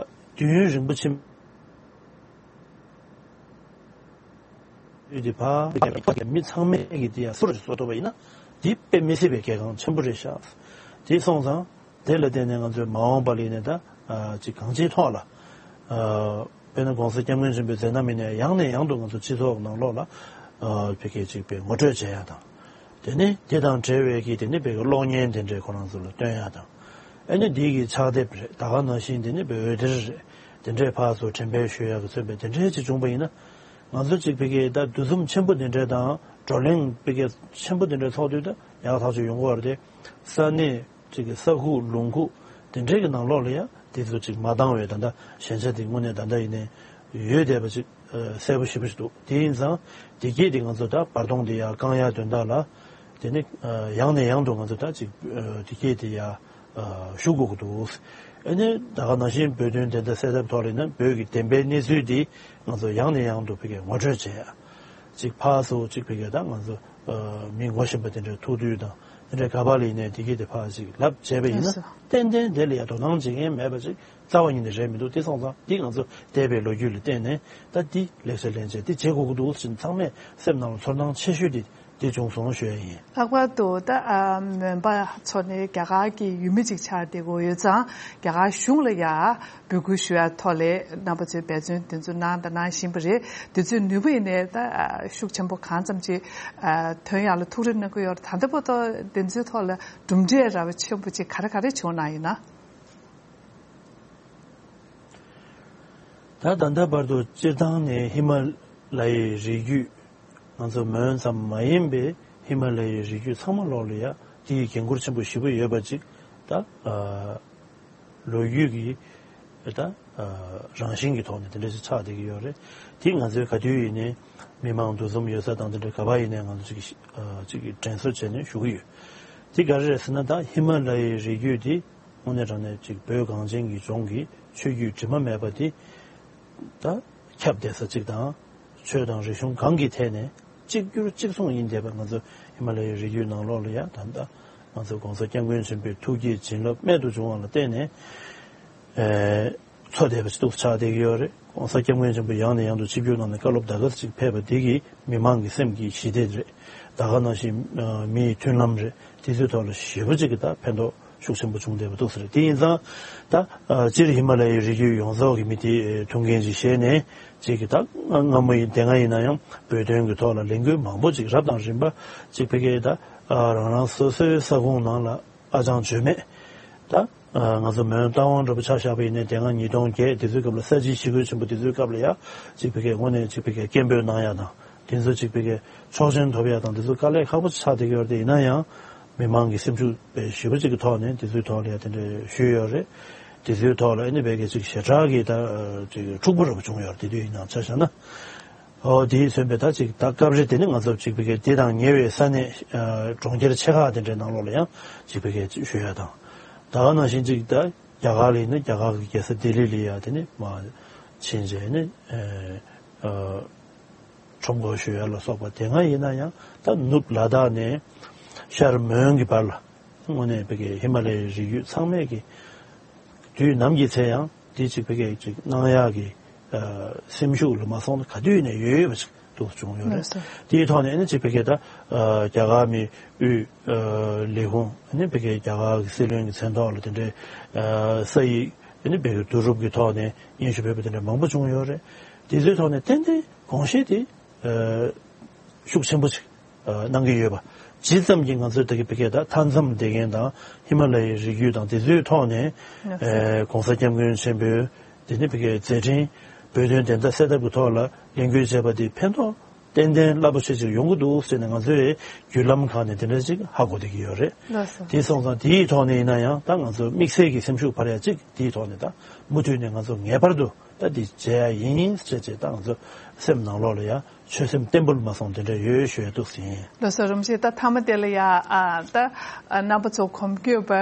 དུས་ཡུན་རིང་པོ་ཕྱིན། དེ་ཕ་མི་ཚང་མས་ཀྱི་དེ་ཡང་སུ་རུ་བཟོ་ཐུབ་པ་ཡིན་ན་དེ་དཔེ་མི་སྲིད་པའི་གལ་འགངས་ཆེན་པོ་རེད་ཤག་དེ་སོང་ཙང་དེ་ལ་བརྟེན་ནས་ང་ཚོས་མ་འོངས་པ་ལ་ཡིན་ནས་ད་ཅིག་གང་ཅིའི་ཐོག་ལ་དཔེར་ན་༸གོང་ས་༸སྐྱབས་མགོན་ཆེན་པོའི་མཛད་རྣམ་ཡིན་ནས་ཡང་ནས་ཡང་དུ་ང་ཚོ་སྤྱི་ཚོགས་ནང་ལོགས་ལ་བོད་སྐད་ཅིག་པའི་ངོ་སྤྲོད་བྱེད་ཡ་དང་། དེ་ནས་དེ་དང་འབྲེལ་བའི་གི་དེ་ནས་བོད་ཀྱི་གློག་བརྙན་དེ་འདྲའི་ཁོ་རང་ཚོ་ལ་སྟོན་ཡ་དང་། ཨ་ནི་འདི་གི་ཕྱག་དེབ་རེད། ད་ག་ནང་བཞིན་དེ་ནི་བོད་འདིར་རེད། དེ་འདྲའི་ཕར་ཚུར་འགྲེམས་སྤེལ་ཞུ་ཡག་གི་མཚོན་པའི་དེ་འདྲའི་ཅིག་བྱུང་པ་ཡིན་ན། ང་ཚོ་ཅིག་ཕ་གིའི་ད་འདུ་འཛོམས་ཆེན་པོ་དེ་འདྲའི་དང་བགྲོ་གླེང་ཕ་གི་ཆེན་པོ་དེ་འདྲའི་ཚོགས་དུས་ད་ཡག་ཐག་ཆོད་ཡོང་གི་ཡོད་རེད་དེ། ས་གནས་ཅིག་གི་ས་ཁུག་ལུང་ཁུག་དེ་འདྲའི་གི་ནང་ལོགས་ལ་ཡ་དེ་ཚོ་ཅིག་མ་འདང་བའི་ད་ལྟ་ཞན་ཆ་དེ་དངོས་གནས་ད་ལྟ་ཡིན་ནའི་ཡོད་བསྡད་པ་ཅིག་གསལ་པོ་ཞེ་པོ་ཞིག་འདུག་དེ་ཡིན་ཙང་དེ་སྐད་དེ་ང་ཚོ་ད་བར་སྟོང་དེ་ཡར་བསྐང་ཡག་དོན་དག་ལ་དེ་ནི་ཡང་ནས་ཡང་དུ་ང་ཚོ་ད་ཅིག་དེ་སྐད་དེ་ཡར་ཞུ་དགོས་ཀྱི་འདུག་ཨ་ནི་ད་ག་ནང་བཞིན་བོད་དོན་བདེན་མཐའ་གསལ་ཐབས་ཐོག་ལ་ཡིན་ན་བོད་ཀྱི་བདེན་པའི་གནས་ཚུལ་འདི་ང་ཚོ་ཡང་ནས་ཡང་དུ་བོད་སྐད་ངོ་སྤྲོད་བྱེད་ཡ། ཅིག་ཕར་ཚུར་ཅིག་བོད་སྐད་ད་ང་ཚོ་མི་ངོ་ཤེས་པ་དེ་འདྲའི་ཐུག་དུས་དང་དེ་འདྲའི་ག་པ་ལ་ཡིན་ནའི་དེ་སྐད་དེ་ཕར་ཅིག་ལབ་བྱས་པ་ཡིན་ན་ལགས་སོ། ཏན་ཏན་དེ་ལ་ཡ་དོ་སྣང་བྱེད་མཁན་མེད་པ་ཅིག་རྩ་བ་ཉིད་ནས་རེད་མི་འདུག་དེ་སོང་ཙང་འདི་ང་ཚོ་འདས་པའི་ལོ་རྒྱུས་ལ་བརྟེན་ནས་ད་འདི་ལེགས་ཆ་ལེན་བྱས་འདི་བྱེད་དགོས་ཀྱི་འདུག་ཟེར་ཚང་མས་སེམས་ནང་ལ་ཚོར་སྣང་ཆེ་ཤོས་དེ་འདི་བྱུང་སོང་ཞུ་ཡ་ཡིན། ལྷག་པར་དུ་ད་ཨ་མོན་པ་ཚོ་ནས་རྒྱ་གར་གྱི་ཡུལ་མི་ཅིག་ཆགས་བསྡད་ཀྱི་ཡོད་ཙང་རྒྱ་གར་གཞུང་ལ་ཡ་འབོད་སྐུལ་ཞུ་ཡ་ཐོག་ལས་རྣམ་པ་ཚོས་འབད་བརྩོན་དེ་ཚོ་གནང་དང་གནང་བཞིན་པ་རེད། དེ་ཚོའི་ནུས་པ་ཡིན་ནས་ད་ཤུགས་ཆེན་པོ་གང་ཙམ་ཅིག་ཐོན་ཡ་ལ་ཐུགས་རེ་གནང་གི་ཡོད་རེད། ད་ལྟ་བར་དུ་དེ་ཚོའི་ཐོག་ལ་གྲུབ་འབྲས་ར་བ་ཆེན་པོ་ཅིག་ག་རེ་ག་རེ་བྱུང་གནང་ཡོད་ན། ད་ད་ལྟ་བར་དུ་སྤྱིར་བཏང་ནས་ཧི་མ་ལ་ཡའི་རི་རྒྱུད་ང་ཚོ་མོན་ཙམ་མ་ཡིན་པའི་ཧི་མ་ལ་ཡའི་རི་རྒྱུད་ཚང་མ་ལོག་ལ་ཡ་དེ་ཡི་འགན་ཁུར་ཆེན་པོ་ཞེ་པོ་ཡོད་པ་ཅིག་ད་ལོ་རྒྱུས་ཀྱི་ད་རང་བཞིན་གྱི་ཐོག་ནས་དེ་འདྲ་ཞིག་ཆགས་བསྡད་ཀྱི་ཡོད་རེད། དེ་ང་ཚོའི་ག་དུས་ཡིན་ནའི་མི་མང་འདུ་འཛོམས་ཡོད་ས་དང་དེ་འདྲ་ག་པ་ཡིན་ནའི་ང་ཚོ་ཅིག་ཅིག་གི་དྲན་གསོ་བྱས་ནས་ཞུ་གི་ཡོད། དེ་ག་རེ་རེད་ཟེར་ན་ད་ཧི་མ་ལ་ཡའི་རི་རྒྱུད་དེ་དངོས་གནས་དྲང་གནས་ཅིག་བོད་གངས་ཅན་གྱི་ལྗོངས་ཀྱི་ཆོས་བརྒྱུད་དྲི་མ་མེད་པ་དེ་ད་ཁྱབ་བསྡད་ས་ཅིག་དང་། ཆོས་དང་རིག་གཞུང་གང་གི་ཐད་ནས་གཅིག་གྱུར་གཅིག་མཚུངས་ཡིན་བསྡད་པ་ང་ཚོ་ཧི་མ་ལ་ཡའི་རི་རྒྱུད་ནང་ལོགས་ལ་ཡ་ད་ལྟ་ང་ཚོ་༸གོང་ས་༸སྐྱབས་མགོན་ཆེན་པོའི་ཐུགས་བསྐྱེད་བྱིན་རླབས་རྨད་དུ་བྱུང་བ་ལ་བརྟེན་ནས་ཨེ་འཚོ་བསྡད་པ་ཅིག་ཏུ་ཆགས་བསྡད་ཀྱི་ཡོད་རེད། ༸གོང་ས་༸སྐྱབས་མགོན་ཆེན་པོ་ཡང་ནས་ཡང་དུ་ཆིབས་བསྒྱུར་གནང་ནས་བཀའ་སློབ་ད་ག་ཟེ་ཅིག་ཕེབས་པ་འདི་གིས་མི་མང་གི་སེམས་ཀྱི་ཞི་བདེ་རེད། ད་ག་ནང་བཞིན་མིའི་མཐུན་ལམ་རེད། དེ་ཚོའི་ཐོག་ལ་ཞེ་པོ་ཅིག་གི་ད་ཕན་ཐོགས་ཤུགས་ཆེན་པོ་བྱུང་བསྡད་པ་འདུག་ཟེར། དེ་ཡིན་ཙང་ད་སྤྱིར་ཧི་མ་ལ་ཡའི་རི་རྒྱུད་ཡོངས་རྫོགས་ཀྱི་མི་དེ་ཐུགས་འགན་ཅིག་བཞེས་ནས་ཅིག་གི་ད་སྔ་མོ་ཡིན་དེ་སྔ་ཡིན་ན་ཡང་བོད་དོན་གྱི་ཐོག་ལ་ལས་འགུལ་མང་པོ་ཅིག་རབ་དང་རིམ་པ་ཅིག་ཕ་གིའི་ད་རང་རང་སོ་སོའི་ས་ཁོངས་ནང་ལ་ཨ་ཅང་བྱོས་མེད་ད་ང་ཚོ་མོན་རྟ་དབང་འདྲ་པོ་ཆ་བཞག་པ་ཡིན་ནའི་དེ་སྔ་ཉིས་སྟོང་བརྒྱད་དེ་ཚོའི་སྐབས་ལ་ས་བྱི་ཞི་རྒོལ་ཆེན་པོ་དེ་ཚོའི་སྐབས་ལ་ཡ་ཅིག་ཕ་གིའི་དངོས་གནས་ཅིག་ཕ་གིའི་སྐད་འབོད་གནང་ཡ་དང་། དེ་ཚོ་ཅིག་ཕ་གིའི་ཆོག་མཆན་ཐོབ་ཡ་དང་དེ་ཚོ་དཀའ་ལས་ཁག་པོ་ཆགས་བསྡད་ཀྱི་ཡོད་རེད། དེ་ཡིན་ན་ཡང་མི་མང་གི་སེམས་ཤུགས་དཔེ་ཞེ་པོ་ཅིག་གི་ཐོག་ནས་དེ་ཚོའི་ཐོག་ལ་ཡ་དེ་འདྲ་ཞུས་ཡོད་རེད། དེ་ཚོའི་ཐོག་ལ་ཨ་ནི་ཕ་གིའི་ཅིག་ཞེ་དྲག་གི་ད་ཅིག་འཁྲུག་པོ་འདྲ་པོ་བྱུང་ཡོད་རེད། དེ་དུས་ཡིན་ནའང་ཆ་བཞག་ན། ཨོ་དེའི་མཚོན་པའི་ད་ཅིག་ད་སྐབས་རེ་དེ་ནི་ང་ཚོ་ཅིག་ཕ་གིའི་དེ་དང་ཉེ་བའི་ས་གནས་གྲོང་ཁྱེར་ཆེ་ཁག་དེ་འདྲའི་ནང་ལོགས་ལ་ཡང་ཅིག་ཕ་གིའི་ཅིག་ཞུ་ཡ་དང་། ད་ག་ནང་བཞིན་ཅིག་ད་རྒྱ་གར་ལ་ཡིན་ན་རྒྱ་གར་གྱི་རྒྱལ་ས་ལྡི་ལི་ལ་ཡ་དེ་ནི་མ་ཕྱིན་རྗེས་ནི་ཨ། ཁྲོམ་སྐོར་ཞུ་ཡ་ལ་སོགས་པ་དེ་སྔ་ཡིན་ན་ཡང་ད་ནུབ་ལ་དྭགས་ནས་ཤར་མོན་གྱི་བར་ལ་དངོས་གནས་ཕ་གིའི་ཧི་མ་ལ་ཡའི་རི་རྒྱུད་ཚང་མས་ཀྱི་དུས་ནམ་གྱི་ཚེ་ཡང་དེ་ཅིག་ཕ་གིའི་ཅིག་གནང་ཡག་གི་སེམས་ཤུགས་ལ་མ་སོང་ན་ག་དུས་ནས་ཡོད་ཡོད་པ་ཅིག་ཏུ་བྱུང་ཡོད་རེད། དེའི་ཐོག་ནས་ཨ་ནི་ཅིག་ཕ་གིའི་ད་རྒྱ་གར་མི་དབུས་ལས་ཁུངས་ཨ་ནི་ཕ་གིའི་རྒྱ་གར་གྱི་སྲིད་བློན་གྱི་མཚན་ཐོག་ལ་དེ་འདྲའི་ས་ཡིག་ཨ་ནི་ཕ་གིའི་བསྡུ་རུབ་ཀྱི་ཐོག་ནས་སྙན་ཞུ་ཕེབས་པ་དེ་འདྲ་མང་པོ་བྱུང་ཡོད་རེད། དེ་ཚོའི་ཐོག་ནས་ཏན་ཏན་དགོངས་བཞེས་དེ། ཤུགས་ཆེན་པོ་ཞིག་གནང་གི་ཡོད་པ། ཇི་ཙམ་གྱིས་ང་ཚོའི་ད་གི་ཕ་གིའི་ད་མཐའ་མཚམས་བསྡད་མཁན་དང་ཧི་མ་ལ་ཡའི་རི་རྒྱུད་དང་དེ་ཚོའི་ཐོག་ནས་༸གོང་ས་༸སྐྱབས་མགོན་ཆེན་པོའི་ དེ་ནི་བི་གའི་མཛད་འཕྲིན་བོད་དོན་བདེན་མཐའ་གསལ་ཐབས་ཀྱི་ཐོག་ལ་ལས་འགུལ་བྱས་པ་དེ་ཕན་ཐོགས་ཏན་ཏན་རླབས་པོ་ཆེ་ཅིག་ཡོང་གི་འདུག་ཟེར་ནས་ང་ཚོའི་བརྒྱུད་ལམ་ཁག་ནས་དེ་འདྲ་ཅིག་ཧ་གོ་བསྡད་ཀྱི་ཡོད་རེད། ལགས་སོ། དེ་སོང་ཙང་དེའི་ཐོག་ནས་ཡིན་ན་ཡང་ད་ང་ཚོ་དམིགས་བསལ་གྱི་སེམས་ཤུགས་འཕར་ཡ་ཅིག་དེའི་ཐོག་ནས་ད་མུ་མཐུད་ནས་ང་ཚོ་ངེས་པར་དུ་ད་འདི་བྱེད་ཡ་ཡིན་ཟེར་བྱས་ད་ང་ཚོ་སེམས་ནང་ལོགས་ལ་ཡ་ཆོད་སེམས་བརྟན་པོ་མ་སོང་དེ་འདྲ་ཡོད་ཞུ་ཡ་འདུག་ཟིན། ལགས་སོ། རིན་པོ་ཆེ། ད་མཐའ་མ་དེ་ལ་ཡ་ཨ་ད་ཨ་རྣམ་པ་ཚོ་གོམ་བགྲོད་པ་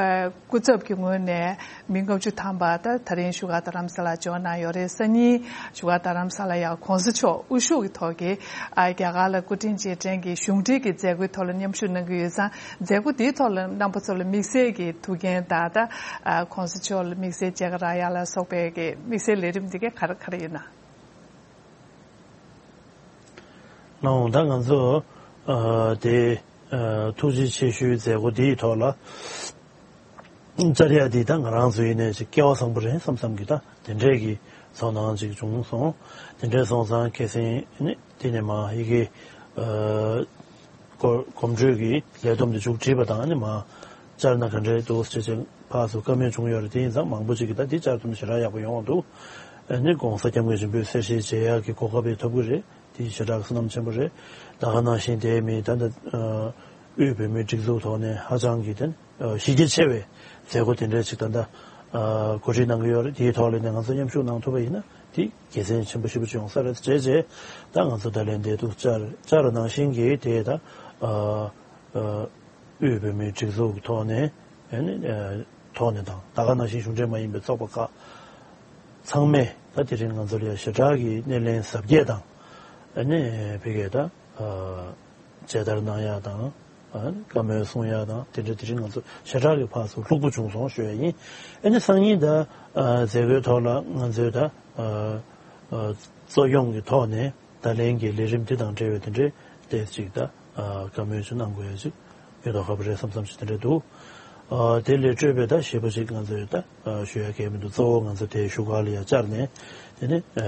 སྐུ་ཚབ་ཀྱི་ངོས་ནས་མི་ལྔ་བཅུ་ཐམ་པ་ད་ད་རིང་བཞུགས་སྒར་རྡ་རམ་ས་ལ་འབྱོར་གནང་ཡོད་རེད། སང་ཉིན་བཞུགས་སྒར་རྡ་རམ་ས་ལ་ཡ་གོང་ས་མཆོག་དབུ་བཞུགས་ཀྱི་ཐོག་གི་ཨ་རྒྱ་གར་ལ་སྐུ་དྲིན་རྗེས་དྲན་གྱི་གཞུང་འབྲེལ་གྱི་མཛད་སྒོའི་ཐོག་ལ་མཉམ་ཞུགས་གནང་གི་ཡོད་ཙང་། མཛད་སྒོ་དེའི་ཐོག་ལ་རྣམ་པ་ཚོ་ལ་དམིགས་བསལ་གྱི་ཐུགས་འགན་དང་ད་ཨ་གོང་ས་མཆོག་ལ་དམིགས་བསལ་མཇལ་ཁ་རག་ཡ་ལ་སོགས་པའི་གི་དམིགས་བསལ་ལས་རིམ་འདི་ག་ག་རེ་ག་རེ་ཡིན་ན། ལགས་འོང་། ད་ང་ཚོ་ཨ་དེ་ཨ་ཐུགས་རྗེ་ཆེ་ཞུའི་མཛད་སྒོ་འདིའི་ཐོག་ལ་བཅར་ཡ་འདི་ད་ང་རང་ཚོ་ཡིན་ནའི་ཅིག་སྐལ་བ་བཟང་པོ་རེད་བསམ་བསམ་གི་ད་དེ་འདྲས་ཀྱི་ཚོར་སྣང་ཅིག་བྱུང་སོང་། དེ་འདྲས་སོང་ཙང་ཁ་སང་ནི་དེ་ནས་མ་ཡི་གེ་ཨ་གོ་གོམ་བགྲོད་ཀྱི་ལས་བསྡོམས་དེ་མཇུག་བསྒྲིལ་བ་དང་ནི་མ་བཅར་ན་ག་འདྲས་འདུག་ཟེར་ཅིག་ཕར་ཚུར་བཀའ་མོལ་བྱུང་ཡོད་རེད། དེ་ཡིན་ཙང་མང་པོ་ཅིག་གིས་ད་འདི་བཅར་ཐུབ་ན་ཞེ་དྲག་ཡག་པོ་ཡོང་བ་འདུག་ཨ་ནི་༸གོང་ས་༸སྐྱབས་མགོན་ཆེན་པོའི་གསལ་བཤད་བྱེད་ཡག་གི་གོ་སྐབས་ཡང་ཐོབ་ཀྱི་རེད། དེ་ཞེ་དྲག་བསོད་ནམས་ཆེན་པོ་རེད། ད་ག་ནང་བཞིན་དེ་མི་ད་ལྟ་ཨ་དབུས་བོད་མིའི་སྒྲིག་འཛུགས་ཐོག་ནས་ཧ་ཅང་གི་དེ་ཨ་གཞི་རྒྱ་ཆེ་བའི་མཛད་སྒོ་དེ་འདྲ་ཞིག་ད་ལྟ་ཨ་གོ་སྒྲིག་གནང་གི་ཡོད་རེད། དེའི་ཐོག་ལ་ནས་ང་ཚོ་མཉམ་ཞུགས་གནང་ཐུབ་པ་ཡིན་ན་དེ་དགེ་མཚན་ཆེན་པོ་ཞེ་པོ་ཅིག་ཡོང་ས་རེད། བྱས་རྗེས་ད་ང་ཚོ་ད་ལན་འདེབས་འདུག་བཅར་བཅར་ནང་བཞིན་གྱི་དེ་ད་ཨ་ཨ་དབུས་བོད་མིའི་སྒྲིག་འཛུགས་ཀྱི་ཐོག་ནས་ཨ་ནི་ཨ་ཐོག་ནས་དང་ད་ག་ནང་བཞིན་གཞུང་འབྲེལ་མ་ཡིན་པའི་ཚོགས་པ་ཁག་ཚང་མས་ད་དེ་རིང་ང་ཚོ་ལ་ཞེ་དྲག་གི་སྣེ་ལེན་གཟབ་རྒྱས་དང་ཨ་ནི་ཕ་གིའི་ད་ཨ་མཇལ་དར་གནང་ཡག་དང་ཨ་ནི་བཀའ་མོལ་གསུང་ཡག་དང་དེ་འདྲ་དེ་རིང་ང་ཚོ་ཞེ་དྲག་གི་ཕར་ཚུར་ལྷུག་པོ་བྱུང་སོང་ཞུ་ཡ་ཡིན། ཨ་ནི་སང་ཉིན་ད་ཨ་མཛད་སྒོའི་ཐོག་ལ་ང་ཚོའི་ད་ཨ་ཨ་གཙོ་སྐྱོང་གི་ཐོག་ནས་ད་ལན་གྱི་ལས་རིམ་དེ་དང་འབྲེལ་བའི་དེ་འདྲའི་ཏོག་ཙམ་ཅིག་ད་ཨ་བཀའ་མོལ་ཅིག་གནང་དགོས་ཡ་ཅིག་ཡོད་དོ་ཁ་པོ་རེད་བསམ་བསམ་ཞིག་དེ་འདྲ་འདུག་ཨ་དེ་ལས་སྤྲོས་པའི་ད་ཞེ་པོ་ཅིག་ང་ཚོས་ད་ཨ་ཞུ་ཡ་གལ་མི་འདུག་གཙོ་བོ་ང་ཚོ་དེ་བཞུགས་སྒར་ལ་ཡ་བཅར་ནས་དེ་ནི་ཨ་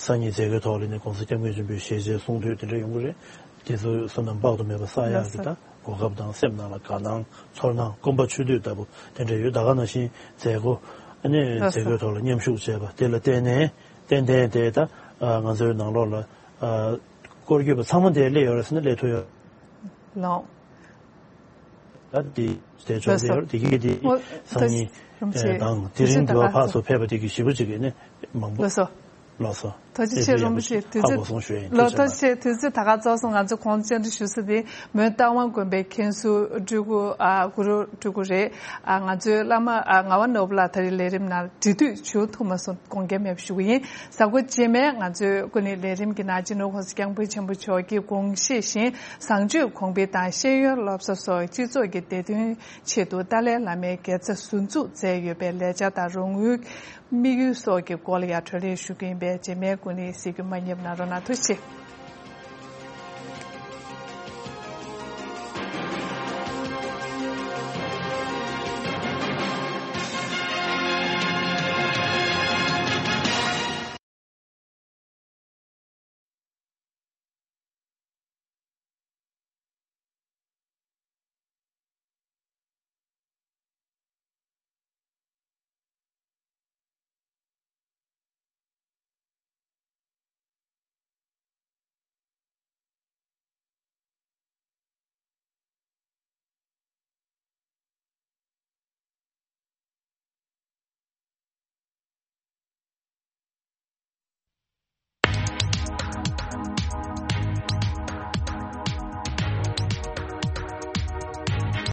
སང་ཉིན་མཛད་སྒོའི་ཐོག་ལ་ནི་༸གོང་ས་༸སྐྱབས་མགོན་ཆེན་པོའི་ཞལ་མཇལ་གསུང་ཐོས་དེ་འདྲ་ཡོང་གི་རེད། དེ་ཚོ་བསོད་ནམས་དཔག་ཏུ་མེད་པ་བསགས་ཡག་གི་ད་གོ་སྐབས་དང་སེམས་ནང་ལ་དགའ་སྣང་ཚོར་སྣང་སྐོམ་པ་ཆུ་དུས་ལྟ་བུ་དེ་འདྲ་ཡོད། ད་ག་ནང་བཞིན་མཛད་སྒོ་ཨ་ནི་མཛད་སྒོའི་ཐོག་ལ་མཉམ་ཞུགས་བྱས་པ་དེ་ལ་བརྟེན་ནས་ཏན་ཏན་དེ་ད་ང་ཚོའི་ནང་ལོགས་ལ་སྐོར་སྐྱོད་པ་ཚང་མ་དེ་སླེབས་ཡོད་རེད་ཟེར་ན་སླེབས་ཐུབ་ཡོད། ལགས། ད་དེ་དེ་ཆོག་དེ་ཡོད་དེ་གི་དེ་སང་ཉིན་དང་དེ་རིང་དུ་བ་ཕག་ཚོ་ཕེབས་པ་དེ་གི་ཞེ་པོ་ཅིག་གི་ནི་མང་པོ་ལགས་སོ། ལགས་སོ། ཐུགས་རྗེ་ཆེ་རིན་པོ་ཆེ། དུས་ཧ་གོ་སོང་ཞུ་ཡ་ཡིན། ལགས་ཐུགས་རྗེ་ཆེ། དུས་ཚོད་ད་ག་རྫོགས་སོང་། ང་ཚོ་གོང་བཅར་འདྲི་ཞུ་ས་དེ་མོན་རྟ་དབང་དགོན་པའི་མཁན་ཟུར་སྤྲུལ་སྐུ་ཨ་གུ་རུ་སྤྲུལ་སྐུ་རེད། ཨ་ང་ཚོའི་བླ་མ་ཨ་ངག་དབང་ནོར་བུ་ལགས་ད་རེས་ལས་རིམ་ནང་འབྲེལ་མཐུད་བྱུང་ཐུབ་མ་སོང་། དགོངས་འགལ་མེད་པ་ཞུ་གི་ཡིན། གཟའ་འཁོར་རྗེས་མའི་ང་ཚོའི་སྐུ་ནི་ལས་རིམ་གྱི་ནང་སྤྱི་ནོར་༸གོང་ས་༸སྐྱབས་མགོན་ཆེན་པོ་མཆོག་གི་དགོངས་བཞེད་བཞིན་བཟང་སྤྱོད་གོང་འཕེལ་དང་ཤེས་ཡོན་སློབ་གསོ་སོགས་སྤྱི་ཚོགས་ཀྱི་བདེ་དོན་ཆེད་དུ་ཏཱ་ལའི་བླ་མའི་དགེ་རྩ་ཟུར་འཛུགས་མཛད་ཡོད་པའི་ལས་འཆར་དང་རོགས་དངུལ་དམིགས་ཡུལ་སོགས་ཀྱི་སྐོར་ལ་ཡང་བགྲོ་གླེང་ཞུ་གི་ཡིན་པས་རྗེས་མའི་སྐུ་ནི་གཟིགས་རྒྱུ་མ་བསྙེལ་གནང་རོགས་གནང་། ཐུགས་རྗེ་ཆེ།